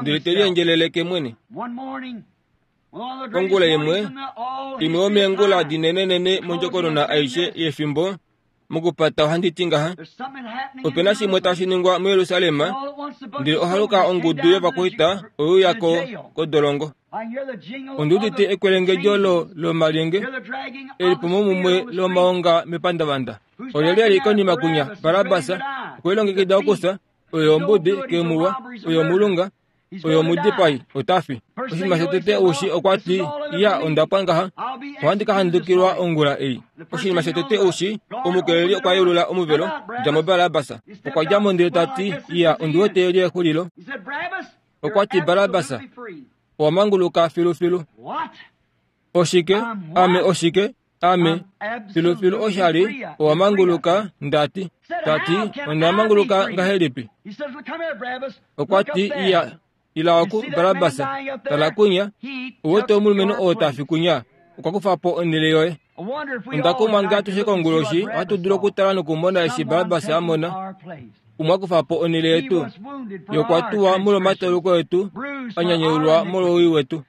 ndele te liendjeleleke mwene. Ongula imwe, imwe yomeengula dinenenene mondjokonona aishe yefimbo, mokupata ohandi ti ngaha, ope na shimwe tashi ningwa muJerusalem, ndele ohaluka ongudu yovakwaita oye uya ko kodolongo. Ondi udite ekwelengedjo lo lomalyenge elipumomumwe lomaonga mepandavanda. Olyelye a li konima kunya Barabas okwe lilongekida okufya, oye ombudi, kemuwa, oye omulunga, oye omudipai, ota fi. Oshinima shotete oushi okwa ti, Ya, onda pwa ngaha. Ohandi ka handukilwa ongula ei. Oshinima shotete oushi, omukeleli okwa yeulula omuvelo, dja mo Barabas. Okwa dja mo ndele ta ti, Ya, ondi wete eli exulilo. Okwa ti, Barabas, owa manguluka filufilu. Oshike? Ame oshike? Ame, filufilu osha li, owa manguluka, nda ti. Ta ti, Onda manguluka ngahelipi? Okwa ti, Iya, ila oku, Barabas. Tala kunya, u wete omulumenhu oo ta fi kunya, okwa kufa po onhele yoye. Onda kumwa nge atushe konguloshi ohatu dulu okutala nokumona eshi Barabas a mona. Umwe a kufa po onhele yetu. Ye okwa tuwa molwomatauluko etu, a nyanyaulwa molwowii wetu.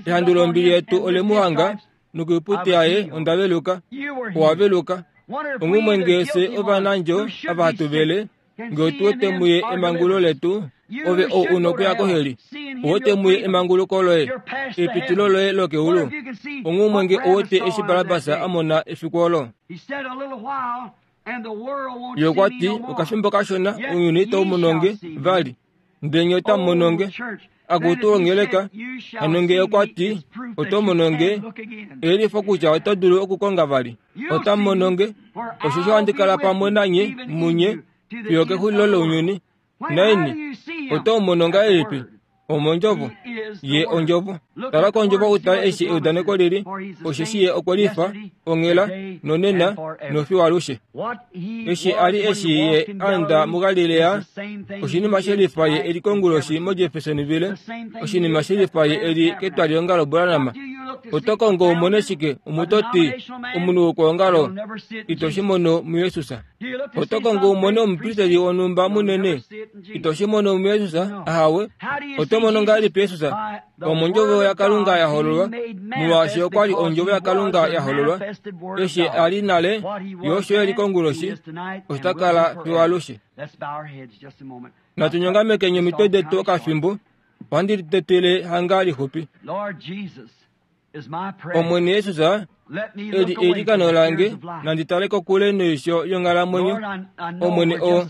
Ehandu lombili yetu ole mu hanga, nokoiputi yaye onda veluka. Owa veluka. Onghumwe nge fye ovanandjo ava hatu vele, nge otu wete muye emangululo letu, ove ou u nokuya koheli. Ou wete muye emanguluko loye, epitilo loye lokeulu. Onghumwe nge ou wete eshi Barabas a mona efiku olo. Ye okwa ti, Okafimbo kashona ounyuni itau mono nge vali, ndele nye otamu mono nge. Akutu ongeleka, hano nge okwa ti, Oto mono nge, eyelifo kutya oto dulu okukonga vali. Otamu mono nge, osheshi ohandi kala pamwe nanye munye fiyo okexulilo lounyuni. Naini, oto mu mono ngahelipi? Omondjovo. Ye ondjovo. Tala kondjovo u tale eshi eudaneko lili, osheshi ye okwe lifa onghela, nonena, nofiyo alushe. Eshi a li eshi ye a enda muGalilea, oshinima she lifa ye e li konguloshi moJeffersonville, oshinima she lifa ye e li ketwaliongalo Branham. Oto kongo u mone shike, omutoti, omunhu wokwoongalo? Ito shi mono muJesus. Oto kongo u mone omupristeli wonhumba munene? Ito shi mono muJesus. Ahawe. Oto mono ngahelipi Jesus? Omondjovo yaKalunga ya hololwa, molwaashi okwa li ondjovo yaKalunga ya hololwa. Eshi a li nale, ye osho e li konguloshi, osho ta kala fiyo alushe. Natu nyongamekeni omitwe detu okafimbo. Ohandi litetele hanga lixupi. Omwene Jesus, eli eilikano lange, nandi tale kokule noisho yonghalamwenyo. Omwene o,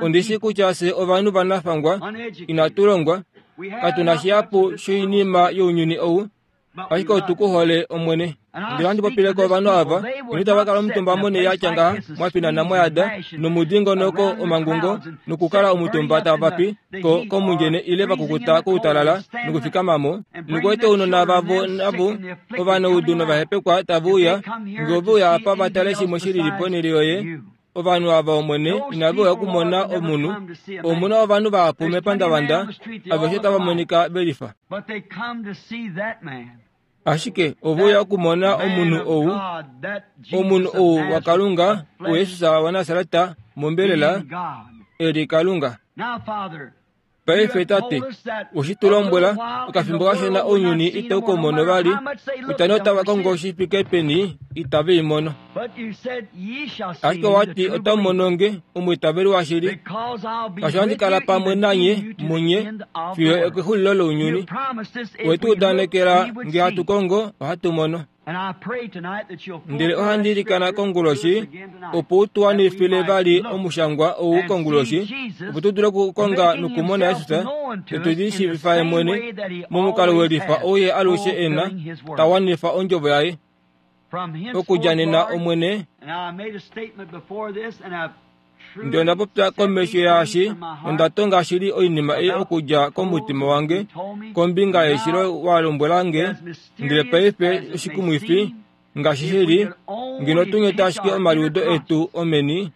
ondi shi kutya fye ovanhu vanafangwa, inatu longwa, katu na shihapu shoinima younyuni ou, ashike otu ku hole, Omwene. Ndele ohandi popile ko ovanhu ava, ino tava kala omutumba monhele ya tya ngaha, mwa finana mwa yada, nomudingonoko omangungo, nokukala omutumba tava pi ko komundjene ile va kukuta koutalala nokufikama mo, nokueta ounona vavo navo ovanaudu novahepekwa tave uya, nge ove uya apa va tale shimwe shi lili ponhele yoye. Ovanhu ava, Omwene, inave uya okumona omunhu. Omu na ovanhu vahapu mepandavanda, aveshe otava monika ve lifa. Ashike ove uya okumona omunhu ou, omunhu ou waKalunga, uJesus waNasaret, mombelela, e li Kalunga. Paife, Tate, we shi tu lombwela, okafimbo kashona ounyuni itau ku mono vali, kutya nee otava kongo shi fike peni, itave i mono. Ashike owa ti otamu mono nge, omwiitaveli washili, shaashi ohandi kala pamwe nanye, munye, fiyo okexulilo lounyuni. We tu udanekela nge hatu kongo, ohatu mono. Ndele ohandi ilikana konguloshi opo u tu wanifile vali omushangwa ou konguloshi, opo tu dule okukonga nokumona Jesus, notu lishiivifa ye mwene momukalo we lifa ou ye alushe e na, ta wanifa ondjovo yaye. Okudja nena, Omwene, Ndele onda popya komesho yaashi nonda tonga shili oinima ei okudja komutima wange kombinga yeshilo wa lombwela nge, ndele paife oshikumwifi ngaashi shi li, ngeno tu nyete ashike omaliudo etu omeni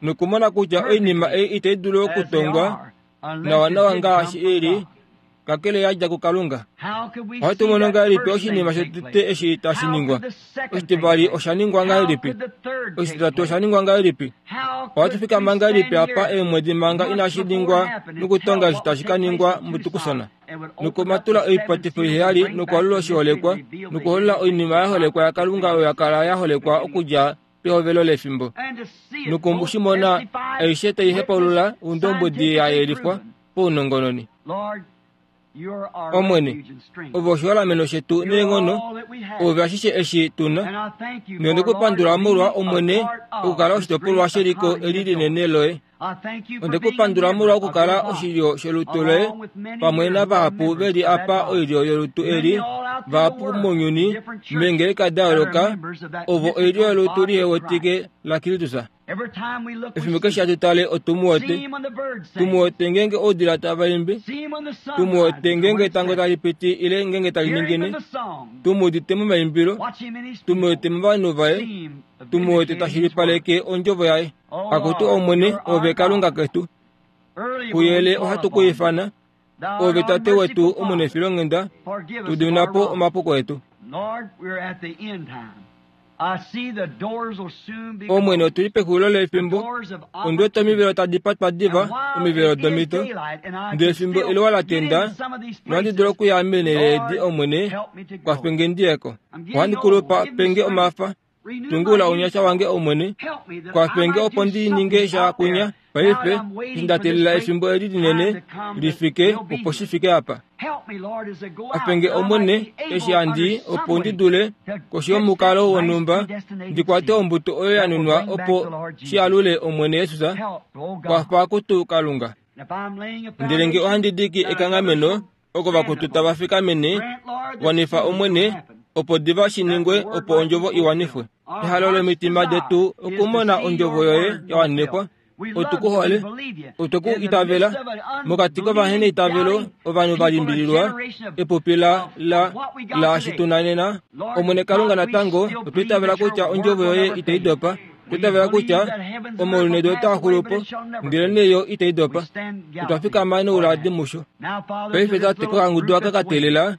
nokumona kutya oinima ei itai dulu okutongwa nawanawa ngaashi i li, kakele ya dja kuKalunga. Ohatu mono ngahelipi oshinima shotete eshi tashi ningwa? Oshitivali osha ningwa ngahelipi? Oshititatu osha ningwa ngahelipi? Ohatu fikama ngahelipi apa eemwedi manga inashi ningwa nokutonga eshi tashi ka ningwa muTucson, nokumatula oipatifo iheyali nokwalula oshiholekwa, nokuholola oinima ya holekwa yaKalunga oyo ya kala ya holekwa okudja pehovelo lefimbo, noku shi mona aishe tai hepaulula oundombwedi ya yelifwa paunongononi. Omwene, ove oshiholameno shetu neenghono, ove ashishe eshi tu na. Nonde ku pandula molwa Omwene okukala oshitopolwa sheliko eli linene loye. Onde ku pandula molwa okukala oshilyo sholutu loye pamwe navahapu ve li apa oilyo yolutu eli, vahapu mounyuni meengeleka da yooloka, ovo oilyo yolutu lihewetike laKristus. Efimbo keshe hatu tale otu mu wete. Tu mu wete ngeenge oudila tava imbi, tu mu wete ngeenge etango tali piti ile ngeenge tali ningine, tu mu udite momaimbilo, tu mu wete movanhu vaye, tu mu wete ta shilipaleke ondjovo yaye. Akutu Omwene, Oove Kalunga ketu. Kuyele ohatu ku ifana, Oove Tate wetu omunefilonghenda, tu dimina po omapuko etu. Omwene, otu li pexulilo lefimbo. Ondi wete omivelo tadi patwa diva, omivelo domhito. Ndele fimbo eluwa la tenda, nohandi dulu okuya meenhele edi, Omwene, kwafe nge ndi ye ko. Ohandi kulupa, pe nge omafa. Tungula ounyasha wange, Omwene, kwafe nge opo ndi ninge sha kunya paife, eshi nda teelela efimbo eli linene li fike opo shi fike apa. Kwafe nge, Omwene, eshi handi i opo ndi dule, koshi yomukalo wonhumba, ndi kwate ombuto oyo ya nunwa opo shi alule Omwene Jesus. Kwafa kutu, Kalunga. Ndele nge ohandi diki ekanghameno, oko vakutu tava fikamene, wanifa Omwene, opo diva shi ningwe opo ondjovo i wanifwe. Ehalo lomitima detu okumona ondjovo yoye ya wanifwa. Otu ku hole, otwe ku itavela. Mokati kovaheneitavelo ovanhu va limbililwa epupi la, la, laashi tu na nena. Omwene Kalunga natango otwa itavela kutya ondjovo yoye itai dopa. Otwa itavela kutya omaulu nedu otaa xulu po, ndelenee yo itai dopa. Otwa fikama nouladi musho. Paife Tate, kokangudu aka ka teelela,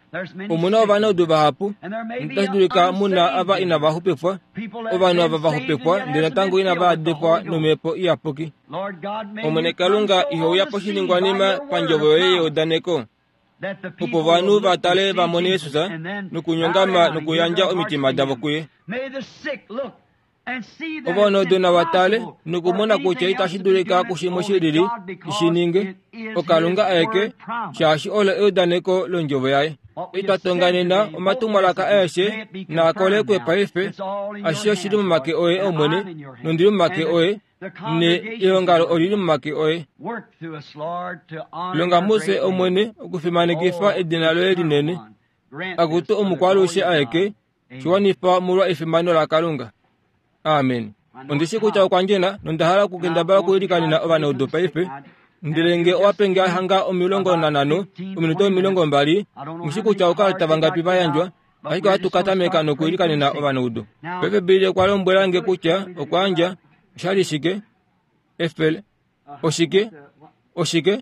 omu na ovanaudu vahapu, notashi dulika mu na ava inava xupifwa, ovanhu ava va xupifwa ndele natango inava yadekwa nomhepo iyapuki. Omwene Kalunga, iho uya poshiningwanima pandjovo yoye yeudaneko, opo ovanhu va tale va mone Jesus nokunyongama nokuyandja omitima davo kuye. Ovanaudu nava tale nokumona kutya itashi dulika kushimwe shi lili shi ninge, oKalunga aeke, shaashi olo eudaneko londjovo yaye. Itwa tonga nena omatumwalaka aeshe naa kolekwe paife, ashishe oshi li momake oye Omwene, nondi li momake oye, ne eongalo oli li momake oye. Longa mufye Omwene okufimanekifa edina loye linene. Akutu omukwaalushe aeke, shi wanifa molwa efimano laKalunga. Amen. Ondi shi kutya okwa ndjena nonda hala okukendabala okuilikanena ovanaudu paife. Ndele nge owa pe nge hanga 15, ominute 20, nghi shi kutya oukalata vangapi va yandjwa, ashike ohatu ka tameka nokuilikanena ovanaudu. Paife Billy okwa lombwela nge kutya okwa yandja, osha li shike? Efele. Oshike? Oshike?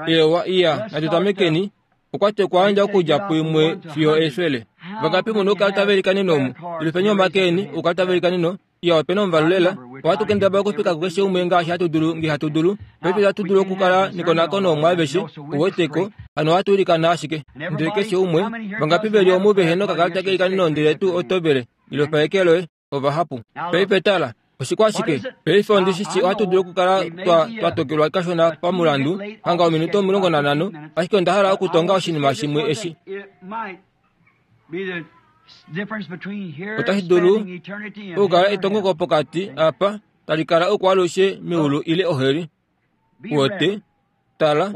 Ewa, iya, natu tamekeni. Okwa ti okwa yandja okudja puimwe fiyo efele. Vangapi mu nokukala tava ilikanene omu? Yelufeni omake eni, okukala tava ilikanene. Iya, ope na omuvalu lela. Ohatu kendabala okufika kukeshe umwe ngaashi hatu dulu, nge hatu dulu. Paife itatu dulu okukala nekonakono omu aveshe, uweteko, hano ohatu ilikana ashike. Ndele keshe umwe, vangapi ve li omu vehe nokakalata keilikaneno ndele tuu oto vele, yelufela eke loye. Ovahapu. Paife tala, oshikwashike? Paife ondi shi shii ohatu dulu okukala twa, twa tokelwa kashona pamulandu, hanga ominute 15, ashike onda hala okutonga oshinima shimwe eshi. Otashi dulu okukala etongoko pokati apa tali kala okwaalushe meulu ile oheli. Wote, tala,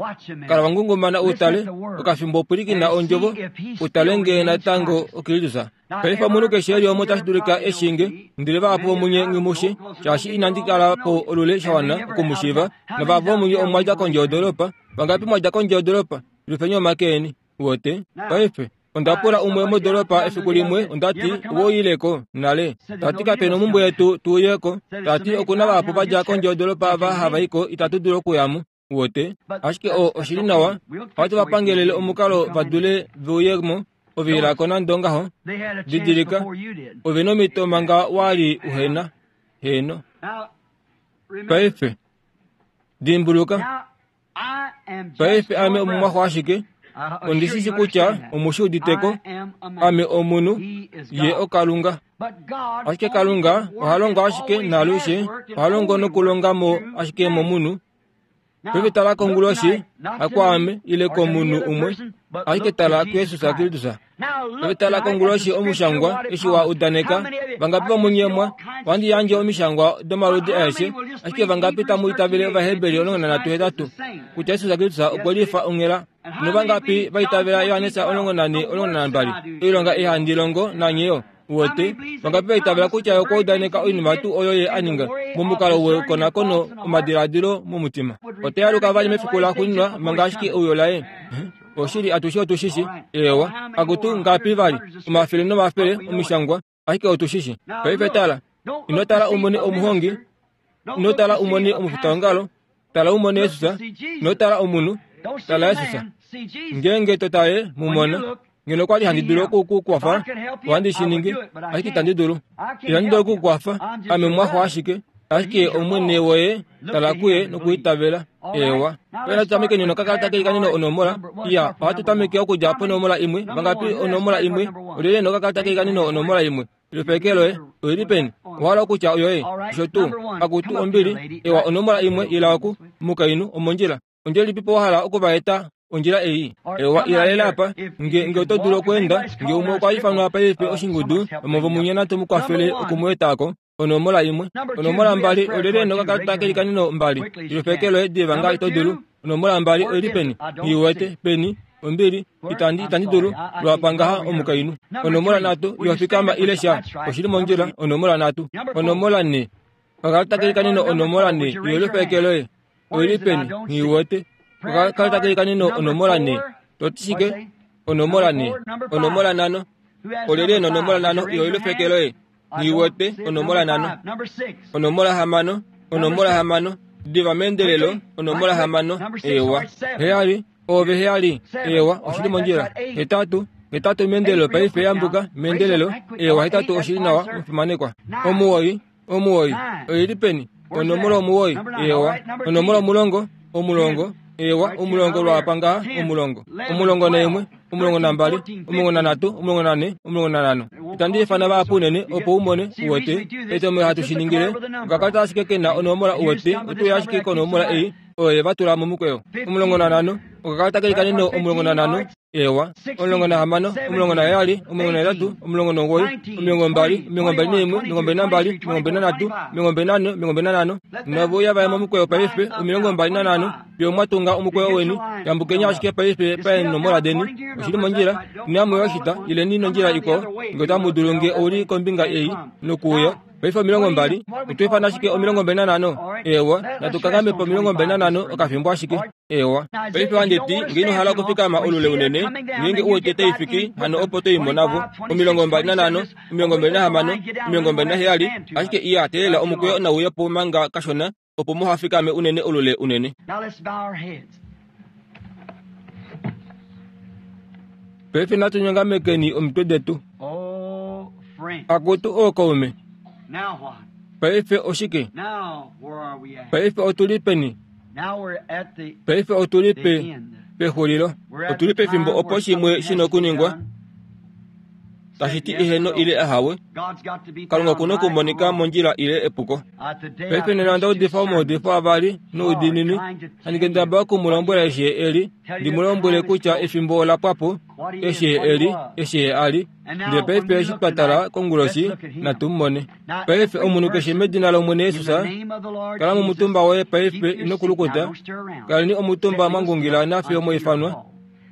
kala wa ngungumana u tale okafimbo pwilikina ondjovo, u tale ngee natango oKristus. Paife omunhu keshe e li omo otashi dulika e shi nge, ndele vahapu vomunye nghi mu shi, shaashi inandi kala po olule sha wana oku mu shiiva, navahapu vomunye omwa dja kondje yodolopa. Vangapi mwa dja kondje yodolopa? Lufeni omake eni. Wote, paife, onda pula umwe modolopa efiku limwe, onda ti, Owe uyile ko nale? Ta ti, Kape na omumbwe yetu tu uye ko. Ta ti, Oku na vahapu va dja kondje yodolopa ava hava i ko, itatu dulu okuya mo. Wote, ashike o, oshi li nawa, ohatu va pangelele omukalo va dule ve uye mo. Ove ila ko nande ongaho. Didilika, ove nomhito manga wa li uhe na. Heeno. Paife, dimbuluka. Paife ame omumwaxo ashike, ondi shi shi kutya omu shi udite ko. Ame omunhu, ye oKalunga. Ashike Kalunga oha longo ashike naalushe, oha longo nokulonga mo ashike momunhu. Paife tala konguloshi, hakwaame ile komunhu umwe, ashike tala kuJesus Kristus. Paife tala konguloshi omushangwa eshi wa udaneka, vangapi vomunye mwa, ohandi yandje omishangwa domaludi aeshe, ashike vangapi tamu itavele Ovaheberi 13:8 kutya Jesus Kristus okwe lifa onghela, novangapi va itavela Johannes 14:12 oilonga ei handi longo nanye yo? Uwete, vangapi va itavela kutya ye okwa udaneka oinima tuu oyo ye a ninga momukalo wekonakono omadiladilo momutima? Ota yaluka vali mefiku laxuuninwa manga ashike euyo laye. Oshili, atushe otu shi shi. Eewa, akutu, ngapi vali, omafele nomafele omishangwa, ashike otu shi shi. Paife tala, ino tala u mone omuhongi, ino tala u mone omufitaongalo, tala u mone Jesus, ino tala omunhu, tala Jesus. Ngeenge to tale, mu mona. Ngeno okwa li handi dulu oku ku kwafa, ohandi shi ningi, ashike itandi dulu. Itandi dulu oku ku kwafa, ame omwaxo ashike. Ashike Omwene woye, tala kuye nokwiitavela. Eewa. Paife natu tamekeni nokakalata keikaneno onomola. Iya, ohatu tameke okudja ponomola imwe. Vangapi onomola imwe? Olyelye nokakalata keikaneno onomola imwe? Lupeke loye oi li peni? Owa hala okutya oyoye? Osho tuu. Akutu, ombili. Ewa, onomola imwe, ila oku, mukainhu, omondjila. Ondjila ilipipo wa hala oku va eta? Ondjila ei. Ewa, ila lela apa. Nge, nge oto dulu okweenda, nge umwe okwa ifanwa paife oshingudu, vamwe vomunye natu mu kwafele oku mu eta ko. Onomola imwe. Onomola mbali, olyelye nokakalata kelikaneno mbali? Lupeke loye diva ngaashi to dulu. Onomola mbali oi li peni? Nghi wete. Peni? Ombili, itandi, itandi dulu. Lwapa ngaha, omukainhu. Onomola nhatu, iho fikama ile sha. Oshi li mondjila. Onomola nhatu. Onomola nhe. Okakalata kelikaneno onomola 4, yelifa eke loye. Oi li peni? Nghi wete. Okakalata kelikaneno onomola 4. To ti shike? Onomola 4. Onomola 5. Olyelye e na onomola 5 yelifa eke loye? Nghi wete onomola 5. Onomola 6. Onomola 6. Diva meendelelo, onomola 6. Eewa. 7. Ove heyali. Eewa, oshi li mondjila. 8. 8 meendelelo paife yambuka meendelelo. Eewa, 8 oshi li nawa, omufimanekwa. 9. 9 oi li peni? Onomola 9. Eewa. Onomola 10. 10. Eewa, 10 lwaapa ngaha, 10. 11, 12, 13, 14, 15. Itandi ifana vahapu unene opo u mone, uwete, etomhelo hatu shi ningile. Okakalata ashike ke na onomola, uwete, oto uya ashike konomola ei oyo ye va tula momukweyo. 15, okakalata ke likaneno 15. Eewa, 16, 17, 18, 19, 20, 21, 22, 23, 24, 25. Nove uya vaye momukweyo paife, 25. Fiyo mwa tunga omukweyo weni, yambukeni ashike paife paenomola deni. Oshi li mondjila. Inamu yoshita, ileni nondjila ikwao, nge otamu dulu nge ou li kombinga ei, nokuuya. Paife 20. Oto ifana ashike 25? Eewa, natu kanghame po 25 okafimbo ashike. Eewa. Paife ohandi ti, nge ino hala okufikama olule unene, ngeenge u wete tai fiki, hano opo to i mo navo. 25, 26, 27, ashike iya teelela omukweyo nau uye po manga kashona, opo muha fikame unene olule unene. Paife natu nyongamekeni omitwe detu. Akutu ookaume, paife oshike? Paife otu li peni? Paife otu li pe, pexulilo. Otu li pefimbo opo shimwe shi na okuningwa, tashi ti eheno ile ahawe. Kalunga oku na okumonika mondjila ile epuko. Paife nena onda udifa omaudifo avali noudiinini, handi kendabala oku mu lombwela eshi ye e li, ndi mu lombwele kutya efimbo ola pwa po, eshi ye e li, eshi ye a li. Ndele paife eshi twa tala konguloshi, natu mu mone. Paife omunhu keshe medina lOmwene Jesus, kala momutumba woye paife, ino kulukuta. Kaleni omutumba mwa ngungila nafiyo mwa ifanwa,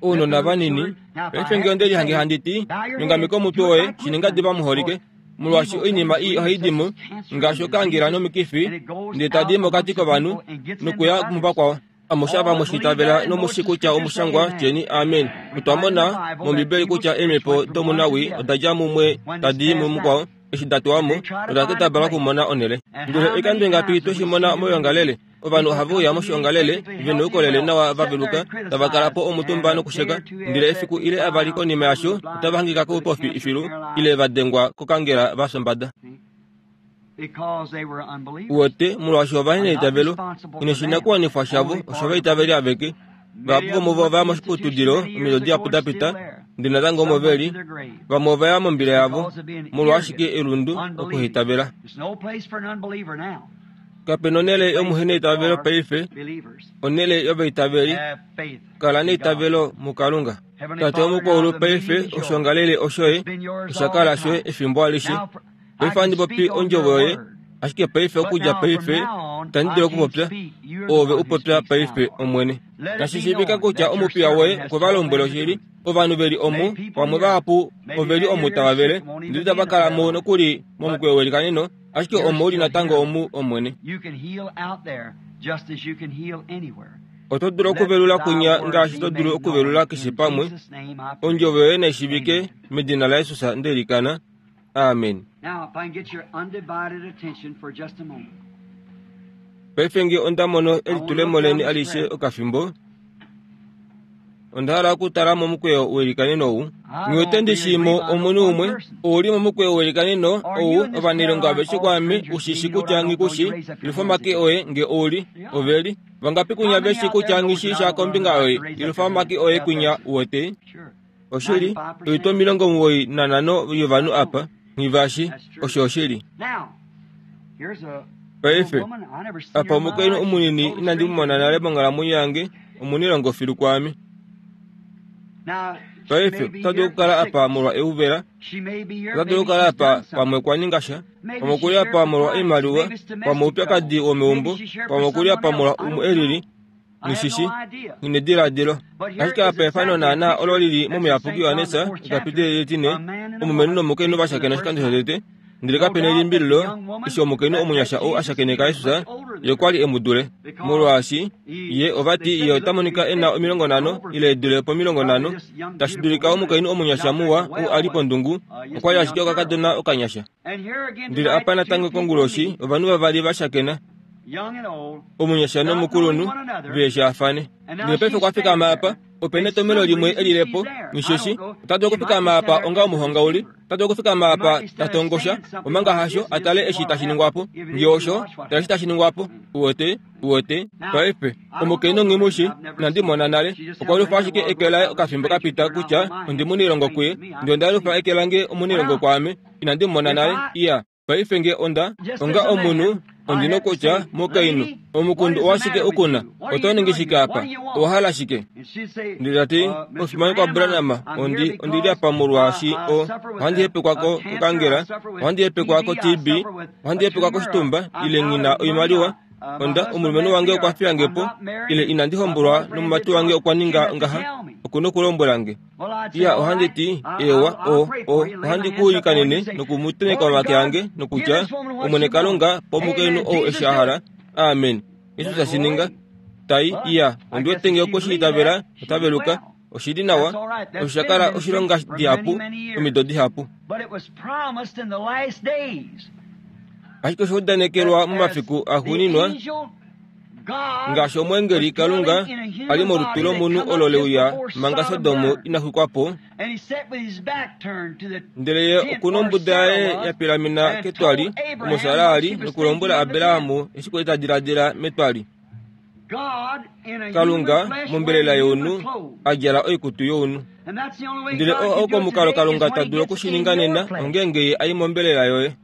ounona vanini. Paife nge onde lihange handi ti, Nyongameka omutwe woye, shi ninga diva muholike, molwaashi oinima ii ohai di mo, ngaashi okaangela nomikifi, ndele tadi i mokati kovanhu nokuya muvakwao. Amushe ava mwe shi itavela nomu shi kutya omushangwa, tyeni, Amen. Otwa mona mOmbibeli kutya eemhepo domunawii oda dja mumwe tadi i mumukwao, eshi da tuwa mo, noda kendabala okumona onhele. Ndele oikando ingapi twe shi mona moyoongalele? Ovanhu ohave uya moshiongalele ve noukolele nawa va veluka, tava kala po omutumba nokusheka, ndele efiku ile avali konima yasho otava hangika koupofi filu ile va dengwa kokangela va fya Uwete, molwaashi ova li neitavelo, inoshinakuwanifwa shavo oshovaitaveli aveke. Vahapu vomuvo ova ya moshiputudilo omido dihapu da pita, ndele natango omo ve li. Vamwe ova ya mombila yavo molwa ashike elundu okuhaitavela. Kape na onhele yomuheneitavelo paife, onhele yovaitaveli. Kala neitavelo muKalunga. Tate womukwaulu paife oshoongalele oshoye osha kala shoye efimbo alishe. Paife ohandi popi ondjovo yoye, ashike paife okudja paife itandi dulu okupopya. Oove u popya paife, Omwene. Nashi shiivika kutya omupiya woye okwe va lombwela oshili. Ovanhu ve li omu, vamwe vahapu ove li omu tava vele, ndele itava kala mo nokuli momukweyo welikaneno, ashike omo u li natango omu, Omwene. Oto dulu okuvelula kwinya ngaashi to dulu okuvelula keshe pamwe. Ondjovo yoye nai shiivike, medina laJesus nde ilikana. Amen. Paife nge onda mono elitulemo leni alishe okafimbo, onda hala okutala momukweyo welikaneno ou. Nghi wete ndi shii mo omunhu umwe ou li momukweyo welikaneno ou, ovanailonga aveshe kwaame, u shi shi kutya nghi ku shi, ilufa omake oye nge ou li. Ove li. Vangapi kunya ve shi kutya nghi shii sha kombinga yoye, ilufa omake oye kwinya, uwete. Oshili, oitwa 95 yovanhu apa, nghi osho oshili. Paife, apa omukainhu omunini inandi mu mona nale monghalamwenyo yange, omunilongo filu kwaame. Paife, ota dulu okukala apa molwa euvela, ota dulu okukala apa pamwe okwa ninga sha, pamwe okuli apa molwa oimaliwa, pamwe oupyakadi womeumbo, pamwe okuli apa molwa umwe e lili, Nghishishi, nghinediladilo. Ashike apa efano naana olo li li mOmuyapuki Johannes, ekapiteli etine, omulumenhu nomukainhu va shakena oshikando shotete. Ndele kape na elimbililo, eshi omukainhu omunyasha ou a shakeneka Jesus, ye okwa li e mu dule. Molwaashi, ye, ova ti, ye ota monika e na 50 ile e dule po50, tashi dulika omukainhu omunyasha muwa ou a li pondungu, okwa li ashike okakadona okanyasha. Ndele apa natango konguloshi ovanhu vavali va shakena, omunyasha nomukulunhu, ve shaafane. Ndele paife okwa fikama apa, ope netomhelo limwe e lile po, nisheshi, ota dulu okufikama apa onga omuhongauli, ota dulu okufikama apa ta tongosha, omanga hasho, a tale eshi tashi ningwa po. Nge osho, tala eshi tashi ningwa po. Uwete? Uwete? Paife, omukainhu nghi mu shi, inandi mona nale. Okwa lufa ashike eke laye okafimbo ka pita kutya ondi muniilongo kuye. Ndele onda lufa eke lange omuniilongo kwaame. Inandi mu mona nale. Iya. Paife nge onda, onga omunhu, ondi nokutya, Mukainhu, omukundu owa shike u ku na? Oto ningi shike apa? Owa hala shike? Ndele ta ti, Omufimanekwa Branham, ondi, ondi li apa molwaashi o, ohandi hepekwa ko, kokangela, ohandi hepekwa ko-TB, ohandi hepekwa koshitumba, ile nghi na oimaliwa. Onda, omulumenhu wange okwa fiya nge po, ile inandi hombolwa nomumati wange okwa ninga ngaha. Oku nokulombwela nge. Iya, ohandi ti, Eewa, o, o, ohandi ku ilikanene noku mu tenheka omake ange, nokutya, Omwene Kalunga, pa omukainhu ou eshi a hala. Amen. Jesus tashi ninga. Tai, iya, ondi wete nge okwe shi itavela, ota veluka. Oshi li nawa. Osho sha kala oshilonga dihapu, omido dihapu. Ashike osha udanekelwa momafiku axuuninwa, Ngaashi omweengeli Kalunga a li molutu lomunhu olo le uya manga Sodom ina xwikwa po, ndele ye oku nombuda yaye ya pilamena ketwali omo Sara a li nokulombwela Abraham eshi kwali ta diladila metwali. Kalunga mombelela younhu a djala oikutu younhu. Ndele oo oko omukalo Kalunga ta dulu oku shi ninga nena ongeenge ye a i mombelela yoye.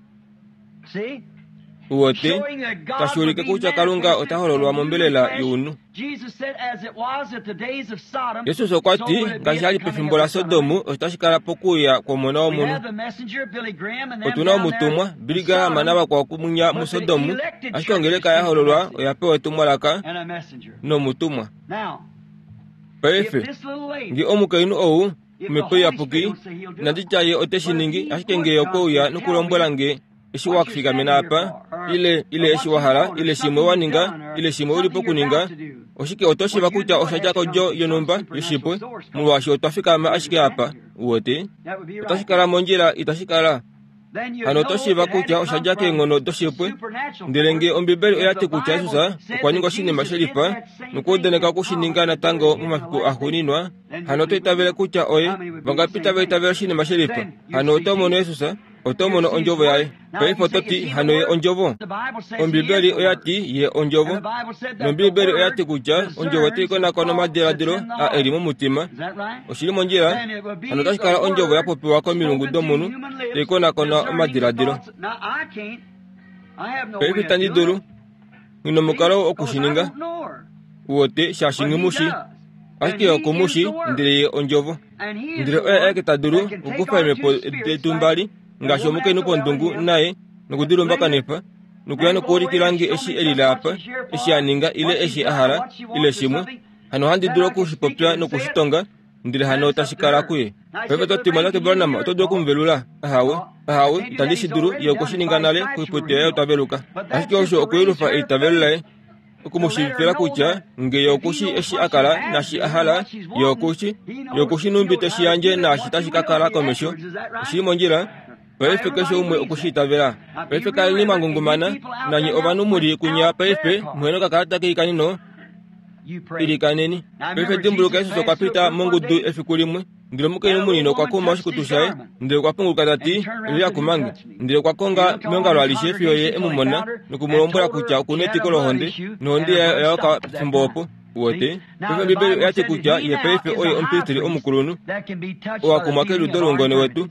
Uwete, tashi ulike kutya Kalunga ota hololwa mombelela younhu. Jesus okwa ti, ngaashi a li pefimbo laSodom, osho tashi kala pokuuya kwOmona wOmunhu. Otu na omutumwa, Billy Graham navakwao kumunya muSodom, ashike ongeleka ya hololwa oya pewa etumwalaka nomutumwa. Paife, nge omukainhu ou, Omhepo Iyapuki, inandi tya Ye ote shi ningi, ashike nge Ye okwe uya nokulombwela nge eshi wa fikamena apa, ile, ile eshi wa hala, ile shimwe wa ninga, ile shimwe u li pokuninga, oshike oto shiiva kutya osha dja kodjo yonhumba yoshipwe, molwaashi otwa fikama ashike apa. Uwete? Otashi kala mondjila, itashi kala? Hano oto shiiva kutya osha dja keenghono doshipwe. Ndele nge Ombibeli oya ti kutya Jesus okwa ninga oshinima she lifa nokwa udaneka oku shi ninga natango momafiku axuuninwa, hano oto itavele kutya oye. Vangapi tava itavele oshinima she lifa? Hano oto mono Jesus, oto mono Ondjovo yaye. Paife oto ti, Hano ye Ondjovo? Ombibeli oya ti ye Ondjovo. NOmbibeli oya ti kutya Ondjovo otai konakona omadiladilo a e li momutima. Oshi li mondjila? Hano otashi kala Ondjovo ya popiwa komilungu domunhu tai konakona omadiladilo. Paife itandi dulu. Nghi nomukalo oku shi ninga. Uwete, shaashi nghi mu shi. Ashike ye oku mu shi, ndele ye Ondjovo. Ndele oye aeke ta dulu okukufa eemhepo detu mbali, ngaashi omukainhu pondungu naye, noku di lumbakanifa, nokuya nokuulikila nge eshi e lile apa, eshi a ninga, ile eshi a hala, ile shimwe. Hano ohandi dulu oku shi popya noku shi tonga, ndele hano tashi kala kuye. Paife oto ti, Mumwatate Branham, oto dulu oku mu velula? Ahawe. Ahawe, itandi shi dulu. Ye okwe shi ninga nale, koiputu yaye otwa veluka. Ashike osho okuyelufa eitavelo laye, oku mu shiivifila kutya nge ye oku shi eshi a kala naashi a hala, ye oku shi, ye oku shi nhumbi te shi yandje naashi tashi ka kala komesho. Oshi li mondjila? Paife keshe umwe oku shi itavela. Paife kaleni mwa ngungumana, nanye ovanhu mu li kunya paife, muhe nokakalata keikanino, ilikaneni. Paife dimbuluka Jesus okwa pita mongudu efiku limwe, ndele omukainhu munini okwa kuma oshikutu shaye, ndele okwa punguluka ta ti, Olyelye a kuma nge? Ndele okwa konga meongalo alishe fiyo ye e mu mona, noku mu lombwela kutya oku na etiko lohonde, nohonde yaye oya yoka pefimbo opo. Uwete? Paife Ombibeli oya ti kutya ye paife oye omupristeli omukulunhu, oo a kumwa keliudo loungone wetu.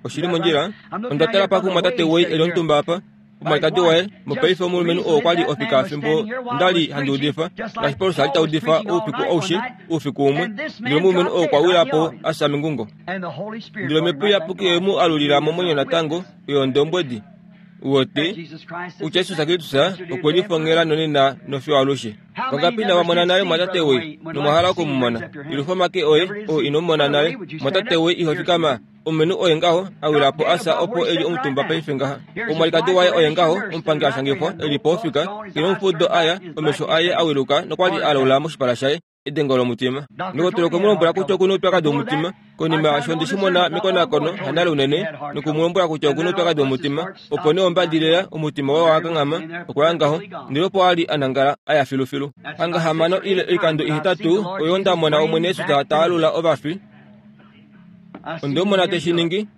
Oshi li mondjila? Onda tala pakumwatate Way e li omutumba apa. Omwalikadi waye, mopaife omulumenhu oo okwa li ofika fimbo nda li handi udifa, ngaashi Paulus a li ta udifa oufiku aushe oufiku umwe, ndele omulumenhu oo okwa wila po a fya mengungo. Ndele Omhepo Iyapuki oye mu alulila momwenyo natango, oyo ondombwedi. Uwete kutya Jesus Kristus okwe lifongela nonena nofiyo alushe. Vangapi inava mona nale mwatate wei nomwa hala oku mu mona? Yelufa omake oye oo ino mu mona nale. Mwatate wei iho fikama. Omulumenhu oye ngaho a wila po a fya opo e li omutumba paife ngaha. Omwalikadi waye oye ngaho omupangi a shangifwa e li po ofika, ye nomufudo a ya, omesho aye a wiluka nokwa li a laula moshipala shaye. Edengo lomutima. Ndokotola okwe mu lombwela kutya oku na oupyakadi womutima. Konima yaasho onde shi mona mekonakono hanale unene, noku mu lombwela kutya oku na oupyakadi womutima. Opo nee ombadilila, omutima waye owa kanghama, okwa ya ngaho, ndele opo a li a nangala a ya filufilu. Hanga hamano ile oikando ihetatu oyo nda mona Omwene Yesus ta alula ovafi. Onde mu mona te shi ningi,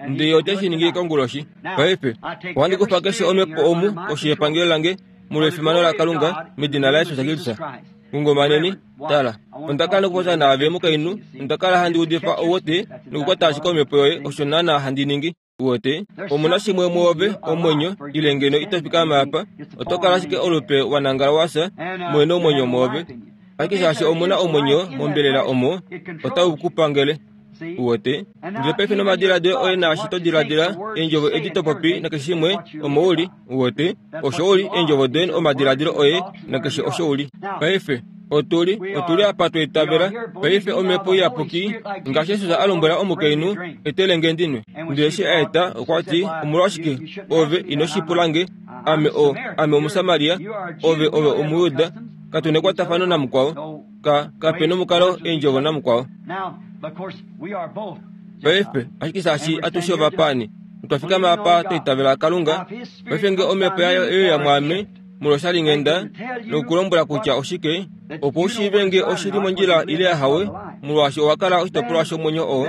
ndele ote shi ningi konguloshi. Paife, ohandi kufa keshe omhepo omu koshi yepangelo lange, molwefimano laKalunga, medina laJesus Kristus. Ngungumaneni, tala, onda kala nokupopya naave mukainhu, onda kala handi udifa ouwete nokukwata ashike omhepo yoye, osho naanaa handi ningi. Uwete, omu na shimwe muove, omwenyo, ile ngeno ito fikama apa, oto kala ashike olupe wa nangala wa fya, muhe nomwenyo muove. Ashike shaashi omu na omwenyo mombelela omo, otau ku pangele. Uwete? Ndele paife nomadiladilo oye naashi to diladila, eendjovo edi to popi nakeshe shimwe, omo u li. Uwete? Osho u li, eendjovo doye, omadiladilo oye, nakeshe osho u li. Paife, otu li, otu li apa twa itavela. Paife Omhepo Iyapuki, ngaashi Jesus a lombwela omukainhu, Etele nge ndi nwe. Ndele eshi a eta, okwa ti, Omolwashike, ove ino shi pula nge? Ame o, ame Omusamaria, ove, ove Omujuda. Katu nekwatafano namukwao. Ka, kape nomukalo eendjovo namukwao. Paife, ashike shaashi atushe ovapaani, notwa fikama apa twa itavela Kalunga, paife nge Omhepo yaye oye uya mwaame, molwoshalinghenda, nokukulombwela kutya oshike, opo u shiive nge oshi li mondjila ile ahawe, molwaashi owa kala oshitopolwa shomwenyo oo,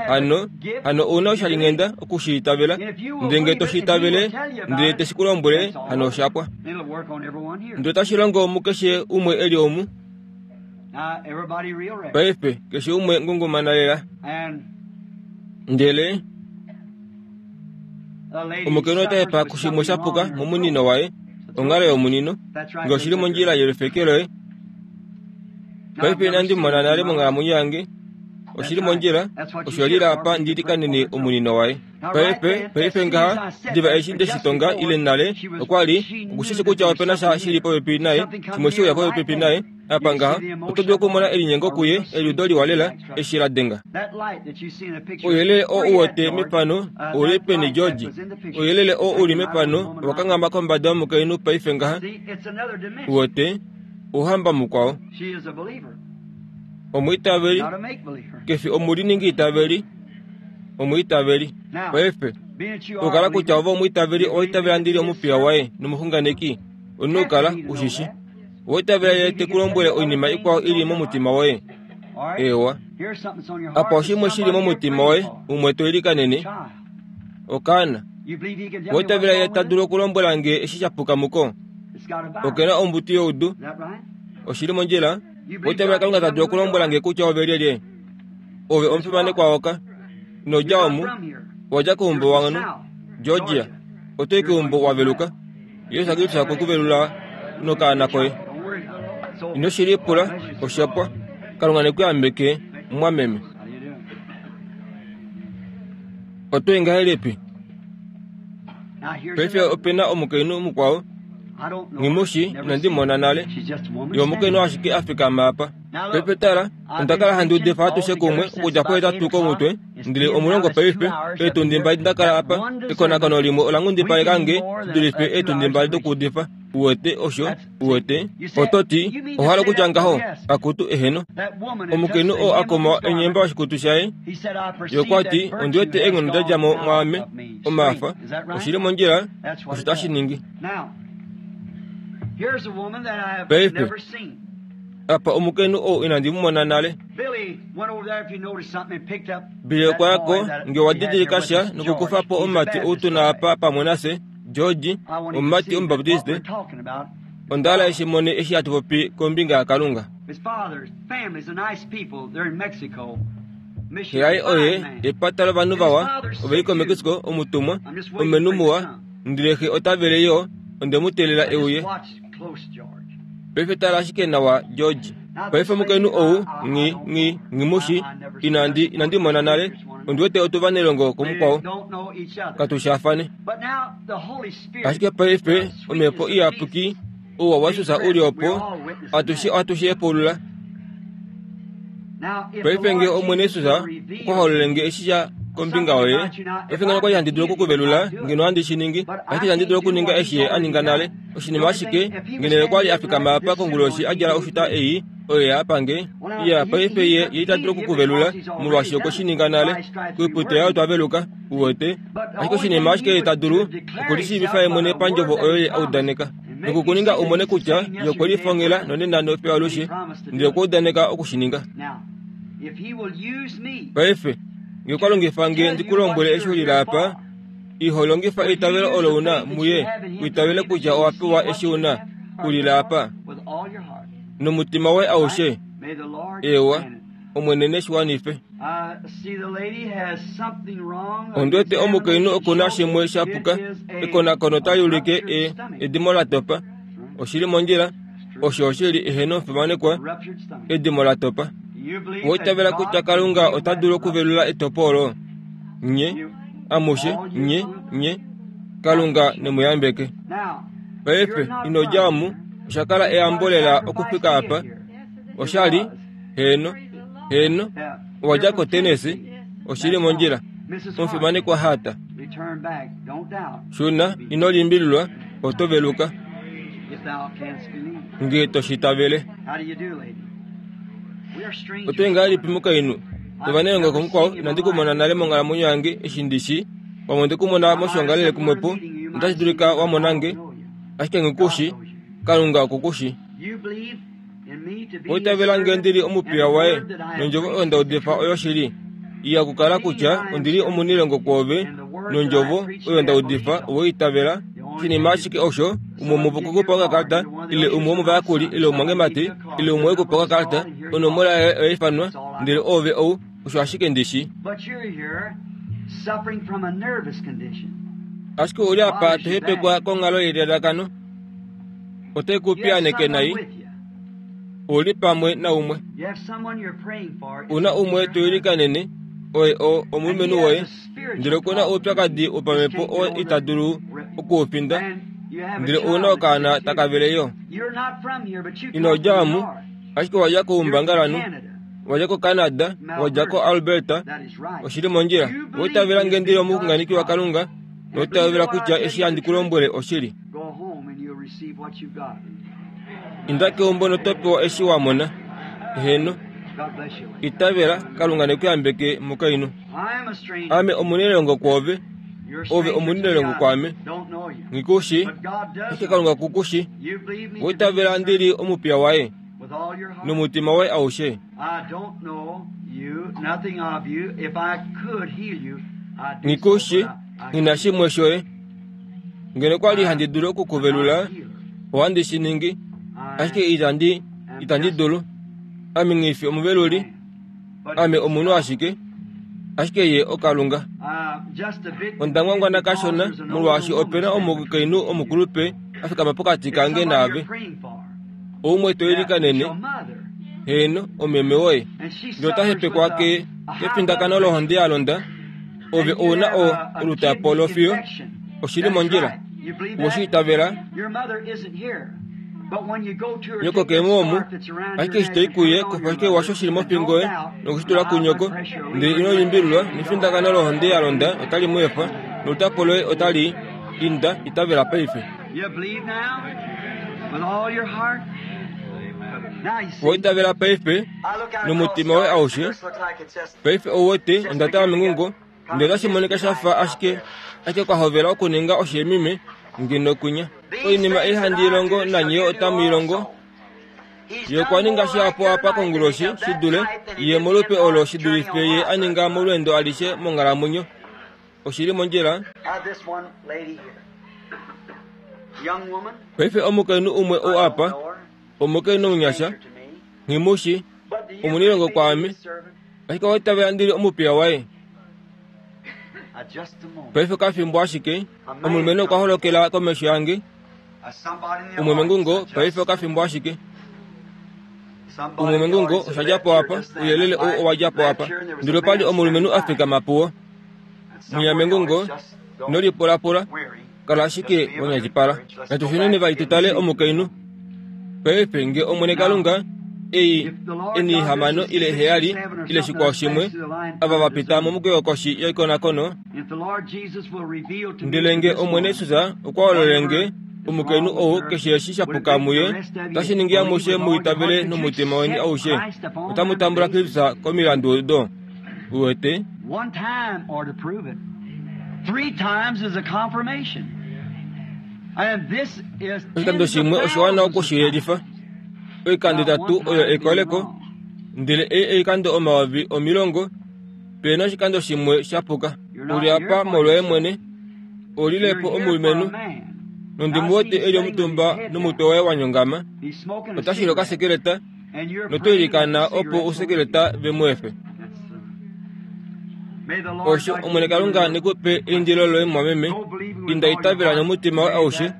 hano, hano ou na oshalinghenda oku shi itavela. Ndele nge to shi itavele, ndele te shi ku lombwele, hano osha pwa. Ndele otashi longo mukeshe umwe e li omu. Paife, keshe umwe ngungumana lela. Ndele omukainhu ota hepa kushimwe sha puka momunino waye, onghalo yomunino, nge oshi li mondjila yelufeke loye. Paife inandi mona nale monghalamwenyo yange. Oshi li mondjila, osho lila apa ndi likanene omunino waye. Paife, paife ngaha, diva eshi nde shi tonga ile nale, okwa li, oku shi shi kutya ope na sha shi li popepi naye, shimwe she uya popepi naye, apa ngaha, oto dulu okumona elinyengo kuye, eliudo liwa lela, eshi la denga. Ouyelele oo u wete mefano ou li peni, George? Ouyelele oo u li mefano owa kanghama kombada yomukainhu paife ngaha. U wete? Ouhamba mukwao. Omwiitaveli, ke fi omuliningiitaveli. Omwiitaveli. Paife, okukala kutya ove omwiitaveli owa itavela ndi li omupiya waye nomuxunganeki, omunhu okukala u shi shi. Owa itavela ye te ku lombwele oinima ikwao i li momutima woye? Eewa. Apa oshimwe shi li momutima woye, umwe to ilikanene, okaana. Owa itavela ye ta dulu okulombwela nge eshi sha puka muko? Oke na ombutu youdu. Oshi li mondjila? Owa itavela Kalunga ta dulu okulombwela nge kutya ove lyelye? Ove omufimanekwa woka. Ino dja omu. Owa dja keumbo wangano, Georgia. Oto i keumbo wa veluka. Jesus Kristus okwe ku velula nokaana koye. Ino shi lipula, osha pwa. Kalunga ne ku yambeke, mumwameme. Oto i ngahelipi? Paife ope na omukainhu mukwao, nghi mu shii, inandi mu mona nale. Ye omukainhu ashike a fikama apa. Paife tala, onda kala handi udifa atushe kumwe okudja pohetatu komutwe, ndele omulongo paife, eetundi mbali nda kala apa. Ekonakono limwe ola nghundipaleka nge shi dulife eetundi mbali dokuudifa. Uwete osho? Uwete? Oto ti, Owa hala okutya ngaho? Akutu, eheno. Omukainhu oo a koma enyemba oshikutu shaye, ye okwa ti, Ondi wete eenghono da dja mo mwaame, omafa. Oshi li mondjila, osho tashi ningi. Paife, Apa omukainhu ou inandi mu mona nale. Billy okwa ya ko, nge owa didilika sha, nokukufa po omumati ou tu na apa pamwe nafye, George, omumati Omubaptiste. Onda hala eshi mone eshi hatu popi kombinga yaKalunga. Xe yaye oye epata lovanhu vawa, ove li koMexico, omutumwa, omulumenhu muwa, ndele xe ota vele yo, onde mu teelela e uye. Paife tala ashike nawa, George. Paife omukainhu ou, nghi, nghi, nghi mu shi, inandi, inandi mona nale. Ondi wete otu vanelongo kumukwao, katu shaafane. Ashike paife Omhepo Iyapuki, ouwa waJesus u li opo, atushe ohatu shi hepaulula. Paife nge Omwene Jesus okwa holole nge eshi sha kombinga yoye, paife ngeno okwali handi dulu oku ku velula, ngeno ohandi shi ningi, ashike itandi dulu okuninga eshi Ye a ninga nale. Oshinima ashike, ngeno Ye okwali a fikama apa konguloshi a djala oshuta ei, oyo ya pa nge. Iya, paife Ye, Ye ita dulu oku ku velula, molwaashi okwe shi ninga nale. Koiputo yaye otwa veluka, uwete. Ashike oshinima ashike Ye ta dulu, okulishiivifa Ye mwene pandjovo oyo Ye a udaneka. Noku ku ninga u mone kutya Ye okwe lifongela nonena nofiyo alushe, ndele okwa udaneka oku shi ninga. Paife, nge okwa longifa nge ndi ku lombwele eshi u lile apa, iho longifa eitavelo olo u na muye u itavele kutya owa pewa eshi u na, u lile apa. Nomutima woye aushe. Eewa, Omwene ne shi wanife. Ondi wete omukainhu oku na shimwe sha puka. Ekonakono otali ulike e, edimo la topa. Oshi li mondjila. Osho oshi li eheno omufimanekwa, edimo la topa. Owa itavela kutya Kalunga ota dulu okuvelula etopo olo? Nye, amushe, nye, nye. Kalunga ne mu yambeke. Paife, ino dja omu, osha kala eyambo lela okufika apa. Osha li, heeno, heeno, owa dja koTennessee, oshi li mondjila. Omufimanekwa Hata. Shuna, ino limbililwa, oto veluka. Nge to shi tavele. Oto i ngahelipi mukainhu? Novanelongo komukwao, inandi ku mona nale monghalamwenyo yange, eshi ndi shii. Pamwe onde ku mona moshiongalele kumwepo, notashi dulika wa mona nge, ashike nghi ku shii. Kalunga oku ku shii. Owa itavela nge ndi li omupiya waye, nondjovo oyo nda udifa oyoshili? Iya okukala kutya ondi li omunilongo kwoove, nondjovo oyo nda udifa owe i itavela. Oshinima ashike osho, umwe womuvo okwe ku pa okakalata, ile umwe womovayakuli, ile omumwangemati, ile umwe okwe ku pa okakalata, onomola yaye oya ifanwa, ndele oove ou, osho ashike ndi shi. Ashike ou li apa to hepekwa konghalo yelalakano. Otai ku piyaaneke nai. U li pamwe naumwe. U na umwe to ilikanene, oye o, omulumenhu woye, ndele oku na oupyakadi wopamhepo oo ita dulu oku u finda, ndele ou na okaana taka vele yo. Ino dja omu, ashike wa dja koumbangalanhu, wa dja koCanada, wa dja koAlberta. Oshi li mondjila. Owa itavela nge ndi li omuxunganeki waKalunga, noitavela kutya eshi handi ku lombwele oshili. Inda keumbo noto pewa eshi wa mona. Heeno. Itavela, Kalunga ne ku yambeke, mukainhu. Ame omunelongo kwoove, ove omunelongo kwaame. Nghi ku shii, ashike Kalunga ku ku shii. Owa itavela ndi li omupiya waye nomutima woye aushe. Nghi ku shii, nghi na shimwe shoye. Ngeno kwa li handi dulu oku ku velula, ohandi shi ningi, ashike itandi, itandi dulu. Ame nghi fi omuveluli, ame omunhu ashike, ashike ye oKalunga. Onda ngwangwana kashona, molwaashi ope na omukainhu omukulupe a fikama pokati kange naave. Oumwe to ilikanene, heeno, omeme woye. Ndele ota hepekwa ke, kefindakano lohonde ya londa. Ove ou na o, olutapo lofiyo. Oshi li mondjila. Owe shi itavela? Nyoko ke mo omu. Ashike eshi to i kuye, kufa ashike washo shi li mofingo yoye noku shi tula kunyoko, ndele ino limbililwa, nefindakano lohonde ya londa otali mu efa, nolutapo loye otali inda. Itavela paife. Owa itavela paife nomutima woye aushe? Paife ou wete, onda tala mengungo, ndele otashi monika sha fa ashike ashike kwa hovela okuninga osheemime ngeno kwinya. Oinima ei handi i longo nanye yo otamu i longo. Ye okwa ninga shihapu apa konguloshi shi dule ye molupe olo shi dulife ye a ninga molweendo alishe monghalamwenyo. Oshi li mondjila. Paife omukainhu umwe ou apa, omukainhu omunyasha, nghi mu shi, omunilongo kwaame, ashike owa itavela ndi li omupiya waye. Paife kafimbo ashike, omulumenhu okwa holokela komesho yange, umwe mengungo, paife okafimbo ashike. Umwe mengungo osha dja po apa, ouyelele ou owa dja po apa. Ndele opa li omulumenhu a fikama puwo. Mwinya mengungo, ino lipulapula, kala ashike wa nyatipala. Natu shuneni vali tu tale omukainhu. Paife nge Omwene Kalunga, ei enihamano ile heyali ile shikwao shimwe, ava va pita momukweyo koshi yekonakono, ndele nge Omwene Jesus okwa hololele nge omukainhu ou keshe eshi sha puka muye, otashi ningi amushe mu itavele nomutima weni aushe, otamu tambula Kristus komilandu odo. Uwete? Oshikando shimwe oshiwana oku shi yelifa. Oikando itatu oyo ekoleko, ndele ei oikando 10,000, pe na oshikando shimwe sha puka. U li apa molwoye mwene. U lile po omulumenhu, nondi mu wete e li omutumba nomutwe waye wa nyongama. Ota shili okasekeleta, noto ilikana opo ousekeleta ve mu efe. Osho, Omwene Kalunga ne ku pe eindilo loye mumwameme, inda itavela nomutima woye aushe,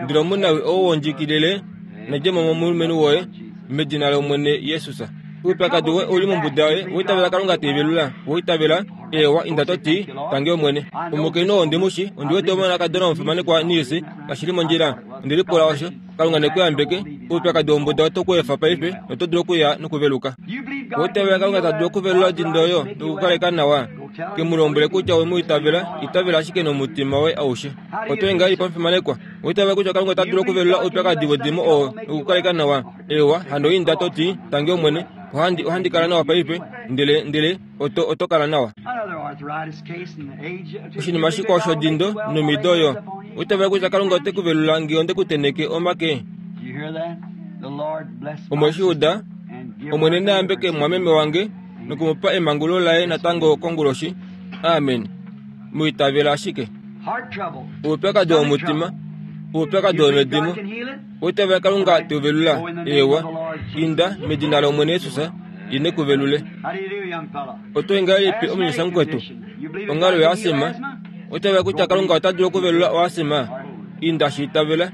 ndele omunawi ou wondjikilile na dje mo momulumenhu woye, medina lOmwene Jesus. Oupyakadi woye ou li mombuda yoye, owa itavela Kalunga te i velula? Owa itavela? Eewa, inda to ti, Tangi Omwene. Omukainhu oo ondi mu shi, ondi wete omonakadona womufimanekwa Nils, kashi li mondjila. Onde lipula osho. Kalunga ne ku yambeke. Oupyakadi wombuda oto ku efa paife, noto dulu okuya nokuveluka. Owa itavela Kalunga ta dulu okuvelula odindo oyo nokukaleka nawa? Ke mu lombwele kutya owe mu itavela, itavela ashike nomutima woye aushe. Oto i ngahelipi omufimanekwa? Owa itavela kutya Kalunga ota dulu okuvelula oupyakadi wedimo oo nokukaleka nawa? Eewa, hano inda to ti, Tangi Omwene, ohandi, ohandi kala nawa paife, ndele, ndele oto, oto kala nawa. Oshinima shikwao shodindo nomido oyo. Owa itavela kutya Kalunga ote ku velula nge onde ku tenheke omake? Omwe shi uda? Omwene na yambeke mumwameme wange noku mu pa emangululo laye natango konguloshi. Amen. Mu itavela ashike. Oupyakadi womutima, oupyakadi womedimo. Owa itavela Kalunga te u velula? Eewa. Inda, medina lOmwene Jesus, Ye ne ku velule. Oto i ngahelipi omunyasha mukwetu? Onghalo yoasima. Owa itavela kutya Kalunga ota dulu okuvelula oasima? Inda shi itavela.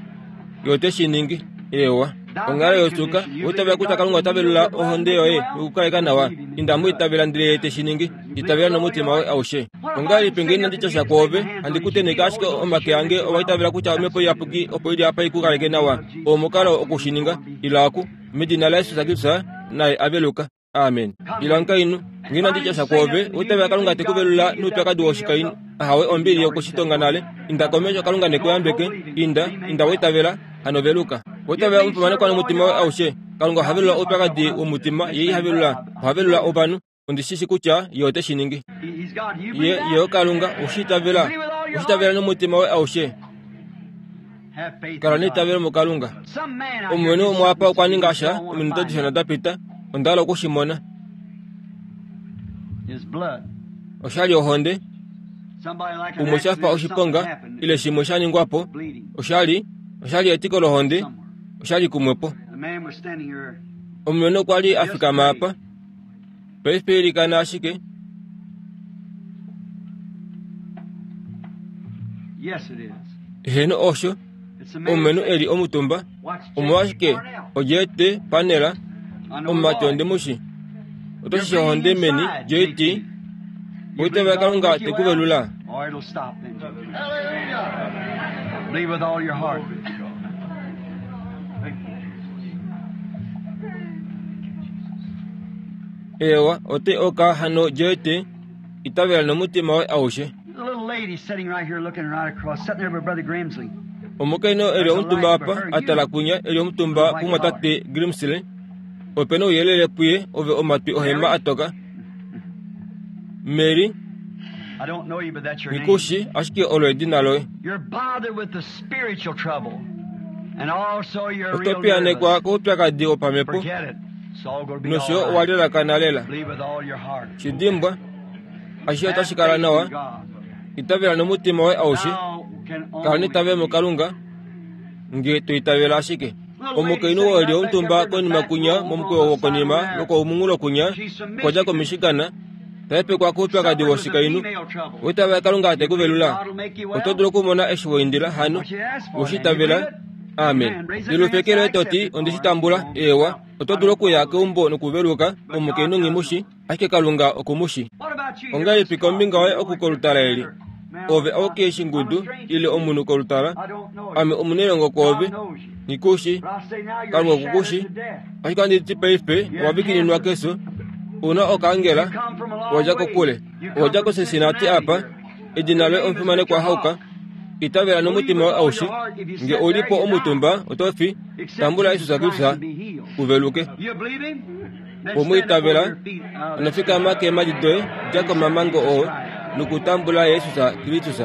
Ye ote shi ningi. Eewa. Onghalo yosuka. Owa itavela kutya Kalunga ota velula ohonde yoye nokukaleka nawa? Inda mu itavela ndele Ye te shi ningi. Itavela nomutima woye aushe. Ongahelipi nge inandi tya sha kwoove, handi ku tenheke ashike omake ange owa itavela kutya Omhepo Iyapuki opo i li apa i ku kaleke nawa? Oo omukalo oku shi ninga. Ila oku, medina laJesus Kristus, naye a veluka. Amen. Ila omukainhu, nge inandi tya sha kwoove, owa itavela Kalunga te ku velula noupyakadi woshikainhu? Ahawe, ombili oku shi tonga nale. Inda komesho, Kalunga ne ku yambeke. Inda, inda wa itavela, hano veluka. Owa itavela omufimanekwa nomutima woye aushe? Kalunga oha velula oupyakadi womutima, Ye iha velula, oha velula ovanhu. Ondi shi shi kutya Ye ote shi ningi. Ye, Ye oKalunga, u shi itavela? U shi itavela nomutima woye aushe? Kala neitavelo muKalunga. Omulumenhu umwe apa okwa ninga sha ominute dishona da pita, onda hala oku shi mona. Osha li ohonde. Umwe sha fa oshiponga ile shimwe sha ningwa po. Osha li, osha li etiko lohonde. Osha li kumwe po. Omulumenhu okwa li a fikama apa. Paife ilikana ashike. Heeno osho, omulumenhu e li omutumba. Omolwashike oJT Panela, omumati ondi mu shi. Oto shi ohonde meni, JT? Oitavela Kalunga te ku velula. Believe with all your heart. Eewa, ote oka hano jete itavela nomutima woye aushe. The little lady sitting right here looking right across, sitting there with Brother Grimsley. Omukainhu e li omutumba apa, a tala kunya, e li omutumba pumwatate Grimsley. Ope na ouyelele puye, ove omatwi ohema a toka. Mary, I don't know you, but that's your name. Ngikushi, ashike olo edina loye. You're bothered with the spiritual trouble. And also you're Oto real piyanekwa nervous. koupyakadi wopamhepo Forget it. It's all going to be nosho yo all owa right. lelakana lela. Believe with all your heart. Shi dimbwa, ashishe Have otashi kala faith in nawa. God. Itavela nomutima woye aushe. Thou can Kala only neitavelo believe. muKalunga, nge to itavela ashike. Omukainhu oo e li omutumba konima kunya momukweyo wokonima lwokoumunghulo kunya, okwa dja koMichigan, ta hepekwa koupyakadi woshikainhu. Owa itavela Kalunga te ku velula? Oto dulu okumona eshi wa indila hano? Owe shi itavela? Amen. Lilufeke loye to ti, Onde shi tambula. Eewa. Oto dulu okuya keumbo nokuveluka, omukainhu nghi mu shi, ashike Kalunga oku mu shi. Ongahelipi kombinga yoye oku kolutala eli? Ove auke eshingudu ile omunhu kolutala, ame omunailongo kwoove, nghi ku shi. Kalunga oku ku shi. Ashike ohandi ti paife owa vikininwa kefyo, u na okaangela, wa dja kokule. Owa dja koCincinnati apa. Edina loye omufimanekwa Hauka. Itavela nomutima woye aushe. Nge ou li po omutumba, oto fi. Tambula Jesus Kristus u veluke. Omu itavela, ano fikama keemhadi doye, dja komamango oo, nokutambula Jesus Kristus.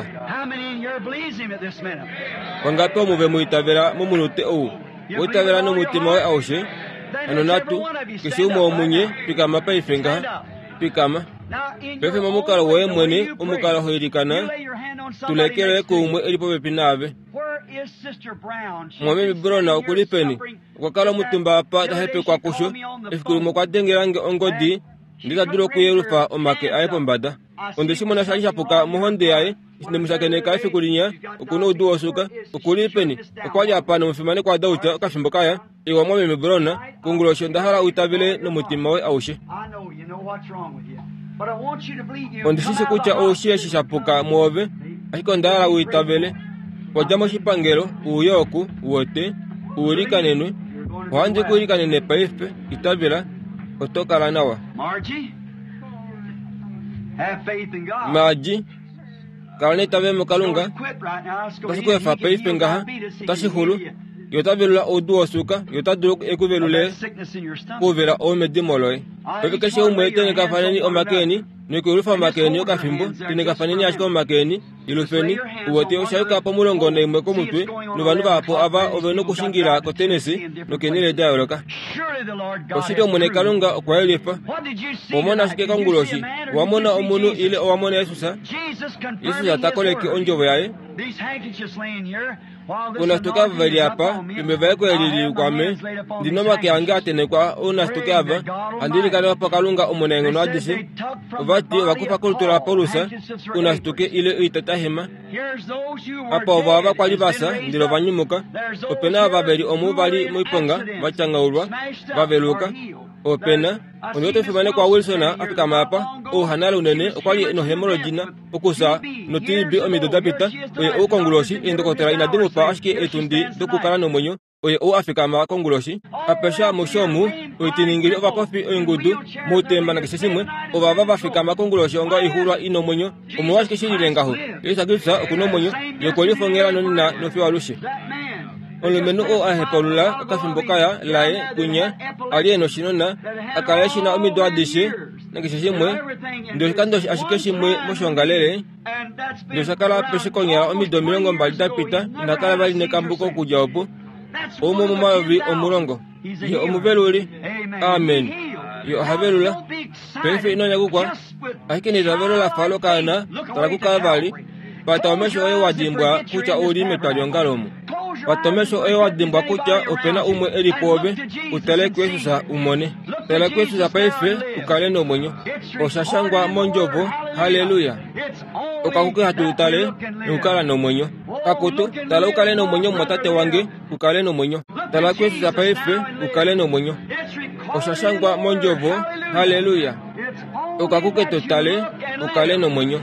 Vangapi omu ve mu itavela momunute ou? Wa itavela nomutima woye aushe? Ano natu, keshe umwe womunye, fikama paife ngaha. Fikama. Paife momukalo woye mwene, omukalo ho ilikana, tula eke loye kuumwe e li popepi naave. Mumwameme Brown oku li peni? Okwa kala omutumba apa ta hepekwa kusho. Efiku limwe okwa dengela nge ongodi, ndele ta dulu okuyelufa omake aye pombada. Onde shi mona sha li sha puka mohonde yaye. Eshi nde mu shakeneka efiku linya, oku noudu wosuka. Oku li peni? Okwa li apa nomufimanekwa Dauch okafimbo kaya. Ewa mwameme Brown, konguloshi onda hala u itavele nomutima woye aushe. Ondi shi shi kutya ou shii eshi sha puka mwoove, ashike onda hala u itavele. Wa dja moshipangelo, u ye oku, uwete, u ilikanenwe. Ohandi ku ilikanene paife, itavela, oto kala nawa. Margie, Kala neitavelo muKalunga. Otashi ku efa paife ngaha. Otashi xulu. Ye ota velula oudu wosuka. Ye ota dulu e ku velule kouvela ou medimo loye. Paife keshe umwe tenhekafaneni omake eni nokuyulufa omake eni okafimbo. Tenhekafaneni ashike omake eni. Yelufeni. Uwete, osha yuka pomulongo naimwe komutwe, novanhu vahapu ava ove nokushingila kotenesi nokeenhele da yooloka. Oshili Omwene Kalunga okwa yelifa. Owa mona ashike konguloshi? Owa mona omunhu ile owa mona Jesus? Jesus ta koleke ondjovo yaye. Ounasituke ava ve li apa, yomevaeko eli li kwame, ndi nomake ange a tenhekwa ounasituke ava, handi ilikana opo Kalunga Omunaenghono adishe, ova ti ova kufa kolutu laPaulus ounasituke ile oitatahema. Apa ovo ava kwa li va fya ndele ova nyumuka. Ope na ava ve li omu va li moiponga, va tyangaulwa, va veluka. Ope na. Ondi wete omufimanekwa Wilson a fikama apa, ou hanale unene, okwa li nohemolodina, okufya noTB omido da pita. Oye ou konguloshi, eendokotola inadi mu pa ashike eetundi dokukala nomwenyo. Oye ou a fikama konguloshi, apeshe amushe omu, oitiningili, ovapofi, oingudu, moutemba nakeshe shimwe, ovava va fikama konguloshi onga oixuulwa i nomwenyo. Omolwashike shi lile ngaho? Jesus Kristus oku nomwenyo, Ye okwe lifongela nonena nofiyo alushe. Omulumenhu oo a hepaulula okafimbo kaya laye kwinya a li e noshinona, a kala e shi na omido adishe nakeshe shimwe, ndele oshikando ashike shimwe moshiongalele, Ndele osha kala apeshe konyala omido 20 da pita, ina kala vali nekambuko okudja opo. Oumwe womomayovi omulongo. Ye omuveluli. Amen. Ye oha velula. Paife ino nyakukwa, ashike neitavelo la fa lokaana, tala kuKalvari. Pata omesho oye wa dimbwa kutya ou li metwaliongalo omu. Pata omesho oye wa dimbwa kutya ope na umwe e li pwoove, u tale kuJesus u mone. Tala kuJesus paife u kale nomwenyo. Osha shangwa mOndjovo. Halleluya! Okakuki hatu tale nokukala nomwenyo. Akutu, tala u kale nomwenyo, mumwatate wange, u kale nomwenyo. Tala kuJesus paife u kale nomwenyo. Osha shangwa mOndjovo. Halleluya! Okakuke to tale u kale nomwenyo.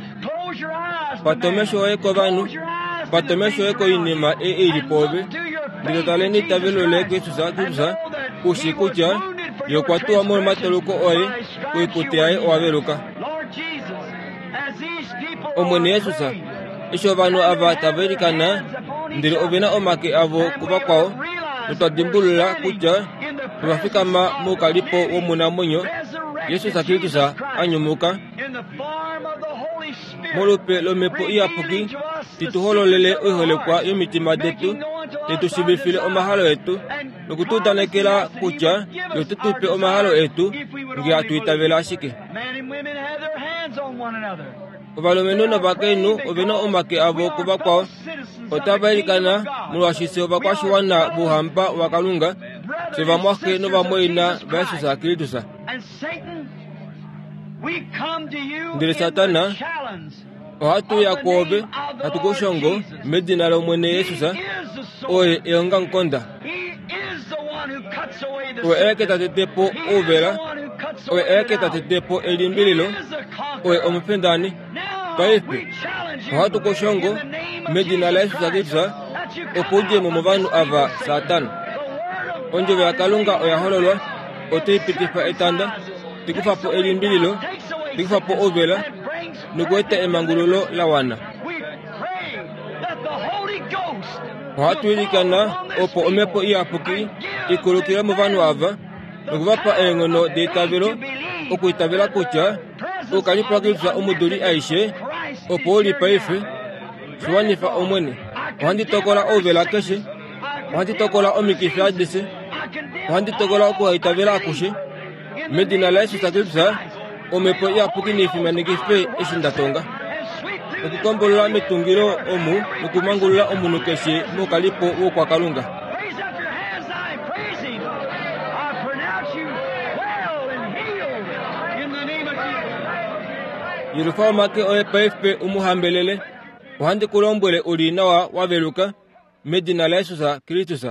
Pata omesho oye kovanhu, pata omesho oye koinima ei i li pwoove, ndele to tale neitavelo loye kuJesus Kristus, u shii kutya Ye okwa tuwa molwomatauluko oye, koipute yaye owa veluka. Omwene Jesus, eshi ovanhu ava tava ilikana, ndele ove na omake avo kuvakwao, notwa dimbulula kutya ova fikama moukalipo womunamwenyo, Jesus Kristus a nyumuka, Molupe lOmhepo Iyapuki ti tu hololele oiholekwa yomitima detu, te tu shiivifile omahalo etu, noku tu udanekela kutya Ye ote tu pe omahalo etu nge hatu itavele ashike. Ovalumenhu novakainhu ove na omake avo kuvakwao, otava ilikana molwaashi fye ovakwashiwana vOuhamba waKalunga, fye vamwaxe novamwaina vaJesus Kristus. Ndele Satana, ohatu uya kwoove, hatu ku shongo medina lOmwene Jesus, oye eongamukonda. Oye aeke ta tete po ouvela, oye aeke ta tete po elimbililo, oye omufindani. Paife ohatu ku shongo medina laJesus Kristus opo u dje mo movanhu ava, Satana. Ondjovo yaKalunga oya hololwa, otai pitifa etanda, tai kufa po elimbililo, tai kufa po ouvela nokueta emangululo la wana. Ohatu ilikana opo Omhepo Iyapuki i kulukile movanhu ava noku va pa eenghono deitavelo okwiitavela kutya oukalipo waKristus omuduli aishe opo u li paife. Shi wanifa, Omwene. Ohandi tokola ouvela keshe. Ohandi tokola omikifi adishe. Ohandi tokola okuhaitavela akushe. Medina laJesus Kristus, Omhepo Iyapuki nei fimanekife eshi nda tonga. Okukombolola metungilo omu nokumangulula omunhu keshe moukalipo woukwakalunga. Yelufa omake oye paife u mu hambelele. Ohandi ku lombwele u li nawa wa veluka, medina laJesus Kristus.